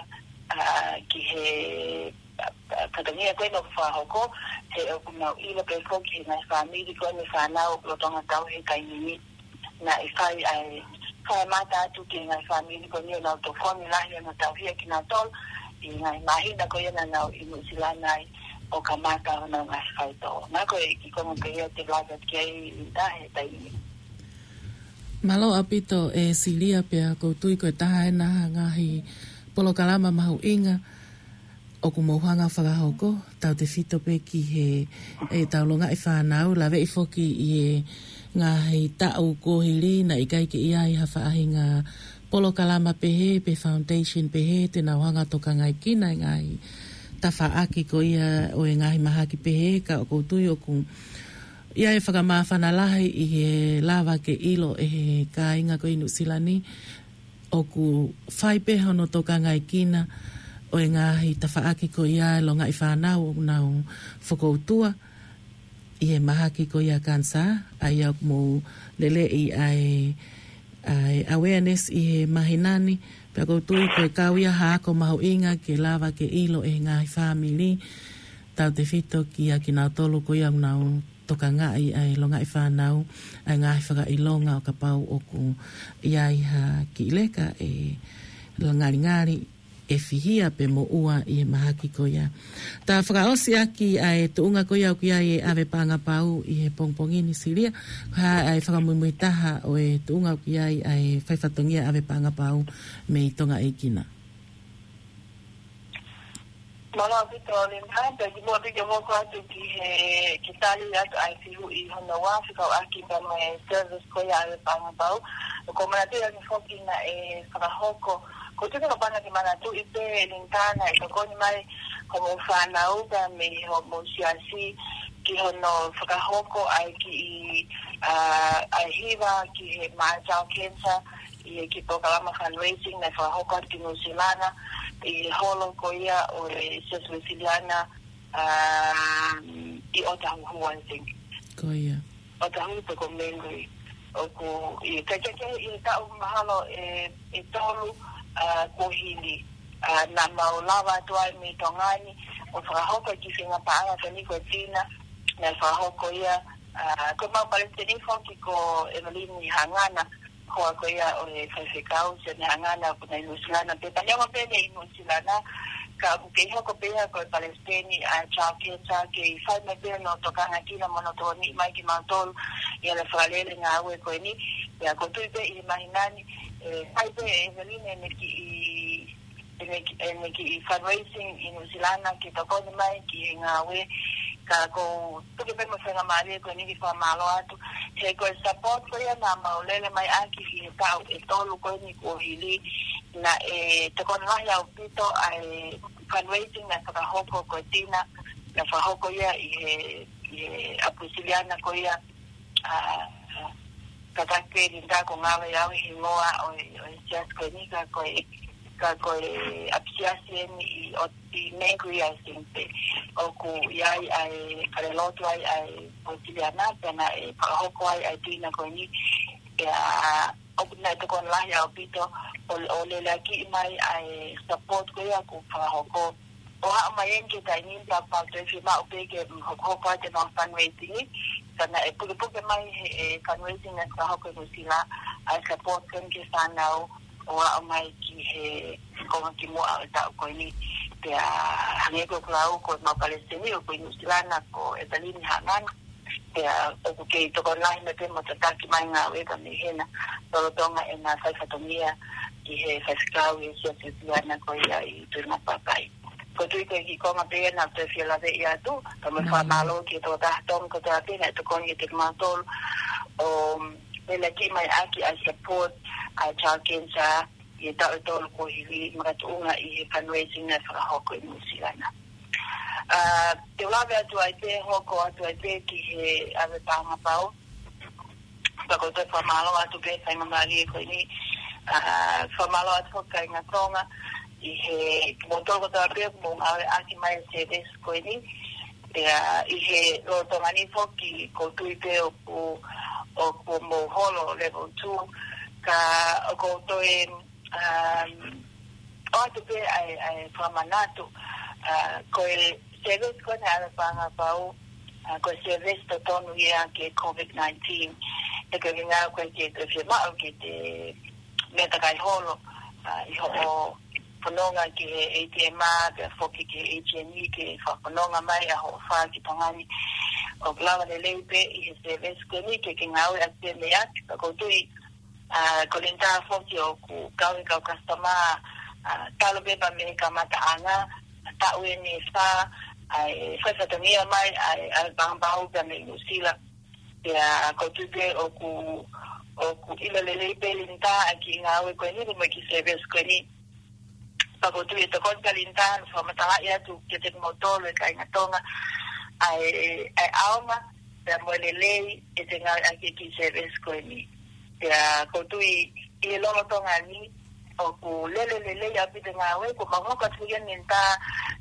uh, ki he, uh, uh, fatongia ko eni ʻoku fakahoko, he ʻoku mau ʻilo pē foki he ngaahi fāmili ko eni fānau ʻoku lolotonga tauhi he taimi ni. Naʻe fai ʻa e, fai mata atu ki he ngaahi fāmili ko eni ʻo nau tokoni lahi ʻo nau tauhi ʻa kinautolu ʻi he ngaahi māhina ko ia naʻa nau ʻi Nuʻu Sila ai ʻo kamata honau ngaahi faitoʻo. Naʻa ko e kiʻi konga ko ia te u lave atu ki ai Linda he taimi ni. Mālō ʻaupito ʻe Silia, pea ʻoku ou tui ko e taha ena ha ngaahi polokalama mahuʻinga ʻoku mou hanga fakahoko, tautefito pē ki he, ʻetau longaʻi fānau, laveʻi foki ʻi he ngaahi taʻu kuo hili naʻe ʻikai ke ʻi ai ha faʻahinga polokalama pehē, pe foundation pehē, te nau hanga tokangaʻi kinautolu e ngaahi tafaʻaki ko ia ʻo e ngaahi mahaki pehē, ka ʻoku ou tui ʻoku ʻi ai e fakamāfana lahi ʻi he lava ke ʻilo ʻe he kāinga ko ē ʻi Nuʻu Sila ni, ʻoku fai pē hono tokangaʻi kinautolu e ngaahi tafaʻaki ko ia e longaʻi fānau ʻoku nau fokoutua ʻi he mahaki ko ia kanisā, ʻa ia ʻoku mou leleʻi ʻa e, ʻa e awareness ʻi he māhina ni, pea ʻoku ou tui ko e kau ia ha ako mahuʻinga ke lava ke ʻilo ʻe he ngaahi fāmili, tautefito kia kinautolu ko ia ʻoku nau tokangaʻi ʻa e longaʻi fānau, ʻa e ngaahi fakaʻilonga ʻo kapau ʻoku ʻi ai ha kiʻi leka ʻe ngalingali, ʻe fihia pe moʻua ʻi he mahaki ko ia. Ta fakaʻosi ʻaki ʻa e tuʻunga ko ia ʻoku ʻi ai e ʻave paʻanga pau ʻi he pongipongi ni Silia, ko e hā ʻa e fakamuimui taha ʻo e tuʻunga ʻoku ʻi ai ʻa e faifatongia ʻave paʻanga pau mei Tonga ʻEiki na. Mālō ʻaupito Linda, pea kimuʻa pē ke u hoko atu ki he, ke tali atu ʻa e fehuʻi hono ua, fekauʻaki pea mo e service ko ia ʻave paʻanga pau. ʻOku ou manatuʻi ange foki naʻe fakahoko, ʻoku ou tui ko e pānga ke manatuʻi pē Linda naʻe tokoni mai homou fānau pea mei homou siasi ki hono fakahoko ʻa e kiʻi, ʻa, ʻa e hiva ki he Maʻa Child Cancer, ʻi he kiʻi polokalama fundraising naʻe fakahoko atu ki Nuʻu Sila, ʻi he holo ko ia ʻo e Siasi Uēsiliana, um, ʻi Ōtāhuhu, I think. Ko ia. Ōtāhuhu pe ko Māngere. ʻOku ʻi he, ke, ke, ke, ʻi he taʻu mahalo ʻe, ʻe tolu, uh, kuo hili, uh, naʻa mau lava atu ai mei Tonga ni ʻo fakahoko e kiʻi feinga paʻanga ko eni ko e Tina, naʻe fakahoko ia, uh, ko ʻemau palesiteni foki ko Evelyn Hangana, hoa ko ia ʻo e faifekau, Sione Hangana, ʻoku nau ʻi Nuʻu Sila, pea neongo pē ʻene ʻi Nuʻu Sila, ka ʻoku kei hoko pē ia ko e palesiteni ʻa e Child Cancer, kei fai mai pē hono tokangaʻi kinautolu mo hono tokoniʻi mai kimautolu ʻi heʻene fakalele ngāue ko eni. Pea ʻoku ou tui pē ʻi he māhina ni, ʻe fai pē ʻe Evelyn ʻene kiʻi, ʻene ki-, ʻene kiʻi fundraising ʻi Nuʻu Sila ke tokoni mai ki he ngāue. Ka ʻoku ou tuku pē mo e faingamālie ko eni ke fakamālō atu, he ko e support ko ia naʻa mau lele mai ʻaki ʻi he taʻu ʻe tolu ko eni kuo hili, naʻe tokoni lahi ʻaupito ʻa e fundraising naʻe fakahoko ko e Tina, naʻe fakahoko ia ʻi he, ʻi he ʻapi Uēsiliana ko ia, ʻa, Kātaki pē Linda, ko e ngāue ʻa au he hingoa ʻo e, ʻo e siasi ko eni, ka ko e, ka ko e ʻapisiasi eni ʻi ʻo ʻi Mangere, ʻi Singapore. ʻOku ʻi ai ʻa e falelotu ai ʻa e Uēsiliana, pea naʻe fakahoko ai ʻa e tuʻinga ko eni. Pea ʻoku naʻe tokoni lahi ʻaupito ʻo, ʻo leleakiʻi mai ʻa e support ko ia kuo fakahoko. ʻO haʻu mai eni ki he taimi ni, pea pau te fiemaʻu pē ke hokohoko atu ʻemau fundraising, ka naʻe pukepuke mai he, e fundraising naʻe fakahoko ʻe Nuʻu Sila, ʻa e support ko eni ki he fānau ʻo aʻu mai ki he konga kimuʻa ʻo e taʻu ko eni. Pea hangē ko ʻeku lau, ko ʻemau palesiteni ʻoku ʻi Nuʻu Sila na, ko ʻEpelini Haʻangano. Pea ʻoku kei tokoni lahi mai pē mo tataki mai ngāue ka mei hena, lolotonga ʻena fai fatongia ki he faifekau ʻi he siasi Uēsiliana ko ia ʻi Tuʻimaʻu Papai. Ko e tui ko e kiʻi konga pē ia naʻa ku toe fie laveʻi atu, ka mo e fakamālō ki he tokotaha Tonga kotoa pē naʻe tokoni kiate kimautolu ʻo leleakiʻi mai ʻaki ʻa e support ʻa e Child Cancer ʻi he taʻu ʻe tolu kuo hili, makatuʻunga ʻi he fundraising naʻe fakahoko ʻi Nuʻu Sila na. ʻA, te u lave atu ai pē, hoko atu ai pē ki he ʻave paʻanga pau. Pea ko e toe fakamālō atu pē, faingamālie ko eni, ʻa, fakamālō atu ki he kāinga Tonga ʻi he, kimoutolu kotoa pē ʻoku mou ngāueʻaki mai e service ko eni. Pea ʻi he lolotonga ni foki, ʻoku ou tui pē ʻoku, ʻoku mou holo level two, ka ʻoku ou toe, um, ʻoatu pē ʻa e, ʻa e fakamanatu, ʻa, ko e service ko eni ʻave paʻanga pau, ʻa, ko e service totonu ia ki he COVID nineteen. He ko e ʻuhinga ko e ke te fiemaʻu ke te meʻa takai holo, ʻa, ʻi hoʻo fononga ki he ATM, pea foki ki he ATM ke fakafononga mai ʻa hoʻo fā ki Tonga ni. ʻOku lava lelei pē ʻi he service ko eni ke ke ngāueʻaki pē mei ai, ka ʻoku ou tui, ʻa, ko Linda foki ʻoku kau he kau customer, ʻa, talu pē pea mei he kamataʻanga, taʻu eni ʻe fā, ʻa, ʻe fai fatongia mai, ʻa, ʻa, paʻanga pau pea mei Nuʻu Sila. Pea ʻoku ou tui pē ʻoku, ʻoku ʻilo lelei pē Linda ʻa e kiʻi ngāue ko eni, mo e kiʻi service ko eni. Pea ʻoku ou tui ʻe tokoni kia Linda ʻene fakamatalaʻi atu kiate kimoutolu e kāinga Tonga ʻa e, ʻa e ʻaonga, pea mo e lelei ʻete ngāueʻaki e kiʻi service ko eni. Pea ʻoku ou tui ʻi he lolotonga ni, ʻoku lele lelei ʻaupito e ngāue, kuo mau hoko atu ia Linda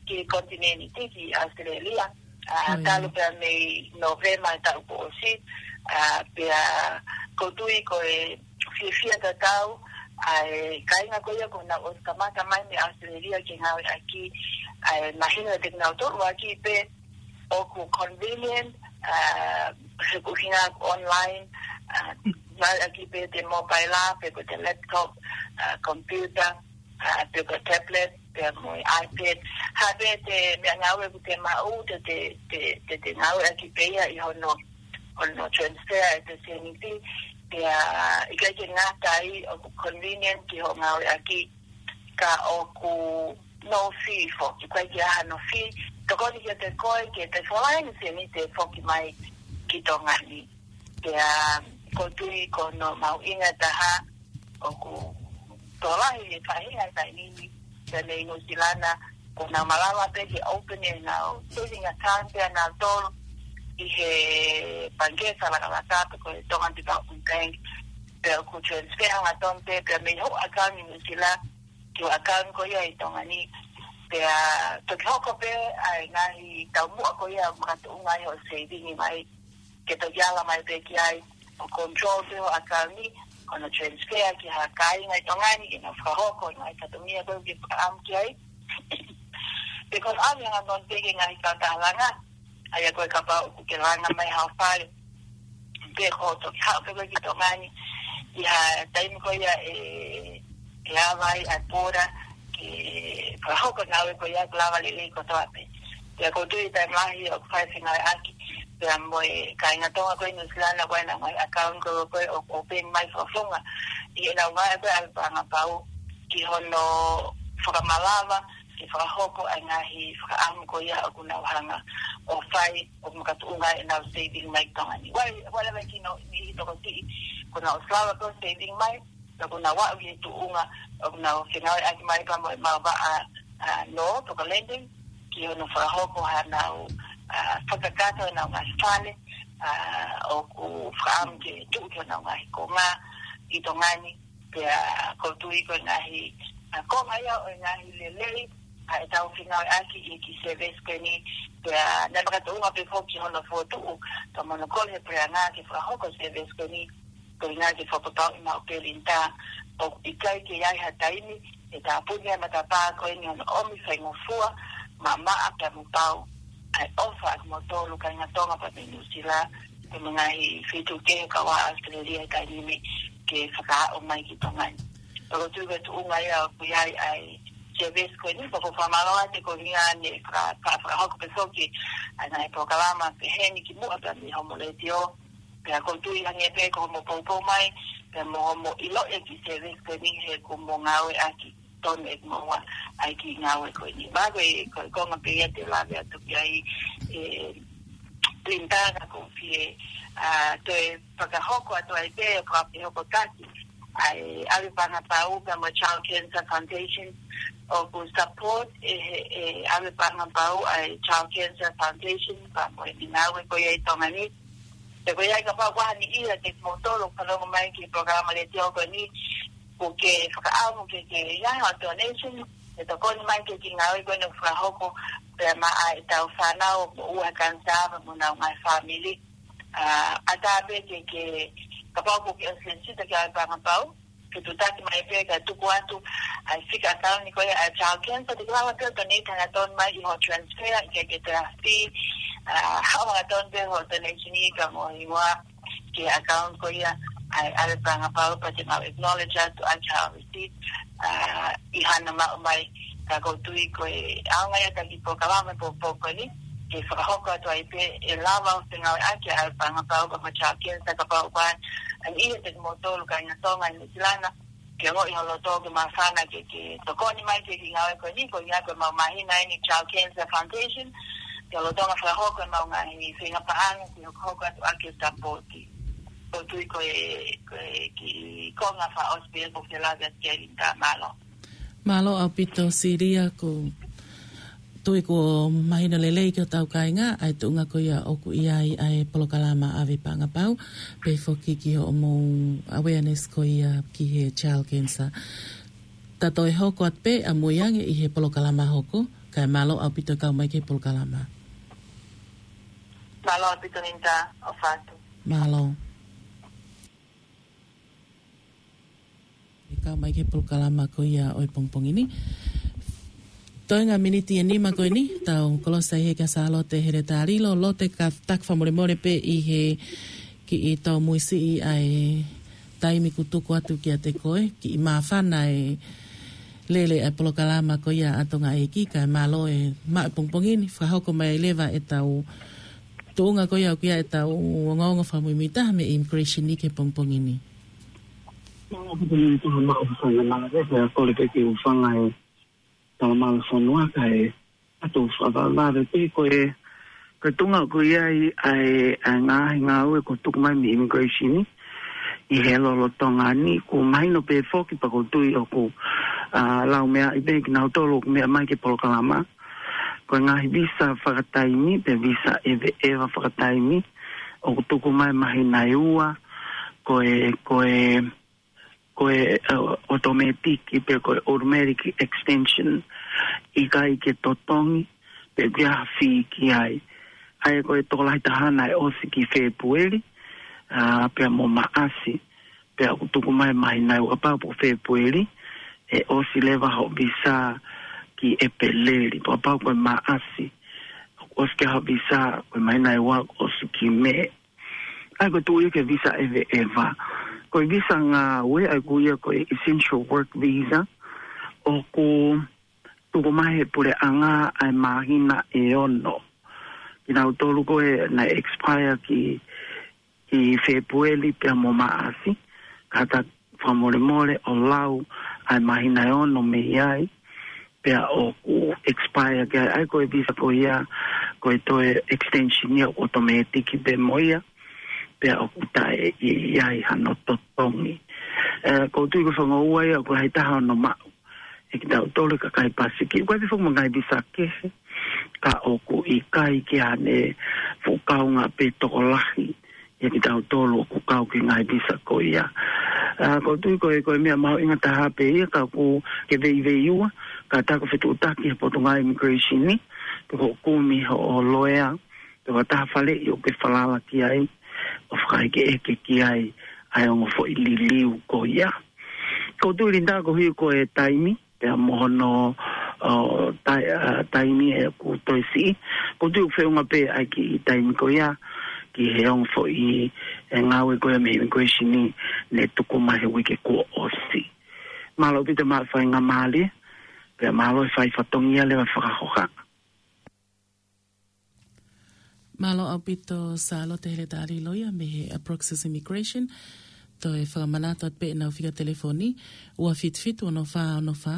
ki he konitinēniti, ki ʻAositelēlia. ʻA, talu pē mei Nōvema e taʻu kuo ʻosi, ʻa, pea ʻoku ou tui ko e fiefia tatau ʻa e kāinga ko ia kuo nau ʻosi kamata mai mei ʻAositelēlia ke ngāueʻaki, ʻa e mahino kiate kinautolu ʻaki pē ʻoku convenient, ʻa, he ko e ʻuhinga online, ʻa, ngāueʻaki pē ʻete mobile, pe ko ʻete laptop, ʻa, computer, ʻa, pe ko e tablet, pea mo e iPad. Ha pē ʻete meʻangāue ʻoku te maʻu, te, te, te, te, te ngāueʻaki pē ia ʻi hono, hono transfer ʻete sēniti, pea ʻikai ke ngata ai ʻoku convenient ki hoʻo ngāueʻaki, ka ʻoku no fee foki, ʻikai ke ʻi ai hano fee, tokoni kiate koe ke te folaini sēniti ʻe foki mai ki Tonga ni. Pea ʻoku ou tui ko hono mahuʻinga ʻe taha, ʻoku tokolahi e faʻahinga ʻi he taimi ni, pea mei Nuʻu Sila na, kuo nau malava pē ke open ʻenau saving account pē ʻanautolu ʻi he pangikē fakalakalaka pe ko e Tonga Development Bank, pea ʻoku transfer hangatonu pē, pea mei hoʻo account ʻi Nuʻu Sila, ki hoʻo account ko ia ʻi Tonga ni, pea toki hoko pē ʻa e ngaahi taumuʻa ko ia makatuʻunga ʻi hoʻo saving mai, ke toki ala mai pē ki ai, ʻo control pē hoʻo account ni, ʻo nau transfer ki ha kāinga ʻi Tonga ni, ke nau fakahoko e ngaahi fatongia ko ē ʻoku ke fakaʻamu ki ai. Pe ko e ʻalu hangatonu pē ki he ngaahi kautaha langa, ʻa ia ko e kapau ʻoku ke langa mai haʻo fale, pe ko e toki haʻu pē koe ki Tonga ni, ʻi ha taimi ko ia ʻe, ʻe ava ai ʻa e border, ke fakahoko e ngāue ko ia ʻoku lava lelei kotoa pē. Pea ʻoku ou tui taimi lahi ʻoku fai fengāueʻaki pea mo e kāinga Tonga ko ē ʻi Nuʻu Sila na ko ē ʻenau ngaahi account ko ē ko ē ʻoku open mai fakafofonga ʻi heʻenau ngāue ko ē ʻave paʻanga pau ki hono fakamalava ke fakahoko ʻa e ngaahi fakaʻamu ko ia ʻoku nau hanga ʻo fai ʻo makatuʻunga ʻenau saving mai ki Tonga ni. Wai, wai lava kino ʻi he tokosiʻi, kuo nau ʻosi lava ko ē saving mai, ka kuo nau aʻu ki he tuʻunga ʻoku nau fengāueʻaki mai pea mo e maʻu vaʻa, ʻa, nō, pe ko e lending, ki hono fakahoko haʻanau, ʻa, fakakakato ʻenau ngaahi fale, ʻa, ʻoku fakaʻamu ke tuʻu ki honau ngaahi konga ʻi Tonga ni, pea ʻoku ou tui ko e ngaahi, ʻa, konga ia ʻo e ngaahi lelei, ʻa, ʻetau fengāueʻaki ʻi he kiʻi service ko eni, pea naʻe makatuʻunga pē foki hono fokotuʻu, ka mo hono kole he puleʻanga ke fakahoko service ko eni, ko e ʻuhinga ke fakapapauʻi maʻu pē Linda, ʻoku ʻikai ke ʻi ai ha taimi, ʻe tāpuni ʻa e matapā ko eni hono ʻomi faingofua, maʻamaʻa pea mo pau, ʻa e ʻofa ʻa kimoutolu kāinga Tonga pea mei Nuʻu Sila, pea mo e ngaahi feituʻu kehe kau ai ʻAositelēlia he taimi ni ke fakaaʻu mai ki Tonga ni. Pea ʻoku ou tui ko e tuʻunga ia ʻoku ʻi ai ʻa e service ko eni, pea ʻoku ou fakamālō atu ko e ʻuhinga naʻe faka-, faka-, fakahoko pē foki ʻa e ngaahi polokalama pehē ni kimuʻa pea mei hoʻomo letiō, pea ʻoku ou tui hangē pē ko hoʻomo poupou mai, pea mo hoʻomo ʻiloʻi e kiʻi service ko eni he kuo mo ngāueʻaki tonu ʻe kimoua ʻa e kiʻi ngāue ko eni. Pea ko e, ko e konga pē ia te u lave atu ki ai, ē, Linda, ka ʻoku ou fie, ʻa, toe fakahoko atu ai pē, ʻo fakahoko taki ʻa e ʻAve Paʻanga Pau pea mo e Child Cancer Foundation, ʻoku support ʻe he, ʻe ʻAve Paʻanga Pau ʻa e Child Cancer Foundation, pea mo e ngāue ko ia ʻi Tonga ni. Pea ko ia kapau ʻoku ʻi ai ha niʻihi ʻiate kimoutolu ʻoku fanongo mai ki he polokalama letiō ko eni, ʻoku ke fakaʻamu ke, ke ʻi ai ha donation, ʻe tokoni mai ki he kiʻi ngāue ko eni ʻoku fakahoko, pea maʻa ʻetau fānau ʻoku moʻua he kanisā pea mo honau ngaahi fāmili. ʻA, ʻatā pē ke, ke, kapau ʻoku ke ʻosi lēsisita ki he ʻAve Paʻanga Pau, ke tuʻutaki mai pē kae tuku atu ʻa e fika ʻakauni ko ia ʻa e Child Cancer, te ke lava pē ʻo donate hangatonu mai ʻi hoʻo transfer, ʻikai ke toe ʻi ai ha fee, ʻa, haʻu hangatonu pē hoʻo donation ʻi ka mo hingoa ki he account ko ia ʻa e ʻAve Paʻanga Pau, pea te mau acknowledge atu ʻaki haʻo receipt, ʻa, ʻi hano maʻu mai. Ka ʻoku ou tui ko e ʻaonga ia ʻa e kiʻi polokalama poupou ko eni, ke fakahoko atu ai pē ʻe lava ʻo fengāueʻaki ʻa e ʻAve Paʻanga Pau pea mo e Child Cancer, kapau ʻoku ʻi ai ha niʻihi ʻiate kimoutolu kāinga Tonga ʻi Nuʻu Sila, ke ongoʻi holo tō ke māfana ke, ke tokoni mai ki he kiʻi ngāue ko eni, ko e ʻuhinga ko ʻemau māhina eni Child Cancer Foundation, ke lolotonga fakahoko ʻemau ngaahi feinga paʻanga, ke hokohoko atu ʻaki e support. ʻOku ou tui ko e, ko e kiʻi konga fakaʻosi pē ʻoku ou fie lave atu ki ai Linda, mālō. Mālō ʻaupito Silia, ʻoku ou tui kuo mahino lelei ki hotau kāinga ʻa e tuʻunga ko ia ʻoku ʻi ai ʻa e polokalama ʻAve Paʻanga Pau, pehē foki ki hoʻomou awareness ko ia ki he child cancer. Tau toe hoko atu pē ʻamui ange ʻi he polokalama hoko, kae mālō ʻaupito e kau mai ki he polokalama. Mālō ʻaupito Linda, ʻofa atu. Mālō. ʻE kau mai ki he polokalama ko ia ʻo e pongipongi ni. Toenga miniti ʻe nima ko eni, tau kolosi ai he kia Sālote Heletā Lilo. Lote, ka taki fakamolemole pē ʻi he kiʻi tōmuisiʻi ʻa e taimi kuo tuku atu kiate koe, kiʻi māfana e lele ʻa e polokalama ko ia ʻa Tonga ʻEiki, kae mālō e maʻu e pongipongi ni, fakahoko mai leva ʻetau tuʻunga ko ia ʻoku ʻi ai ʻetau ongoongo fakamuimuitaha mei he immigration ʻi he pongipongi ni. Mālō ʻaupito Linda, maʻu e faingamālie, pea kole pē ke u hūfanga he talamalu fonua kae ʻatu fakavavevave pē ko e, ko e tuʻunga ʻoku ʻi ai ʻa e, ʻa e ngaahi ngāue kuo tuku mai mei he immigration ʻi he lolotonga ni, kuo mahino pē foki pea ʻoku ou tui ʻoku, ʻa, lau meʻa ʻi pē kinautolu ʻoku meʻa mai ki he polokalama. Ko e ngaahi visa fakataimi, pe visa ʻeveʻeva fakataimi, ʻoku tuku mai māhina ʻe ua, ko e, ko e, ko e, ʻa, automatic, pe ko e automatic extension, ʻikai ke totongi, pe ʻikai ha fee ki ai. ʻA ia ko e tokolahi taha naʻe ʻosi ki Fēpueli, ʻa, pea mo Maʻasi, pea ʻoku tuku mai māhina ʻe ua, kapau ko Fēpueli, ʻe ʻosi leva hoʻo visa ki ʻEpeleli, pea kapau ko Maʻasi, ʻoku ʻosi ki ai hoʻo visa, ko e māhina ʻe ua, ʻosi ki Mē. ʻA ia ko e tuʻu ia ki he visa ʻeveʻeva. Ko e visa ngāue, ʻa ia ko ia ko e essential work visa, ʻoku tuku mai he puleʻanga ʻa e māhina ʻe ono. Kinautolu ko ē naʻe expire ki, ki Fēpueli pea mo Maʻasi, ka ta fakamolemole ʻo lau ʻa e māhina ʻe ono mei ai, pea ʻoku expire ki ai, ʻa ia ko e visa ko ia, ko e toe extension ia ʻoku automatic pē mo ia, pea ʻoku taʻe ʻi ai hano totongi. ʻE, ʻoku ou tui ko e faʻahinga ua ia ʻoku lahi taha hono maʻu ʻe kitautolu e kakai Pasifiki. ʻOku ʻi ai foki mo e ngaahi visa kehe, ka ʻoku ʻikai ke ʻi ai ha fuʻu kaunga pe tokolahi ʻia kitautolu ʻoku kau ki he ngaahi visa ko ia. ʻA, ʻoku ou tui ko e, ko e meʻa mahuʻinga taha pē ia ka ʻoku ke veiveiua, kātaki ʻo fetuʻutaki he Potungāue Immigration ni, pe ko e kumi hoʻo loea, pe ko ha taha faleʻi ʻoku ke falala ki ai, ʻo fakaʻekeʻeke ki ai ʻa e ongo foʻi liliu ko ia. ʻOku ou tui Linda koeʻuhi ko e taimi, pea mo hono, ʻo, tai-, ʻa, taimi ʻoku toe siʻi. ʻOku ou tui ʻoku feʻunga pē ʻa e kiʻi taimi ko ia ki he ongo foʻi, ʻe, ngāue ko ia mei he Immigration ni, ne tuku mai he uike kuo ʻosi. Mālō ʻaupito maʻu faingamālie, pea mālō e fai fatongia leva fakahoha. Mālō ʻaupito Sālote Heletali Loia mei he Approxis Immigration. Toe fakamanatu atu pē ʻenau fika telefoni, ua fitu fitu ono fā ono fā,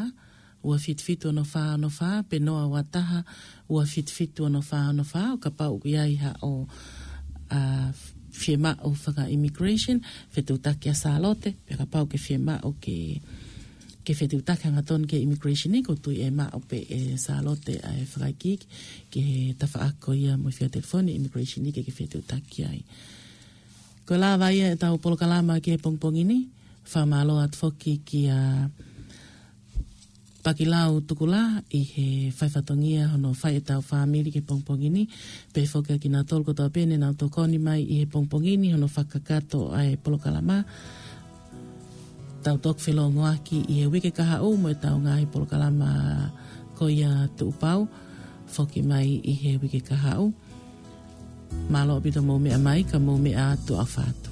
ua fitu fitu ono fā ono fā, pe noa ua taha, ua fitu fitu ono fā ono fā, ʻo kapau ʻoku ʻi ai haʻo, ʻa, fiemaʻu faka-immigration, fetuʻutaki ʻa Sālote, pea kapau ʻoku ke fiemaʻu ke ke fetuʻutaki hangatonu ki he Immigration ni, ʻoku ou tui ʻe maʻu pē ʻe Sālote ʻa e fakaikiiki ki he tafaʻaki ko ia mo e fika telefoni Immigration ni ke ke fetuʻutaki ai. Ko e lava ia ʻetau polokalama ki he pongipongi ni, fakamālō atu foki kia Pakilau Tukulā ʻi he fai fatongia hono fai ʻetau fāmili ki he pongipongi ni, pehē foki kia kinautolu kotoa pē ne nau tokoni mai ʻi he pongipongi ni hono fakakakato ʻa e polokalama. Tau toki felōngoaki ʻi he uike kahaʻu mo ʻetau ngaahi polokalama ko ia tuʻupau, foki mai ʻi he uike kahaʻu. Mālō ʻaupito mou meʻa mai, ka mou meʻa atu ʻofa atu.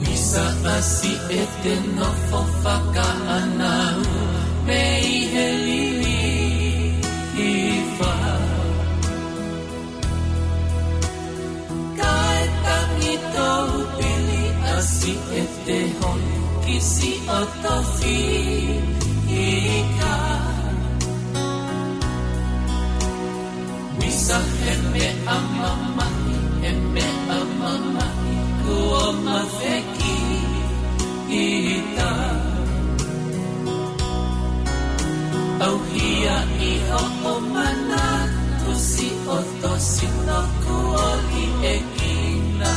Visa ʻa Siʻete nofo fakaʻānaua mei he liliu ʻi fā. Kae tangi tou pili ʻa Siʻete holi ki siʻoto fika. Visa he meʻa mamahi, he meʻa mamahi, kuo mafeki ita. ʻAuhia ʻi hoʻo manatu siʻoto sino kuo liʻekina.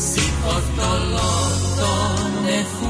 Siʻoto loto nefu